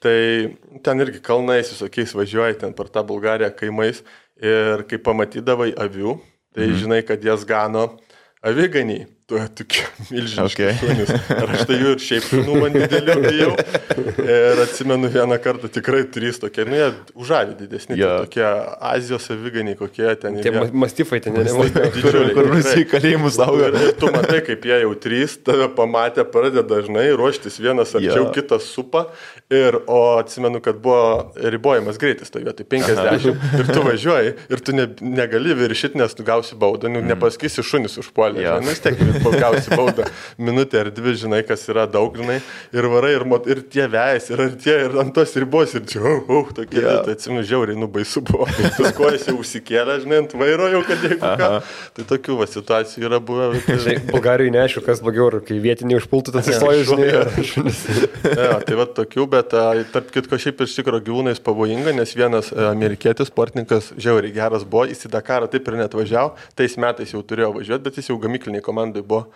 tai ten irgi kalnais visokiais važiuoji, ten per tą Bulgariją kaimais ir kai pamatydavai avių, tai žinai, kad jas gano aviganiai. Tu tokie milžiniški šunys. Ir aš tai jų ir šiaip šunų man didelių bijau. Ir atsimenu vieną kartą tikrai 3 tokie, jie užavį didesni, tokie Azijos aviganiai kokie ten. Tie mastifai ten, kur visi kalėjimus auga. Ir tu matai, kaip jie jau 3, tave pamatė, pradeda dažnai ruoštis, vienas arčiau, kitas supa. O atsimenu, kad buvo ribojamas greitis toje vietoje, 50. Ir tu važiuoji, ir tu negali viršyti, nes tu gausi baudą, nepasakysi šunis užpuolė. Gausi baudą minutę ar 2, žinai, kas yra daug, žinai, ir varai, ir tie vejasi, ir ant tos ribos, ir čia, tokie, tai atsimenu, žiauriai, baisu buvo. Tas kojas jau užsikėlė, žinai, ant vairo jau, kad jeigu ką. Tai tokių situacijų yra buvę. Žinai, Bulgarijai neaišku, kas blogiau, kai vietiniai užpultų, tas įstoja, žinai. Tai tokių, bet tarp kitko šiaip iš tikro gyvūnais pavojinga, nes vienas amerikietis sportininkas žiauriai geras buvo, jis į Dakarą taip ir net važiavo, tais metais jau turėjo važiuoti, bet jis jau gamykliniai komandai buvo.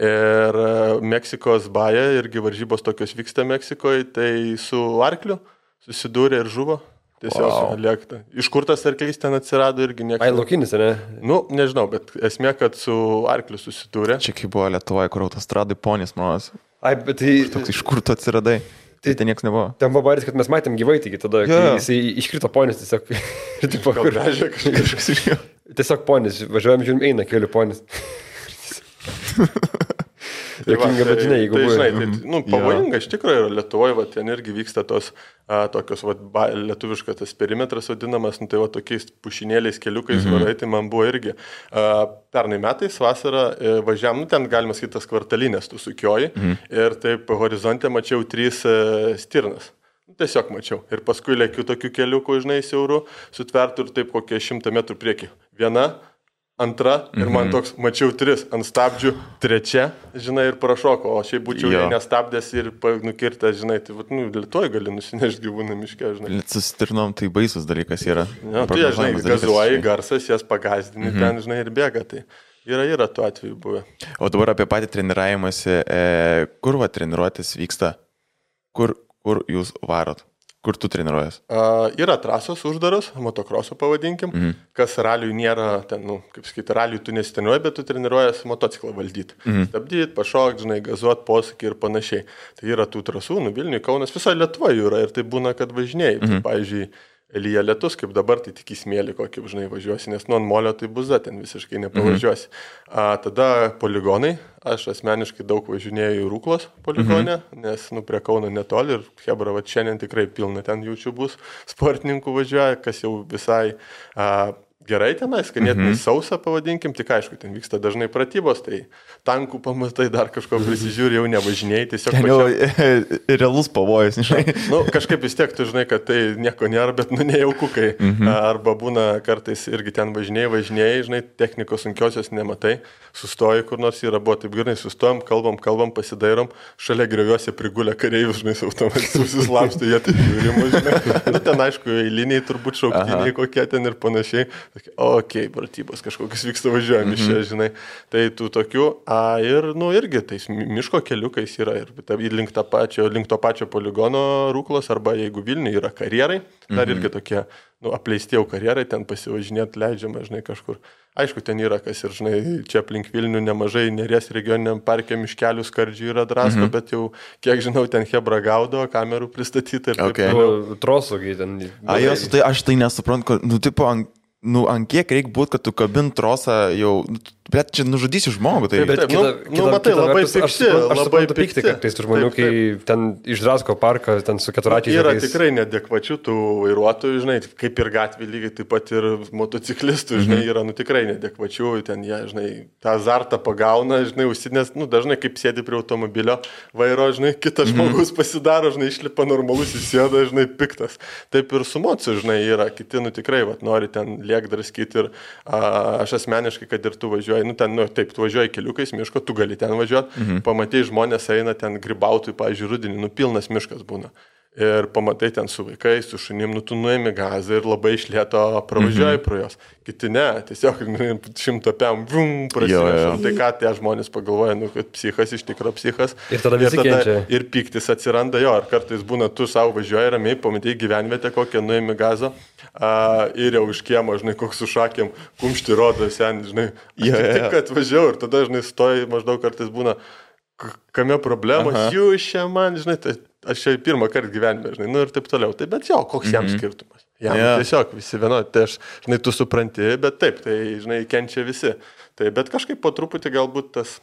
Ir Meksikos baja, irgi varžybos tokios vyksta Meksikoje, tai su arkliu susidūrė ir žuvo. Tiesiog lėkta. Iš kur tas arklys ten atsirado irgi niekas. Laukinis, ne? Nežinau, bet esmė, kad su arkliu susidūrė. Čia kaip buvo Lietuvoje, kur autostradai ponis, manas. Bet tai... Iš kur tu atsiradai? Tai ten nieks nebuvo. Ten buvo baris, kad mes matėm gyvai, taigi tada, kai jisai iškrito ponis, tiesiog... Tiesiog ponis, važiuojam, žiūrim, eina kelių ponis. Jokinga, bet žinai, jeigu buvo... Pavojinga iš tikrųjų yra Lietuvoje, ten irgi vyksta tos tokios, lietuviškas tas perimetras vadinamas, tai tokiais pušinėliais keliukais varai, tai man buvo irgi. Pernai metais vasarą važiavam, ten galima sakyti tas kvartalinės, tu sukioji, ir taip horizonte mačiau 3 stirnas. Tiesiog mačiau. Ir paskui lėkiu tokių keliukų, žinai, siaurų, sutvertų ir taip kokie 100 metrų priekį. Viena, antra, ir man toks, mačiau 3 ant stabdžių, 3, žinai, ir prašoko, o šiaip būčiau jei nestabdęs ir nukirtęs, žinai, tai Lietuvoje gali nusinešti gyvūną miške, žinai. Sustirnom, tai baisus dalykas yra. Tai, žinai, gazuoji, garsas, jas pagazdini ten, žinai, ir bėga, tai yra tų atvejų buvę. O dabar apie patį treniravimąsi, kur treniruotis vyksta? Kur jūs varot? Kur tu treniruojas? Yra trasos uždaros, motokroso pavadinkim, kas raliui nėra, ten, kaip sakyti, raliui tu nesiteniruoji, bet tu treniruojas motociklą valdyti. Stabdyti, pašokti, žinai, gazuoti, posakį ir panašiai. Tai yra tų trasų, Vilniui, Kaunas, visoje Lietuvoje yra ir tai būna, kad važinėjai. Tai, pavyzdžiui, lyja lietus, kaip dabar, tai tik į smėlį kokį, žinai, važiuosi, nes ant molio tai buza, ten visiškai nepavažiuosi. Tada poligonai, aš asmeniškai daug važinėjau į Rūklos poligonę, nes, prie Kauno netoli ir hebra, šiandien tikrai pilna ten jaučiu bus sportininkų važiuoja, kas jau visai gerai tenais, ganėtinai sausa pavadinkim, tik aišku, ten vyksta dažnai pratybos, tai tankų pamatai dar kažko prisižiūri, jau nevažinėjai, tiesiog realus pavojus, žinai. Kažkaip vis tiek tu žinai, kad tai nieko nėra, bet nejaukukai. Arba būna kartais irgi ten važinėjai, žinai, technikos sunkiosios nematai, sustoji kur nors yra, buvo taip gerai, sustojom, kalbam, pasidairom, šalia grioviuose prigulę kareivius, žinai, automatis susislapstė, jie taip žiūrimo, žinai. Ten aišku, eiliniai turbūt šauktiniai kokie ten ir panašiai. Pratybos kažkokius vyksta važiuojami čia, žinai. Tai tų tokių, ir, irgi tais miško keliukais yra ir link to pačio poligono Rūklos, arba jeigu Vilniuje yra karjerai, dar irgi tokie, apleisti jau karjerai, ten pasivažinėti leidžiama, žinai, kažkur. Aišku, ten yra kas ir, žinai, čia aplink Vilnių nemažai Neries regioniniam parke miškelių skardžių yra drasko, bet jau, kiek žinau, ten Hebra gaudo, kamerų pristatyta ir taip. Trosogiai ten. Tai aš tai nesuprantu, ant kiek reikia būti, kad tu kabint trosą jau, bet čia nužudysi žmogų. Tai... Taip, matai, labai pikti. Labai pikti, kad tai žmonių, kai ten išdrasko parką, ten su keturačiais. Yra tikrai nedekvačių tų vairuotojų, žinai, kaip ir gatvė lygiai, taip pat ir motociklistų, žinai, yra tikrai nedekvačių, ten jie, žinai, tą azartą pagauna, žinai, užsidės, dažnai kaip sėdi prie automobilio vairo, žinai, kitas žmogus pasidaro, žinai, išlipa normalus, įsėda, žinai, piktas. Taip ir su mocu, žinai, yra kiti, tikrai, nori ten liekdraskyti ir aš asmeniškai, kad ir tu važiuoji, taip, tu važiuoji keliukais miško, tu gali ten važiuoti, pamatai žmonės eina ten grybautojų, pavyzdžiui, rudenį, pilnas miškas būna. Ir pamatai ten su vaikais, su šunim, tu nuėmi gazą ir labai iš lėto pravažiuoji pro jos. Kiti ne, tiesiog 100 pėm, prasidėjo. Tai ką tie žmonės pagalvoja, kad psichas iš tikro psichas. Ir tada visi kenčia. Ir piktis atsiranda jo, ar kartais būna, tu savo važiuoji ramiai, pamatai gyvenvietę kokią, nuėmi gazą ir jau iš kiemo, žinai, koks su šakėm, kumšti rodo sen, žinai. Tik, kad važiuoju ir tada, žinai, stoji, maždaug kartais būna, kame problemos, jūs čia man, žinai, tai aš čia pirmą kartą gyvenime, žinai, ir taip toliau. Tai bet jo, koks jam skirtumas. Jam tiesiog visi vienodi, tai aš, žinai, tu supranti, bet taip, tai, žinai, kenčia visi. Tai bet kažkaip po truputį galbūt tas...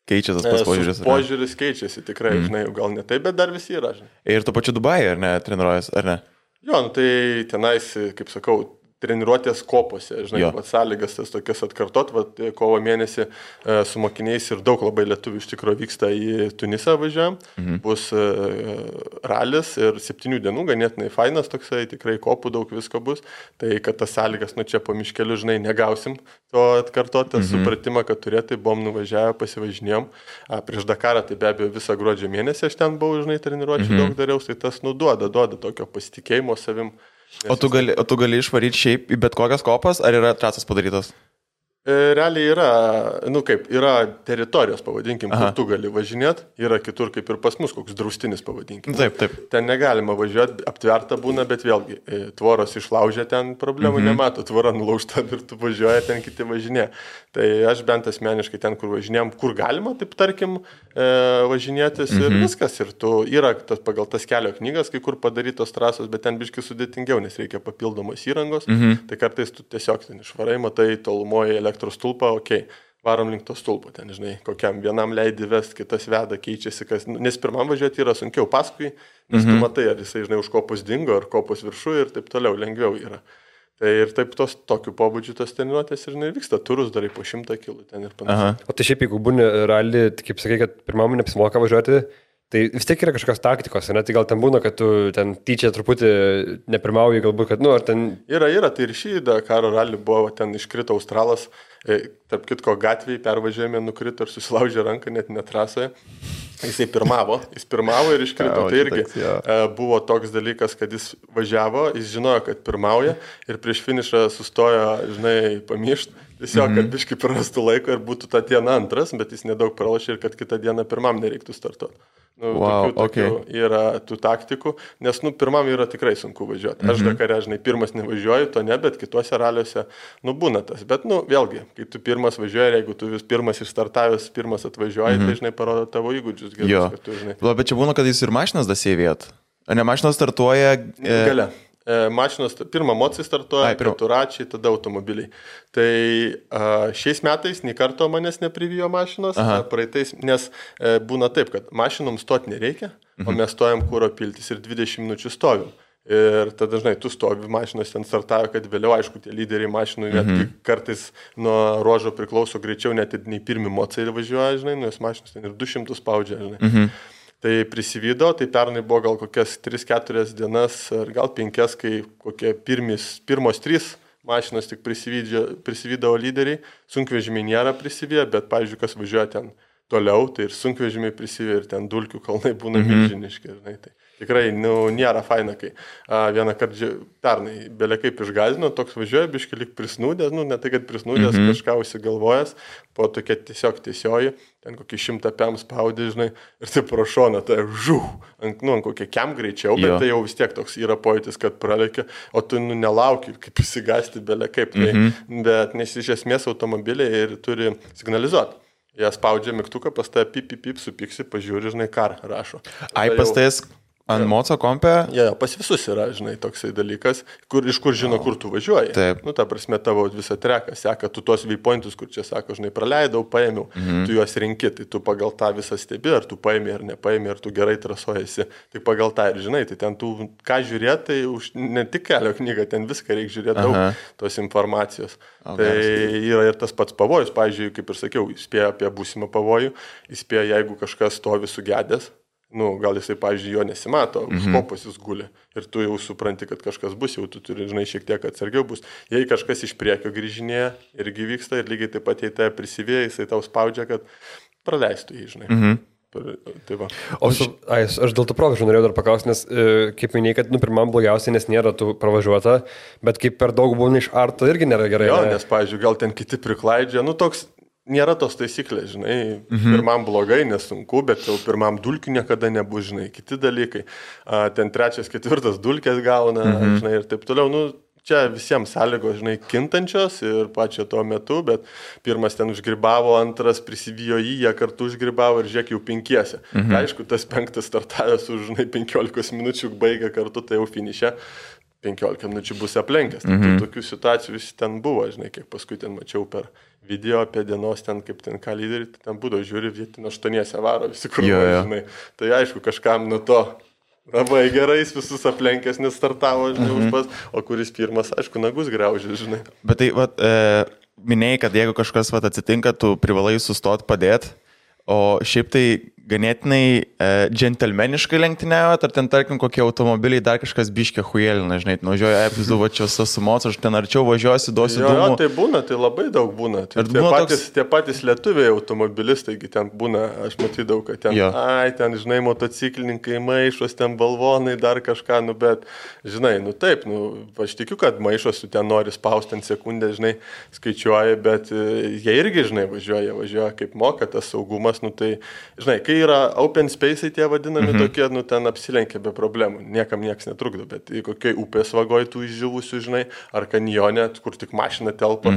Keičia tas požiūris. Požiūris keičiasi tikrai, žinai, gal ne taip, bet dar visi yra, žinai. Ir tu pačiu Dubajai, ar ne, treniruojas, ar ne? Jo, tai tenais, kaip sakau, treniruotės kopose, žinai, sąlygas tas tokias atkartot, kovo mėnesį su mokiniais ir daug labai lietuvių iš tikrųjų vyksta į Tunisą važiuojam, bus ralis ir 7 dienų, ganėtinai fainas toksai, tikrai kopų daug visko bus, tai kad tas sąlygas, čia po miškeliu, žinai, negausim to atkartot, tą supratimą, kad turėtai, buvom nuvažiavę, pasivažinėjom, prieš Dakarą, tai be abejo visą gruodžio mėnesį aš ten buvau, žinai, treniruočių daug dariau, tai tas duoda tokio pasitikėjimo savim. O tu gali išvaryti šiaip į bet kokias kopas, ar yra trasas padarytas? Realiai yra, yra teritorijos, pavadinkim, kur tu gali važinėti, yra kitur kaip ir pas mus, koks draustinis, pavadinkim. Taip. Ten negalima važiuoti, aptverta būna, bet vėlgi, tvoros išlaužia, ten problemų nemato, tvora nulaužta ir tu važiuoja, ten kiti važinė. Tai aš bent asmeniškai ten, kur važinėjom, kur galima, taip tarkim, važinėtis ir viskas. Ir yra pagal tas kelio knygas, kai kur padarytos trasos, bet ten biškai sudėtingiau, nes reikia papildomos įrangos. Tai kartais tu tiesiog ten išvarai, matai tolumoje elektros stulpą, varom link to stulpo, ten, žinai, kokiam vienam leidi vest, kitas veda, keičiasi, nes pirmam važiuoti yra sunkiau, paskui, nes tu matai, ar jisai, žinai, už kopos dingo, ar kopos viršų ir taip toliau, lengviau yra. Tai ir taip tokiu pobūdžiu tos treniruotės ir vyksta, turus darai po 100 kilų ten ir panašiai. O tai šiaip, jeigu būni rally, kaip sakai, kad pirmam neapsimoka važiuoti, tai vis tiek yra kažkokios taktikos, ne? Tai gal ten būna, kad tu ten tyčia truputį nepirmauji, galbūt, kad, ar ten... Yra, tai ir šį Dakaro rally buvo, ten iškrito Australas, tarp kitko gatvėje pervažiavime nukrito ir susilaužė ranką net netrasoje. Jis pirmavo ir iškrito. Tai irgi buvo toks dalykas, kad jis važiavo, jis žinojo, kad pirmauja ir prieš finišą sustojo, žinai, pamiršt. Tiesiog, kad biškai prarastų laiko ir būtų tą dieną antras, bet jis nedaug pralošė ir kad kitą dieną pirmam nereiktų startuoti. Tokių yra tų taktikų, nes pirmam yra tikrai sunku važiuoti. Aš Dakare, žinai, pirmas nevažiuoju, to ne, bet kituose raliuose, būna tas. Bet, vėlgi, kai tu pirmas važiuoji, jeigu tu vis pirmas išstartavęs, pirmas atvažiuoji, tai, žinai, parodo tavo įgūdžius gerus, kad tu, žinai. Bet čia būna, kad jis ir mašinas dasėvėt. Ar ne mašinas startuoja? Gale. Mašinos, pirmą mocijai startuoja, keturačiai, tada automobiliai. Tai šiais metais nei karto manęs neprivijo mašinos, praeitais, nes būna taip, kad mašinom stoti nereikia, o mes stojam kuro piltis ir 20 minučių stovim. Ir tada, žinai, tu stovi, mašinos ten startavo, kad vėliau, aišku, tie lyderiai mašinų netgi kartais nuo ruožo priklauso greičiau, net nei pirmi mocai važiuoja, žinai, nes mašinos ten ir 200 spaudžia, žinai. Tai prisivydo, tai pernai buvo gal kokias 3-4 dienas, ar gal 5, kai kokie pirmos 3 mašinos tik prisivydavo lyderiai, sunkvežimiai nėra prisivyję, bet, pavyzdžiui, kas važiuoja ten toliau, tai ir sunkvežimiai prisivė ir ten dulkių kalnai būna milžiniški. Tai tikrai nėra faina, kai vieną kartą pernai belė kaip išgazino, toks važiuoja, biškai lik prisnūdęs, ne tai, kad prisnūdęs, kažką užsigalvojęs, po tokia tiesiog tiesioji, ten kokį 100 pėm spaudė, žinai, ir tai pro šoną, tai ant kokie kem greičiau, bet tai jau vis tiek toks yra pojūtis, kad pralėkia, o tu nelauki, kaip įsigasti belė kaip, bet nes iš esmės automobiliai ir turi signalizuoti. Jie spaudžia mygtuką, pas tave pip, supiksi, pažiūri, žinai, kar rašo. Pas tais ant moco kompė? Pas visus yra, žinai, toksai dalykas, iš kur žino, kur tu važiuoji. Taip. Ta prasme, tavo visą treką seka, tu tos waypointus, kur čia sako, žinai, praleidau, paėmiau, tu juos rinki, tai tu pagal tą visą stebi, ar tu paėmė ar nepaėmė, ar tu gerai trasuojasi, tai pagal tą ir žinai, tai ten tu ką žiūrėti, tai ne tik kelio knygą, ten viską reikia žiūrėti daug tos informacijos. Tai yra ir tas pats pavojus, pavyzdžiui, kaip ir sakiau, įspėja apie būsimą pavojų, įspėja, jeigu kažkas stovi sugedęs, gal jisai, pavyzdžiui, jo nesimato, už kopos jis guli ir tu jau supranti, kad kažkas bus, jau tu turi, žinai, šiek tiek atsargiau bus. Jei kažkas iš priekio grįžinėja, irgi vyksta ir lygiai taip pat, jei tai prisivėja, jisai tau spaudžia, kad praleistų jį, žinai. Tai va. Aš dėl to proveržų norėjau dar paklausti, nes kaip minėjai, kad pirmam blogiausiai, nes nėra tų pravažiuota, bet kaip per daug būna iš arto irgi nėra gerai. Jo, nes, pavyzdžiui, gal ten kiti priklaidžia, toks nėra tos taisyklės, žinai, pirmam blogai, nesunku, bet jau pirmam dulkių niekada nebus, žinai, kiti dalykai. Ten 3, 4 dulkės gauna, žinai, ir taip toliau. Čia visiems sąlygos, žinai, kintančios ir pačio tuo metu, bet pirmas ten užgribavo, antras prisivijo jie kartu užgribavo ir žiūrėk jau 5. Aišku, tas 5 startavęs už, žinai, 15 minučių baigė kartu, tai jau finiše 15 minučių bus aplenkęs. Tai tokių situacijų visi ten buvo, žinai, kiek paskui ten mačiau per video apie dienos ten, kaip ten ką lyderį, ten būdavo žiūri, ten 8 varo visi kur, žinai. Tai aišku, kažkam nuo to labai gerai, visus aplenkęs nestartavo, žinai, už pas, o kuris pirmas, aišku, nagus graužė, žinai. Bet tai, minėjai, kad jeigu kažkas atsitinka, tu privalai sustoti padėti, o šiaip tai ganėtinai džentelmeniškai lenktyniavot, ar ten, tarkim, kokie automobiliai dar kažkas biškė hujelina, žinai, nuvažiuoja epizovačios sumots, aš ten arčiau važiuosiu, duosiu dūmų. Jo, tai būna, tai labai daug būna. Tai tie patys lietuviai automobilistai, ten būna, aš matydavau, kad ten, ten, žinai, motociklininkai maišos, ten balvonai, dar kažką, bet, žinai, taip, aš tikiu, kad maišos, tu ten nori spausti ant sekundę, žinai, skaičiuoja, bet jie irgi, žinai, važiuoja kaip moka, tas saugumas, tai, žinai, kai yra open space'ai tie vadinami tokie, ten apsilenkia be problemų, niekam nieks netrukdo, bet kokiai upės vagoj tų išživusių, žinai, ar kanjone, kur tik mašina telpa,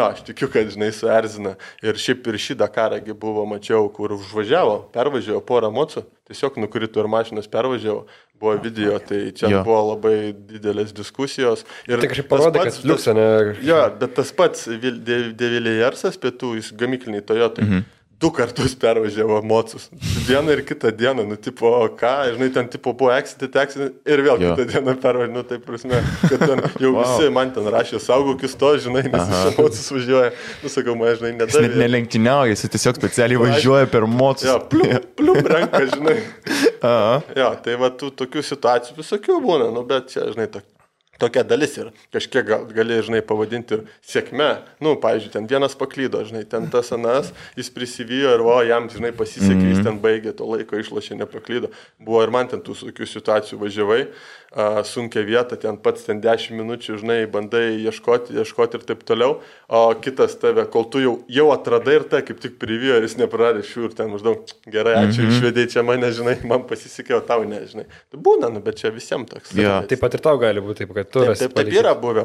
aš tikiu, kad, žinai, suerzina. Ir šiaip ir šį Dakarągi buvo, mačiau, kur pervažiavo porą mocų, tiesiog nukrito ir mašinas pervažiavo, buvo video, tai čia buvo labai didelės diskusijos. Ir tai kažkaip parodė, kad liuksą, ne? Jo, bet tas pats Deviliersas pietų, jis gamykliniai Toyotai. 2 kartus pervažiavo mocus. Dieną ir kitą dieną, tipo, žinai, ten tipo buvo accident ir vėl kitą dieną pervažiavo, tai prasme, kad ten jau visi man ten rašė, saugokis to, žinai, nes iš mocus važiuoja. Sakau, man, žinai, nedavė. Jis net nelenktyniauja, jis tiesiog specialiai važiuoja per mocus. Jo, plium renka, žinai. Jo, tai va, tų tokių situacijų visokių būna, bet čia, žinai, tokia dalis ir kažkiek gali, žinai, pavadinti ir sėkme. Pavyzdžiui, ten vienas paklydo, žinai, ten tas anas, jis prisivijo ir jam, žinai, pasisekė, jis ten baigė to laiko, išlošė, nepaklydo. Buvo ir man ten tų tokių situacijų važiavai, sunkia vieta, ten pats ten 10 minučių, žinai, bandai ieškoti ir taip toliau, o kitas tave, kol tu jau atradai ir kaip tik privijo ir jis nepraradė šių ir ten maždaug, gerai, ačiū, išvedėjai čia mane, žinai, man pasisekė, o tau ne, žinai. Tai būna, bet čia visiems toks. Taip pat ir tau gali būti, taip, kad Taip yra buvę,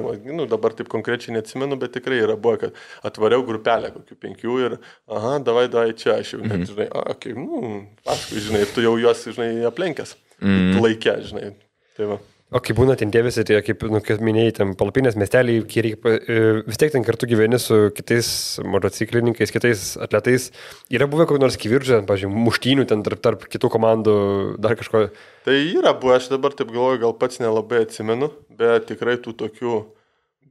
dabar taip konkrečiai neatsimenu, bet tikrai yra buvę, kad atvariau grupelę kokių 5 ir, davai čia, aš jau net, žinai, paskui, žinai, tu jau juos, žinai, aplenkęs, laikė, žinai, tai va. O kai būna ten tie visi, tai kaip minėjai, ten palapinės miesteliai, vis tiek ten kartu gyveni su kitais motociklininkais, kitais atletais, yra buvę kokį nors kiviržių, pavyzdžiui, muštynių ten tarp kitų komandų, dar kažko? Tai yra buvę, aš dabar taip galvoju, gal pats nelabai atsimenu, bet tikrai tų tokių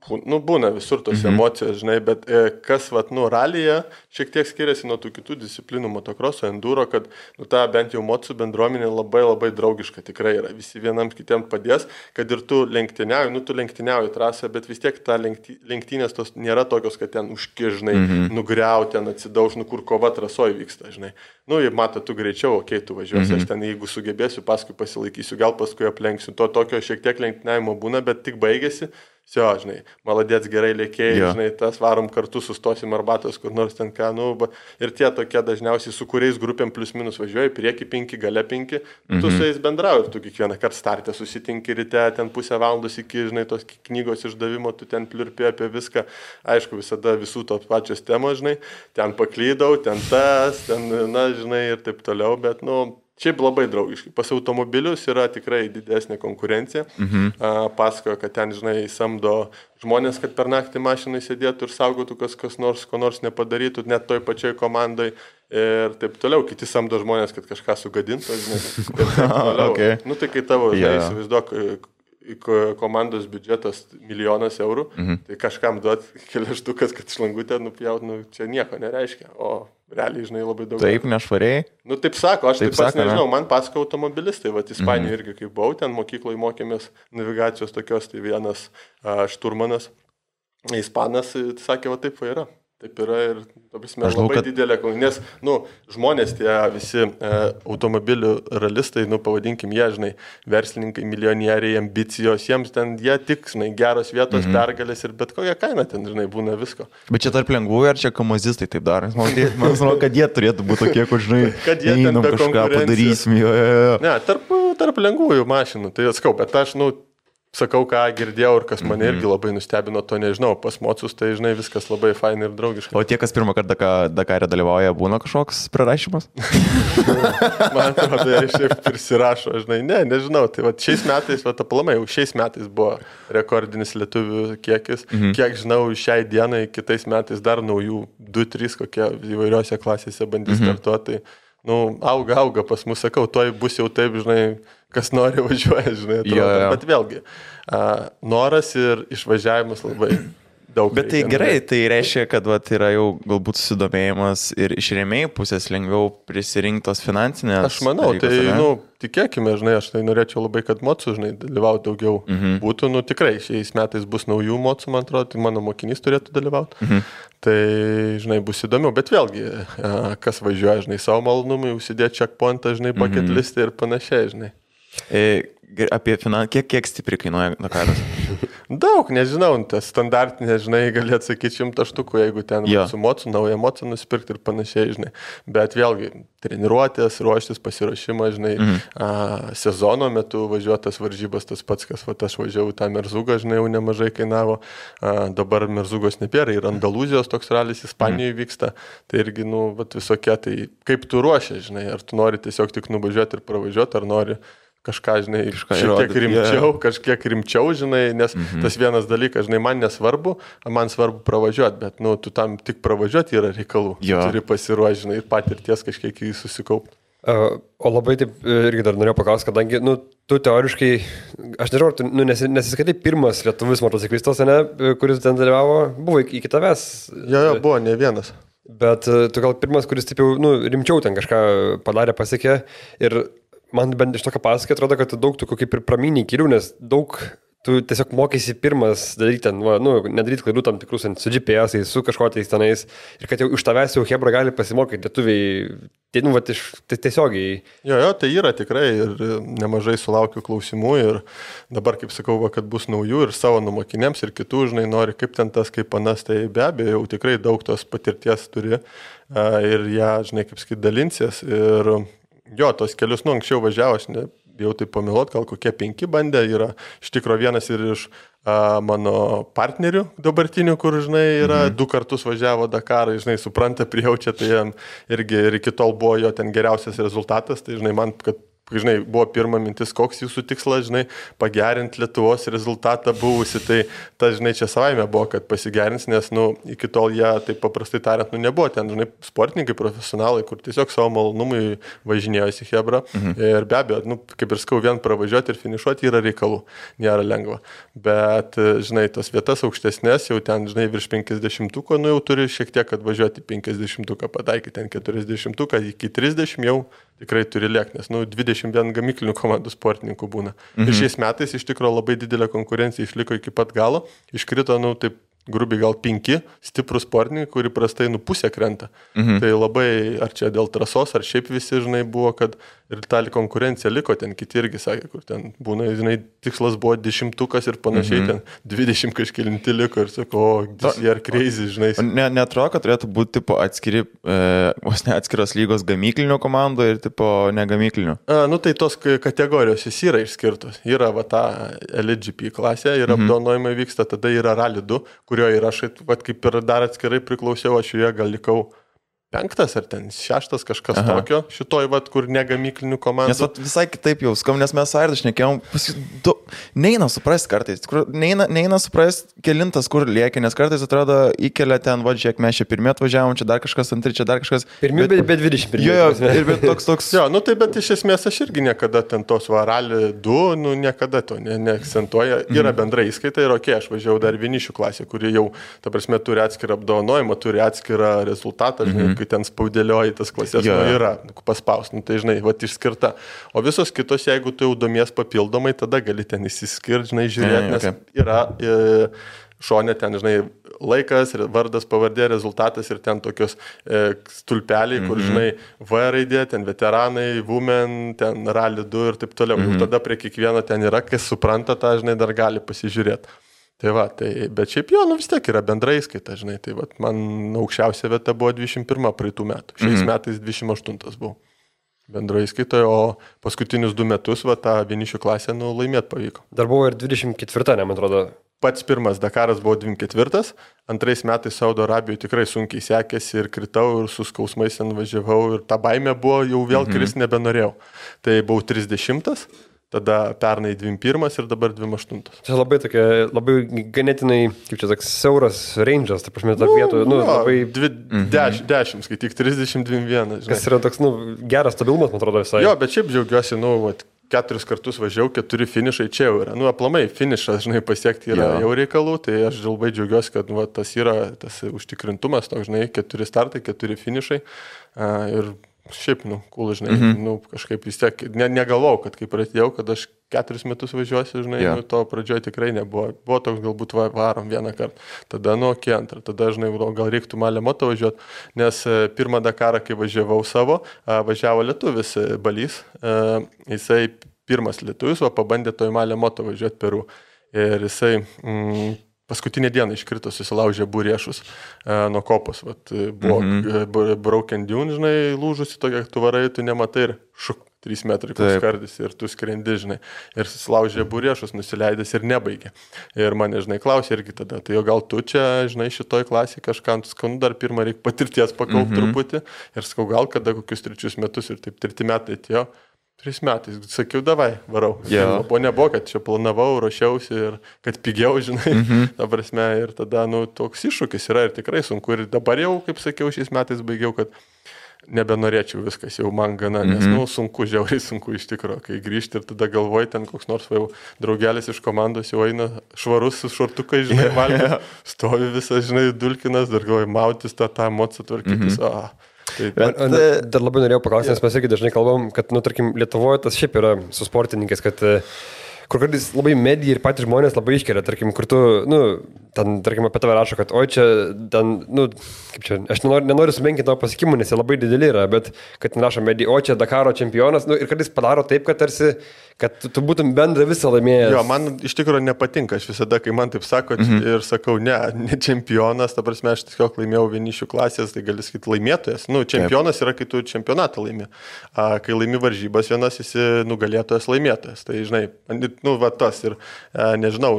Būna visur tos emocijos, žinai, bet kas, ralyje šiek tiek skiriasi nuo tų kitų disciplinų, motokroso, enduro, kad, ta bent jau mocų bendruomenė labai labai draugiška tikrai yra. Visi vienam kitiem padės, kad ir tu lenktyniauji, tu lenktyniauji trasą, bet vis tiek ta lenktynės tos nėra tokios, kad ten užkižnai, nugriauti, ten atsidauž, kur kova trasoje vyksta, žinai. Jei mato, tu greičiau, tu važiuosi, aš ten jeigu sugebėsiu, paskui pasilaikysiu, gal paskui aplenksiu. To tokio šiek tiek lenktyniavimo būna, bet tik baigėsi. Žinai, maladėts gerai lėkėjai, žinai, tas varom kartu, sustosim arbatos, kur nors ten ką, ir tie tokie dažniausiai, su kuriais grupėm plius minus važiuoji, prieki 5, gale 5, tu su jais bendrauji ir tu kiekvieną kartą startę susitinki ryte, ten pusę valandos iki, žinai, tos knygos išdavimo, tu ten pliurpi apie viską, aišku, visada visų tos pačios temos, žinai, ten paklydau, ten tas, ten, žinai, ir taip toliau, bet, šiaip labai draugiškai. Pas automobilius yra tikrai didesnė konkurencija. Pasakojo, kad ten, žinai, samdo žmonės, kad per naktį mašinai sėdėtų ir saugotų, kas nors, ko nors nepadarytų, net toj pačioj komandai ir taip toliau. Kiti samdo žmonės, kad kažką sugadintų, žinai. Ir taip toliau. Okay. Tai kai tavo, žinai, įsivaizduok, komandos biudžetas 1 000 000 eurų, tai kažkam duot keliaštukas, kad šlangutę nupjaut, čia nieko nereiškia, o realiai, žinai, labai daug. Taip, nešvariai. Taip sako, aš taip pats nežinau, man pasako automobilistai, Ispanijoje irgi kaip buvau, ten mokykloje mokėmės navigacijos tokios, tai vienas šturmanas, ispanas, sakė, taip yra. Taip yra ir, labai didelė, nes, žmonės tie visi automobilių ralistai, pavadinkim jie, žinai, verslininkai, milijonieriai, ambicijos, jiems ten, jie tik, žinai, geros vietos, pergalės ir bet kokią kainą ten, žinai, būna visko. Bet čia tarp lengvųjų ar čia kamazistai taip daro? Man atrodo, kad jie turėtų būti tokie, kur, žinai, kad jie ten be kažką padarysim. Ne, tarp lengvųjų mašinų, tai atskau, bet aš, sakau, ką girdėjau ir kas mane irgi labai nustebino, to nežinau, pas mocus, tai, žinai, viskas labai fainai ir draugiškai. O tie, kas pirmą kartą Dakare dalyvauja, būna kažkoks prirašymas? Man atrodo, jie šiaip prisirašo, žinai, nežinau, tai šiais metais, aplamai, jau šiais metais buvo rekordinis lietuvių kiekis, kiek žinau, šiai dienai, kitais metais dar naujų 2-3 kokie įvairiose klasėse bandys startuoti, auga pas mus, sakau, toj bus jau taip, žinai, kas nori važiuoja, žinai, atrodo, bet vėlgi, noras ir išvažiavimas labai daug. Bet tai gerai, tai reiškia, kad yra jau galbūt susidomėjimas ir iš rėmėjų pusės lengviau prisirinktos finansinės. Aš manau, dalykus, tikėkime, žinai, aš tai norėčiau labai, kad mocų, žinai, dalyvauti daugiau būtų, tikrai šiais metais bus naujų mocų, man atrodo, tai mano mokinys turėtų dalyvauti. Tai, žinai, bus įdomiau, bet vėlgi, kas važiuoja, žinai, savo malonumui, užsidėti checkpointą, žinai, bucket listą ir panašiai, žinai. Apie kiek stipriai kainuoja Dakaras? Daug, nežinau, tas standartinė, žinai, gali atsakyti 100 štukų, jeigu ten su mocu, naują mocą nusipirkti ir panašiai, žinai. Bet vėlgi, treniruotės, ruoštis, pasiruošimą, žinai, sezono metu važiuotas varžybas, tas pats, kas aš važiavau tą Merzugą, žinai, jau nemažai kainavo. Dabar Merzugos nebėra, ir Andalūzijos toks ralis Ispanijoje vyksta. Tai irgi, visokie, tai kaip tu ruošia, žinai, ar tu nori tiesiog tik nuvažiuoti ir pravažiuoti, ar nori kažką, žinai, kažkiek rimčiau, žinai, nes tas vienas dalykas, žinai, man nesvarbu, man svarbu pravažiuoti, bet, tu tam tik pravažiuoti yra reikalų. Turi pasiruošti, žinai, ir patirties kažkiek jį susikaupti. O labai taip irgi dar norėjau paklausti, kadangi, tu teoriškai, aš nežinau, tu nesiskaitai pirmas lietuvis motociklistas, kuris ten dalyvavo, buvo iki tavęs. Jo, buvo ne vienas. Bet tu gal pirmas, kuris taip jau, rimčiau ten kažką padarė, pasiekė ir man bent iš tokio pasakė, atrodo, kad daug tokių kaip ir praminiai kelių, nes daug tu tiesiog mokysi pirmas daryti ten, nedaryti klaidų tam tikrus su GPS-ais, su kažkotais tenais ir kad jau iš tavęs jau hebra gali pasimokyti lietuviai, tiesiogiai. Jo, tai yra tikrai ir nemažai sulaukiu klausimų ir dabar, kaip sakau, kad bus naujų ir savo numokiniams ir kitų, žinai, nori kaip ten tas, kaip panas, tai be abejo, jau tikrai daug tos patirties turi ir ją, žinai, kaip sakyt, dalinsies ir jo, tos kelius, anksčiau važiavo, aš jau tai pamilot, gal kokie 5 bandė, yra iš tikro vienas ir iš mano partnerių dabartinių, kur, žinai, yra 2 kartus važiavo Dakarą, žinai, supranta, prijaučia, tai jam irgi ir iki tol buvo jo ten geriausias rezultatas, tai, žinai, man, kad žinai, buvo pirma mintis, koks jūsų tikslas, žinai, pagerinti Lietuvos rezultatą buvusi, tai ta, žinai, čia savaime buvo, kad pasigerins, nes, iki tol jie, taip paprastai tariant, nebuvo ten, žinai, sportininkai, profesionalai, kur tiesiog savo malonumui važinėjosi Hebra. Ir be abejo, kaip ir skau, vien pravažiuoti ir finišuoti yra reikalų, nėra lengva. Bet, žinai, tos vietas aukštesnės, jau ten, žinai, virš 50-tuko, jau turi šiek tiek atvažiuoti 50-tuką, pataikyti ten 40-tuką, iki 30 jau tikrai turi lėkti, nes 21 gamyklinių komandų sportininkų būna. Ir šiais metais iš tikrųjų labai didelė konkurencija išliko iki pat galo, iškrito, taip grubiai gal 5 stiprų sportininkai, kuri prastai pusę krenta. Tai labai, ar čia dėl trasos, ar šiaip visi, žinai, buvo, kad ir ta konkurencija liko, ten kiti irgi sakė, kur ten būna, žinai, tikslas buvo 10-tukas ir panašiai, ten 20 kažkilinti liko ir sako, jie ar crazy, žinai. Neatrodo, kad turėtų būti tipo atskiros lygos gamyklinių komandų ir tipo negamyklinių? Tai tos kategorijos jis yra išskirtos. Yra va ta Elite GP klasė, yra apdovanojimai vyksta, tada yra Rally 2, kurioje ir aš, kaip ir dar atskirai priklausiau, aš joje gal likau 5 ar ten 6 kažkas tokio, šitoj, kur negamyklinių komandų. Nes visai kitaip jau skam, nes mes Airdą šnekėjom, neina suprasti kartais, neina suprasti kelintas, kur lieki, nes kartais atrodo įkelia ten, žiūrėk, mes čia pirmie atvažiavom, čia dar kažkas, antri, čia dar kažkas. Pirmie, bet 21. Jo, ir bet toks. Jo, tai bet iš esmės aš irgi niekada ten tos Rally 2, niekada to neakcentuoja. Yra bendra įskaita ir aš važiavau dar vienišių klasę, kuri jau, ta prasme, turi atskirą apdovanojimą, turi atskirą rezultatą, žinai, kai ten spaudėlioji tas klasės, yra paspaus, tai žinai, išskirta. O visos kitos, jeigu tu jau domies papildomai, tada gali ten įsiskirti, žinai, žiūrėti, nes yra šonė ten, žinai, laikas, vardas, pavardė, rezultatas ir ten tokios stulpeliai, kur, žinai, V raidė, ten veteranai, women, ten Rally 2 ir taip toliau. Jau tada prie kiekvieno ten yra, kas supranta tą, žinai, dar gali pasižiūrėti. Bet šiaip jo, vis tiek yra bendrai skaita, žinai, man aukščiausia vieta buvo 21 praeitų metų, šiais metais 28 buvo bendroje skaitoje, o paskutinius 2 metus, tą vienišių klasę, laimėti pavyko. Dar buvo ir 24, man atrodo. Pats pirmas Dakaras buvo 24, antrais metais Saudo Arabijoje tikrai sunkiai sekėsi ir kritau ir su skausmais ten važiavau ir ta baimė buvo, jau vėl kristi nebenorėjau. Tai buvau 30. Tada pernai 21 ir dabar 28. Čia labai ganėtinai, kaip čia toks siauras range'as, ta prasme, ta vietų, labai... 10, skaityk, 30-21. Kas yra toks, geras stabilumas, man atrodo, visai. Jo, bet šiaip džiaugiuosi, 4 kartus važiavau, 4 finišai čia jau yra. Aplamai, finišas, žinai, pasiekti yra jau reikalų, tai aš labai džiaugiuosi, kad tas yra tas užtikrintumas, žinai, 4 startai, 4 finišai ir šiaip, cool, žinai, kažkaip vis tiek, negalvojau, kad kai pradėjau, kad aš 4 metus važiuosiu, žinai, to pradžioje tikrai nebuvo. Buvo toks galbūt varom vieną kartą, tada antrą, tada, žinai, gal reiktų Malė Moto važiuoti, nes pirmą Dakarą, kai važiavau savo, važiavo lietuvis Balys, jisai pirmas lietuvis, o pabandė to į Malė Moto važiuoti Peru. Ir jisai paskutinę dieną iškrito, susilaužė būriešus nuo kopos. Buvo broken dune, žinai, lūžusi tokia, tu varai, tu nematai ir 3 metrai skardis ir tu skrendi, žinai. Ir susilaužė būriešus, nusileidęs ir nebaigė. Ir mane, žinai, klausė irgi tada, tai gal tu čia, žinai, šitoj klasėje kažką, skanu dar pirmą reikia patirties pakaupt truputį. Ir sakau, gal kada kokius 3 metus ir taip 3 metai atėjo. 3 metais, sakiau, davai, varau. O nebuvo, kad čia planavau, ruošiausi ir kad pigiau, žinai, ta prasme, ir tada, toks iššūkis yra ir tikrai sunku. Ir dabar jau, kaip sakiau, šiais metais baigiau, kad nebenorėčiau viskas, jau man gana, nes, sunku, žiauriai sunku iš tikrųjų, kai grįžti ir tada galvoji, ten koks nors jau draugelis iš komandos jau eina švarus su šortukai, žinai, valgė, stovi visas, žinai, dulkinas, dar galvoji, mautis tą emociją tvarkytis, Dar labai norėjau paklausti, nes mes irgi dažnai kalbam, kad, tarkim, Lietuvoje tas šiaip yra su sportininkais, kad kur kartais labai medija ir patys žmonės labai iškelia, tarkim, kur tu, ten, tarkim, apie tave rašo, kad, oi, čia, ten, kaip čia, aš nenoriu sumenkinti tavo pasiekimų, nes jie labai dideli yra, bet, kad ten rašo medija, o čia Dakaro čempionas, ir kartais padaro taip, kad tarsi, kad tu būtum bendrą visą laimėjęs. Jo, man iš tikrųjų nepatinka, aš visada, kai man taip sako ir sakau, ne čempionas, ta prasme, aš tiesiog laimėjau vienišių klasės, tai gali sakyti laimėtojas. Čempionas yra, kai tu čempionatą laimi. Kai laimi varžybas vienas, esi nugalėtojas laimėtojas. Tai, žinai, tas ir, nežinau,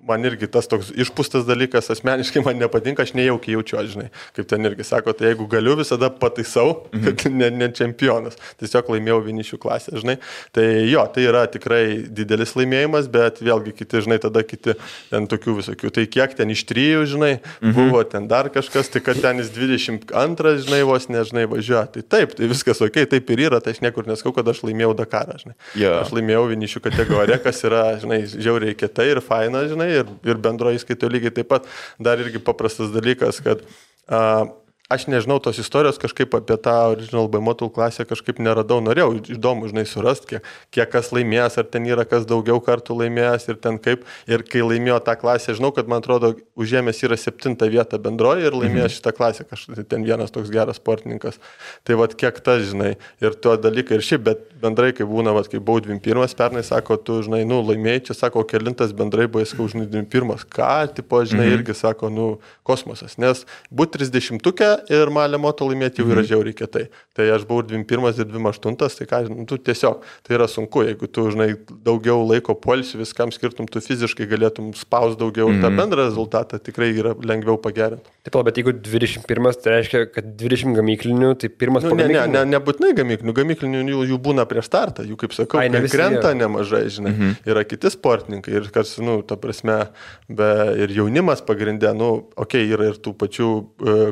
man irgi tas toks išpūstas dalykas, asmeniškai man nepatinka, aš nejaukiai jaučiu, žinai, kaip ten irgi sako, tai jeigu galiu, visada pataisau, kad ne čempionas, tiesiog laimėjau vienišių klasę, žinai, tai jo, tai yra tikrai didelis laimėjimas, bet vėlgi kiti, žinai, tada kiti ten tokių visokių, tai kiek ten iš 3, žinai, buvo ten dar kažkas, tai kad ten jis 22, žinai, vos nežinai važiuoja, tai taip, tai viskas ok, taip ir yra, tai aš niekur neskau, kad aš laimėjau Dakarą, žinai, aš laimėjau vienišių kategoriją, kas yra, žinai, žiauriai kietai ir faina, žinai, ir bendroji įskaito lygiai taip pat. Dar irgi paprastas dalykas, kad aš nežinau tos istorijos kažkaip apie tą Original by Motul klasę kažkaip neradau, norėjau įdomu, žinai, surasti, kiek kas laimėjęs, ar ten yra kas daugiau kartų laimėjęs ir ten kaip. Ir kai laimėjo tą klasę, žinau, kad man atrodo, užėmęs yra 7 vietą bendroji ir laimėjęs šitą klasę, kažkaip ten vienas toks geras sportininkas. Tai vad kiek tas, žinai, ir tuo dalykai ir šiaip, bet bendrai, kai būna, vad, kai buvau 21, pernai sako, tu, žinai, laimėjai, čia sako, kelintas bendrai buvo, sakau, žinai, 21, ką, tipo, žinai, irgi sako, kosmosas, nes būti 30-ukė ir Malė Moto laimėti jau yra žiauriai kietai. Tai aš buvau 21 ir 28, tai ką, tu tiesiog, tai yra sunku, jeigu tu, žinai, daugiau laiko poilsių viskam skirtum, tu fiziškai galėtum spaus daugiau ir tą bendrą rezultatą tikrai yra lengviau pagerinti. Taip, bet jeigu 21, tai reiškia, kad 20 gamyklinių, tai pirmas pagamyklinių. Nebūtinai gamyklinių, jų būna prieš startą, jų, kaip sakau, krenta nemažai, žinai, yra kiti sportininkai ir kas, ta prasme, ir jaunimas pagrindė, yra ir tų pačių,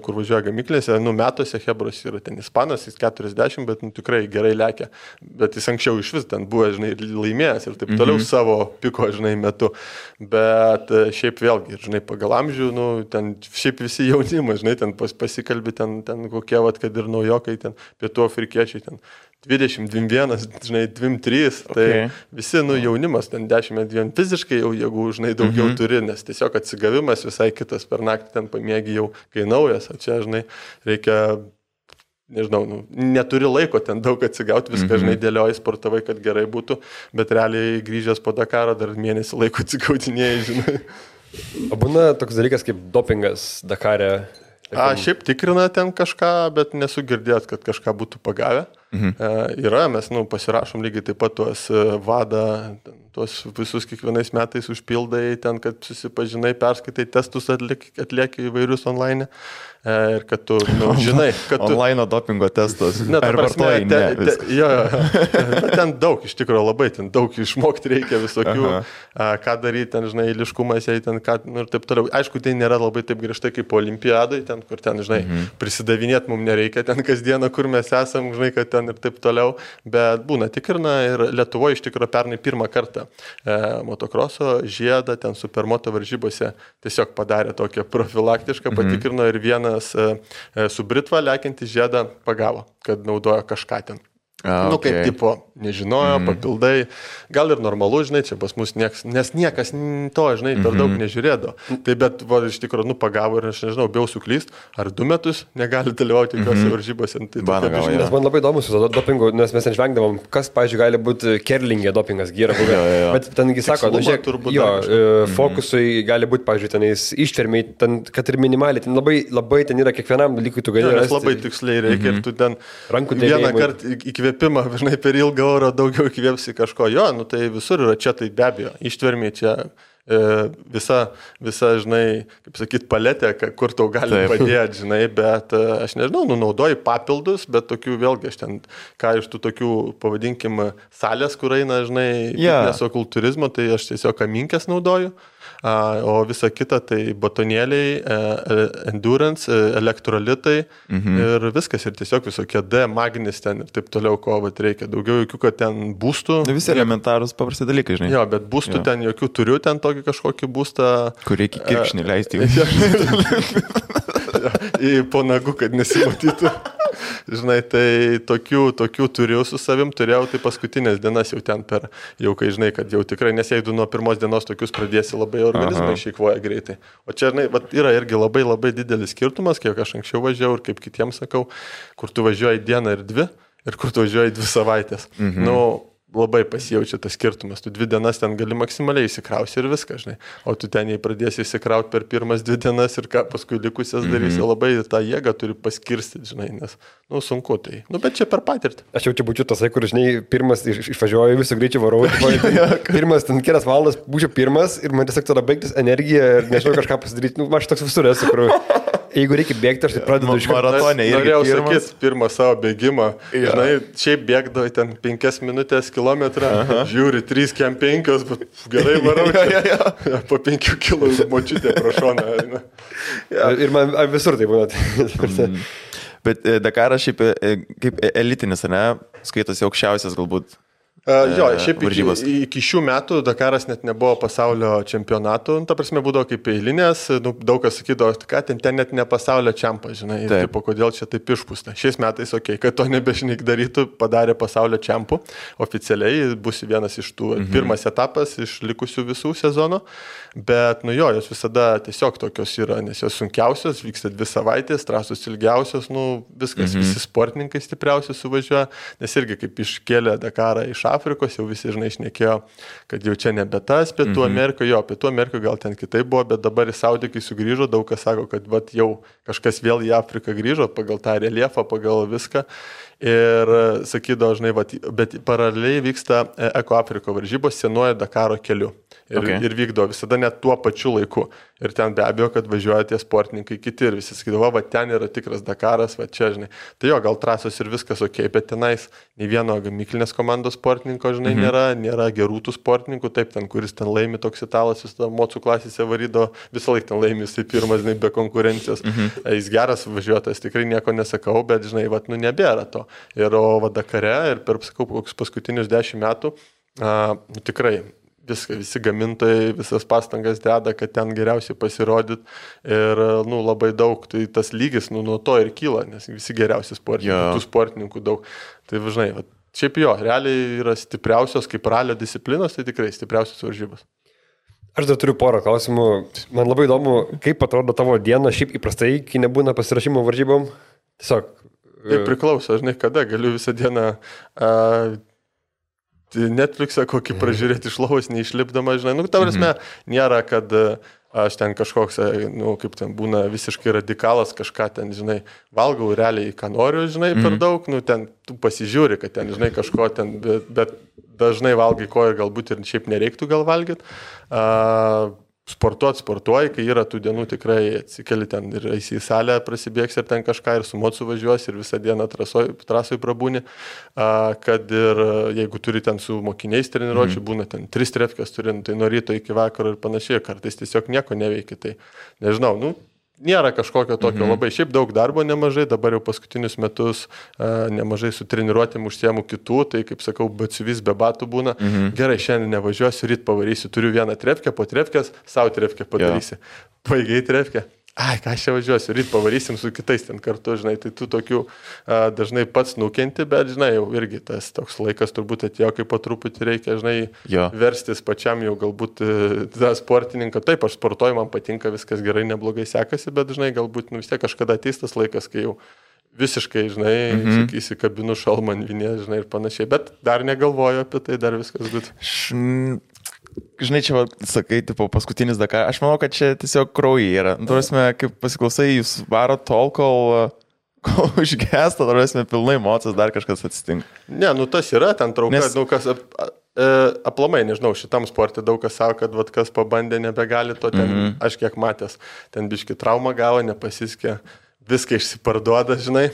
kur važiuoja gamyklėse, metuose Hebros yra ten ispanas, jis 40, bet tikrai gerai lekia, bet jis anksčiau iš vis ten buvo, žinai, laimėjęs ir taip toliau savo piko, žinai, metu, bet šiaip vėlgi, žinai, pagal amžių, ten šiaip visi jaunimai, žinai, ten pasikalbi, ten kokie, kad ir naujokai, ten pietų afrikiečiai, ten 20, 21, žinai, 23, tai visi, jaunimas, ten 10, fiziškai jau, jeigu, žinai, daugiau turi, nes tiesiog atsigavimas visai kitas, per naktį ten pamėgi jau, kai naujas, o čia, žinai, reikia, nežinau, neturi laiko ten daug atsigauti, viską, žinai, dėlioji, sportavai, kad gerai būtų, bet realiai grįžęs po Dakaro dar mėnesį laiko atsigautinėjai, žinai. O būna toks dalykas kaip dopingas Dakare? Šiaip tikrina ten kažką, bet nesu girdėjęs, kad kažką būtų pagavę. Yra, mes pasirašom lygiai taip pat tuos vadą, tuos visus kiekvienais metais užpildai ten, kad susipažinai, perskaitai testus, atlieki įvairius online ir kad tu, žinai, kad tu... Online dopingo testas. Ar vartojai? Jo, ten daug, iš tikrųjų labai, ten daug išmokti reikia visokių, ką daryti, ten, žinai, eiliškumas, ten, ką, ir taip toliau. Aišku, tai nėra labai taip griežtai kaip olimpiadai, ten, kur ten, žinai, prisidavinėti mums nereikia, ten kasdieną, kur mes esam, žinai, kad ten ir taip toliau, bet būna tikrina ir Lietuvoje iš tikrųjų pernai pirmą kartą motokroso žiedą ten supermoto varžybose tiesiog padarė tokią profilaktišką, patikrino ir vienas su Britva lekiantį žiedą pagavo, kad naudojo kažką ten. Kaip tipo, nežinojo, papildai, gal ir normalu, žinai, čia pas mus nes niekas to, žinai, per daug nežiūrėdo. Tai bet, iš tikrųjų, pagavo ir aš nežinau, bijau suklyst, ar 2 metus negali dalyvauti jokiose varžybose. Nes man labai įdomu su dopingu, nes mes ten žvengdavom, kas, pavyzdžiui, gali būti kerlingė dopingas, gyra buvę. Bet tengi sako, fokusui gali būti, pavyzdžiui, tenais ištvermiai, kad ir minimaliai, ten labai ten yra kiekvienam dalykui, tu gali rasti. Labai tiksliai reikia ir tu ten vieną kartą įkvėpimą, žinai, per ilgą orą daugiau įkvėpsi kažko. Jo, tai visur yra čia, tai be abejo. Ištvermiai čia visa, žinai, kaip sakyt, paletė, kur tau gali padėti, žinai, bet aš nežinau, naudoji papildus, bet tokių vėlgi, aš ten, ką iš tų tokių, pavadinkim, salės, kur eina, žinai, fitneso kultūrizmo, tai aš tiesiog aminkės naudoju. O visa kita tai batonėliai, endurance, elektrolitai ir viskas ir tiesiog visokie D, magnis ten ir taip toliau, ko reikia. Daugiau jokių, kad ten būstų. Visi elementarūs paprasti dalykai, žinai. Jo, bet būstų ten jokių turiu, ten tokį kažkokį būstą. Kur reikia kirkšnį leisti. Į po nagu, kad nesimatytų. Žinai, tai tokių turiu su savim, turėjau tai paskutinės dienas jau ten jau kai žinai, kad jau tikrai, nes jeigu nuo pirmos dienos tokius pradėsi labai organizmai išeikvoja greitai. O čia, žinai, yra irgi labai labai didelis skirtumas, kiek aš anksčiau važiavau ir kaip kitiems sakau, kur tu važiuoji dieną ir 2 ir kur tu važiuoji 2 savaitės. labai pasijaučia tas skirtumas. Tu 2 dienas ten gali maksimaliai įsikrausi ir viską, žinai. O tu ten jei pradėsi įsikrauti per pirmas 2 dienas ir ką paskui likusias darysi, labai tą jėgą turi paskirstyti, žinai, nes, sunku tai. Bet čia per patirtį. Aš jau čia būčiau tasai, kur, žinai, pirmas išvažiuoju, visų greičių varau, pirmas ten kelias valandas būčiau pirmas ir man tiesiog tada baigtis energija ir nežinau kažką pasidaryti. Aš toks visur esu, kur jeigu reikia bėgti, aš tai pradedu iš maratonė. Norėjau sakyti pirmą savo bėgimą. Žinai, šiaip bėgdavai ten 5 minutės kilometrą, žiūri 3 kem 5, bet gerai varau. Po 5 kilų močiutė pro šoną. Ir man visur tai būna. Bet Dakaras šiaip kaip elitinis, ne? Skaitosi aukščiausias galbūt. Jo, šiaip iki šių metų Dakaras net nebuvo pasaulio čempionatų, ta prasme būdavo kaip eilinės, daug kas sakydavo, kad ten net ne pasaulio čempas, žinai, ir kodėl čia taip išpūsta. Šiais metais, kad to nebežinai darytų, padarė pasaulio čempų, oficialiai bus vienas iš tų, pirmas etapas iš likusių visų sezono, bet jos visada tiesiog tokios yra, nes jos sunkiausios, vyksta 2 savaitės, trasos ilgiausios, viskas, visi sportininkai stipriausi suvažiuoja, nes irgi kaip iškėlė Dakarą iš Afrikos, jau visi, žinai, šnekėjo, kad jau čia nebe tas Pietų Amerikoje, Pietų Amerikoje gal ten kitaip buvo, bet dabar į Saudį, kai sugrįžo, daug kas sako, kad jau kažkas vėl į Afriką grįžo, pagal tą reliefą, pagal viską. Ir sakydavo, žinai, bet paraleliai vyksta Eko Afriko varžybos senuoju Dakaro keliu. Ir vykdo visada net tuo pačiu laiku. Ir ten be abejo, kad važiuoja tie sportininkai kiti ir visi sakydavo, ten yra tikras Dakaras, čia, žinai. Tai jo, gal trasos ir viskas bet tenais nei vieno gamyklinės komandos sportininko, žinai, nėra gerų tų sportininkų, taip ten, kuris ten laimi toks italas, jis mocų klasėse varydo, visą laiką ten laimi, jisai pirmas, žinai, be konkurencijos. Jis geras važiuotojas, tikrai nieko nesakau, bet, žinai, nebėra to. Ir Dakare ir per, sakau, paskutinius 10 metų, tikrai visi gamintojai, visas pastangas deda, kad ten geriausiai pasirodyt ir, labai daug, tai tas lygis, nuo to ir kyla, nes visi geriausi sportininkai, tų sportininkų daug. Tai, žinai, šiaip realiai yra stipriausios, kaip ralio disciplinos, tai tikrai stipriausios varžybos. Aš dar turiu porą klausimų. Man labai įdomu, kaip atrodo tavo diena šiaip įprastai, kai nebūna pasirašymo varžybom. Tiesiog. Tai priklauso, žinai, kada galiu visą dieną Netflixą kokį pražiūrėti iš lovos, neišlipdama, žinai. Ta prasme, nėra, kad aš ten kažkoks, kaip ten būna visiškai radikalas, kažką ten, žinai, valgau realiai, ką noriu, žinai, per daug, ten tu pasižiūri, kad ten, žinai, kažko ten, bet dažnai valgai, ko ir galbūt ir šiaip nereiktų gal valgyti. Sportuoji, kai yra tų dienų tikrai atsikeli ten ir eisi į salę, prasibėgs ir ten kažką ir su mocu važiuosi ir visą dieną trasoj prabūni, kad ir jeigu turi ten su mokiniais treniruočių, būna ten 3 trefkės turi, tai nuo ryto iki vakaro ir panašiai, kartais tiesiog nieko neveikia, tai nežinau, nėra kažkokio tokio labai, šiaip daug darbo nemažai, dabar jau paskutinius metus nemažai su treniruotėm užsiemu kitų, tai kaip sakau, batsiuvis be batų būna. Gerai, šiandien nevažiuosiu, ryt pavarysiu, turiu 1 trefkę, po trefkės, savo trefkę padarysi. Baigiai trefkę. Ką aš čia važiuosiu, ryt pavarysim su kitais ten kartu, žinai, tai tu tokių dažnai pats nukenti, bet, žinai, jau irgi tas toks laikas turbūt atėjo, kai po truputį reikia, žinai, verstis pačiam jau galbūt tą sportininką. Taip, aš sportuoju, man patinka, viskas gerai, neblogai sekasi, bet, žinai, galbūt vis tiek kažkada ateis tas laikas, kai jau visiškai, žinai, sakysi, kabinu šalmą ant vinės, žinai, ir panašiai, bet dar negalvoju apie tai, dar viskas būtų. Žinai, čia, sakai, tipo, paskutinis Dakar, aš manau, kad čia tiesiog kraujai yra. Turėsime, kaip pasiklausai, jūs varo tol, kol užgesta, turėsime pilnai mocas, dar kažkas atsitinka. Ne, tas yra, ten trauka, kas aplamai, nežinau, šitam sportui daug kas savo, kad kas pabandė, nebegali to ten, aš kiek matęs, ten biški traumą gavo, nepasiskė, viską išsiparduoda, žinai,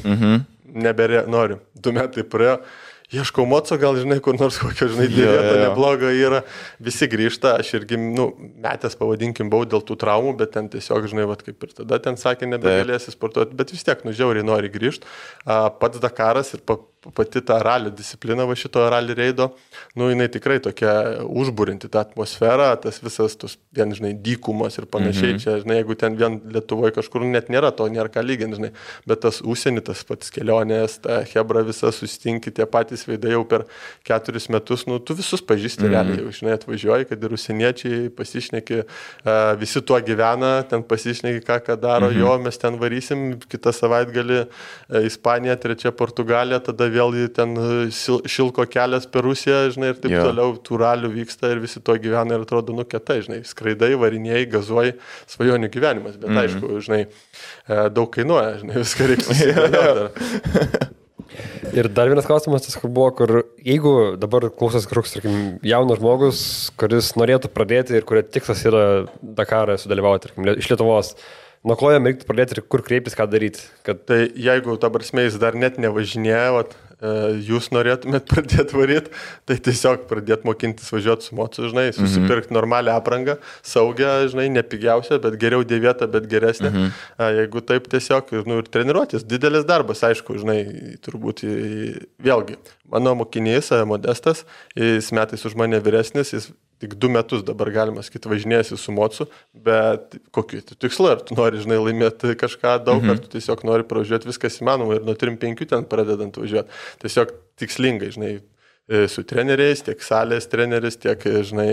noriu, 2 metai praėjo. Ieškau moco, gal, žinai, kur nors kokio, žinai, vieta nebloga yra, visi grįžta, aš irgi, metęs pavadinkim buvau dėl tų traumų, bet ten tiesiog, žinai, kaip ir tada ten sakė, nebegalėsi sportuoti, bet vis tiek, žiauriai nori grįžti. Pats Dakaras ir pati ta ralio disciplina va šito rally reido, jinai tikrai tokia užbūrinti tą atmosferą, tas visas, vien, žinai, dykumos ir panašiai, čia, žinai, jeigu ten vien Lietuvoje kažkur net nėra to, nėra ką lyginti, žinai, bet tas užsienį, tas pats kelionės, ta hebra visa susitinki, tie patys veidai jau per 4 metus, tu visus pažįsti realiai, jau, žinai, atvažiuoji, kad ir užsieniečiai pasišneki, visi tuo gyvena, ten pasišneki, ką daro, mes ten varysim, kitą savaitgalį Ispanija, 3 Portugalija, tada vėl ten šilko kelias per Rusiją, žinai, ir taip toliau, tų ralių vyksta ir visi to gyvena ir atrodo, kietai, žinai, skraidai, varinėjai, gazuoji, svajonių gyvenimas, bet aišku, žinai, daug kainuoja, žinai, viską reikia susidėlioti. Ir dar vienas klausimas, tas buvo, kur jeigu dabar klausas kažkoks, tarkim, jaunas žmogus, kuris norėtų pradėti ir kurio tikslas yra Dakarą sudalyvauti, tarkim, iš Lietuvos, nuo ko jam reiktų pradėti ir kur kreiptis, ką daryti? Tai jeigu ta prasme jis dar net nevažinėjo, jūs norėtumėt pradėti varyti, tai tiesiog pradėti mokintis važiuoti su mocu, žinai, susipirkti normalią aprangą, saugią, žinai, nepigiausią, bet geriau dėvėtą, bet geresnę. Jeigu taip tiesiog ir treniruotis, didelis darbas, aišku, žinai, turbūt vėlgi. Mano mokinys, Modestas, jis metais už mane vyresnis, jis tik 2 metus dabar galima sakyti važinėjasi su mocu, bet kokiu tikslu, ar tu nori, žinai, laimėti kažką daug, ar tu tiesiog nori pravažiuoti, viskas įmanoma ir nuo 3-5 ten pradedant važiuoti. Tiesiog tikslingai, žinai, su treneriais, tiek salės treneris, tiek, žinai,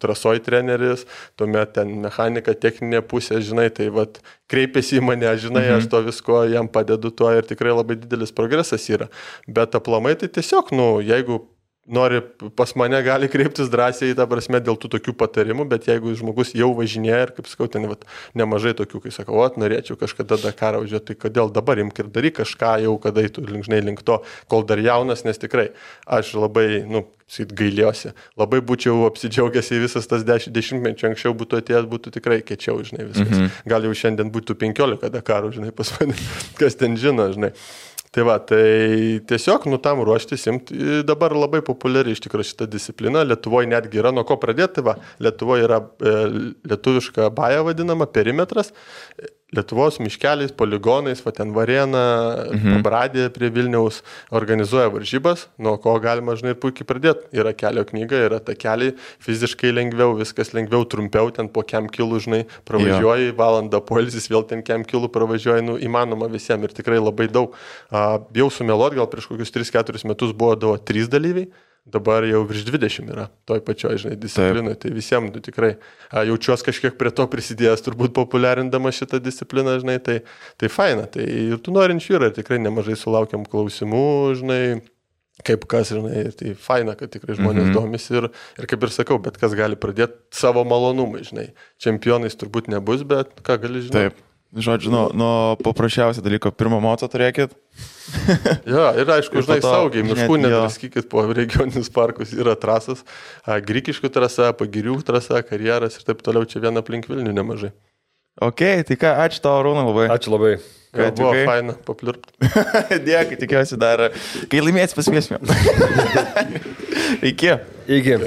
trasoj treneris, tuomet ten mechanika, techninė pusė, žinai, tai vat kreipiasi į mane, žinai, aš to visko jam padedu tuo ir tikrai labai didelis progresas yra. Bet aplamai tai tiesiog, jeigu nori pas mane, gali kreiptis drąsiai, ta prasme, dėl tų tokių patarimų, bet jeigu žmogus jau važinėja ir, kaip sakau, ten nemažai tokių, kai sakau, norėčiau kažkada Dakarą važiuoti, tai kodėl dabar imk ir daryk kažką jau, kada eitų link to, kol dar jaunas, nes tikrai aš labai, gailiuosi, labai būčiau apsidžiaugęs, jei visas tas 10 metų anksčiau būtų atėjęs, būtų tikrai kečiau, žinai, viskas. Gal jau šiandien būtų 15 Dakarų, žinai, pas mane, kas ten žino, žinai. Tai va, tai tiesiog, tam ruoštis, dabar labai populiari iš tikrųjų šita disciplina, Lietuvoje netgi yra, nuo ko pradėti, tai va, Lietuvoje yra lietuviška baja vadinama, perimetras, Lietuvos miškeliais, poligonais, va ten Varėna, Pabradė prie Vilniaus organizuoja varžybas, nuo ko galima, žinai, puikiai pradėti. Yra kelio knyga, yra takeliai, fiziškai lengviau, viskas lengviau, trumpiau, ten po kem kilų, žinai, pravažiuoji, valandą poilsis, vėl ten kem kilų pravažiuoji, įmanoma visiems ir tikrai labai daug. Bijau sumeluot, gal prieš kokius 3-4 metus buvo 3 dalyviai. Dabar jau virš 20 yra toj pačioj, žinai, disciplinai, tai visiems tikrai jaučiuos kažkiek prie to prisidėjęs, turbūt populiarindama šitą discipliną, žinai, tai faina, tai ir tų norinčių yra, ir tikrai nemažai sulaukiam klausimų, žinai, kaip kas, žinai, tai faina, kad tikrai žmonės domisi ir kaip ir sakau, bet kas gali pradėti savo malonumai, žinai, čempionais turbūt nebus, bet ką gali, žinai. Taip. Žodžiu, nuo paprasčiausio dalyko, pirmą moco turėkit. Jo, ir aišku, žinai, saugiai, miškų nedraskykit po regioninius parkus, yra trasas, Grikiškių trasa, Pagirių trasa, Karjeras ir taip toliau, čia viena aplink Vilnių nemažai. Ok, tai ką, ačiū tau, Arūnai, labai. Ačiū labai. Buvo faina papliurpti. Dėkui, tikiuosi dar, kai laimėsi pasikviesime. Iki. Iki.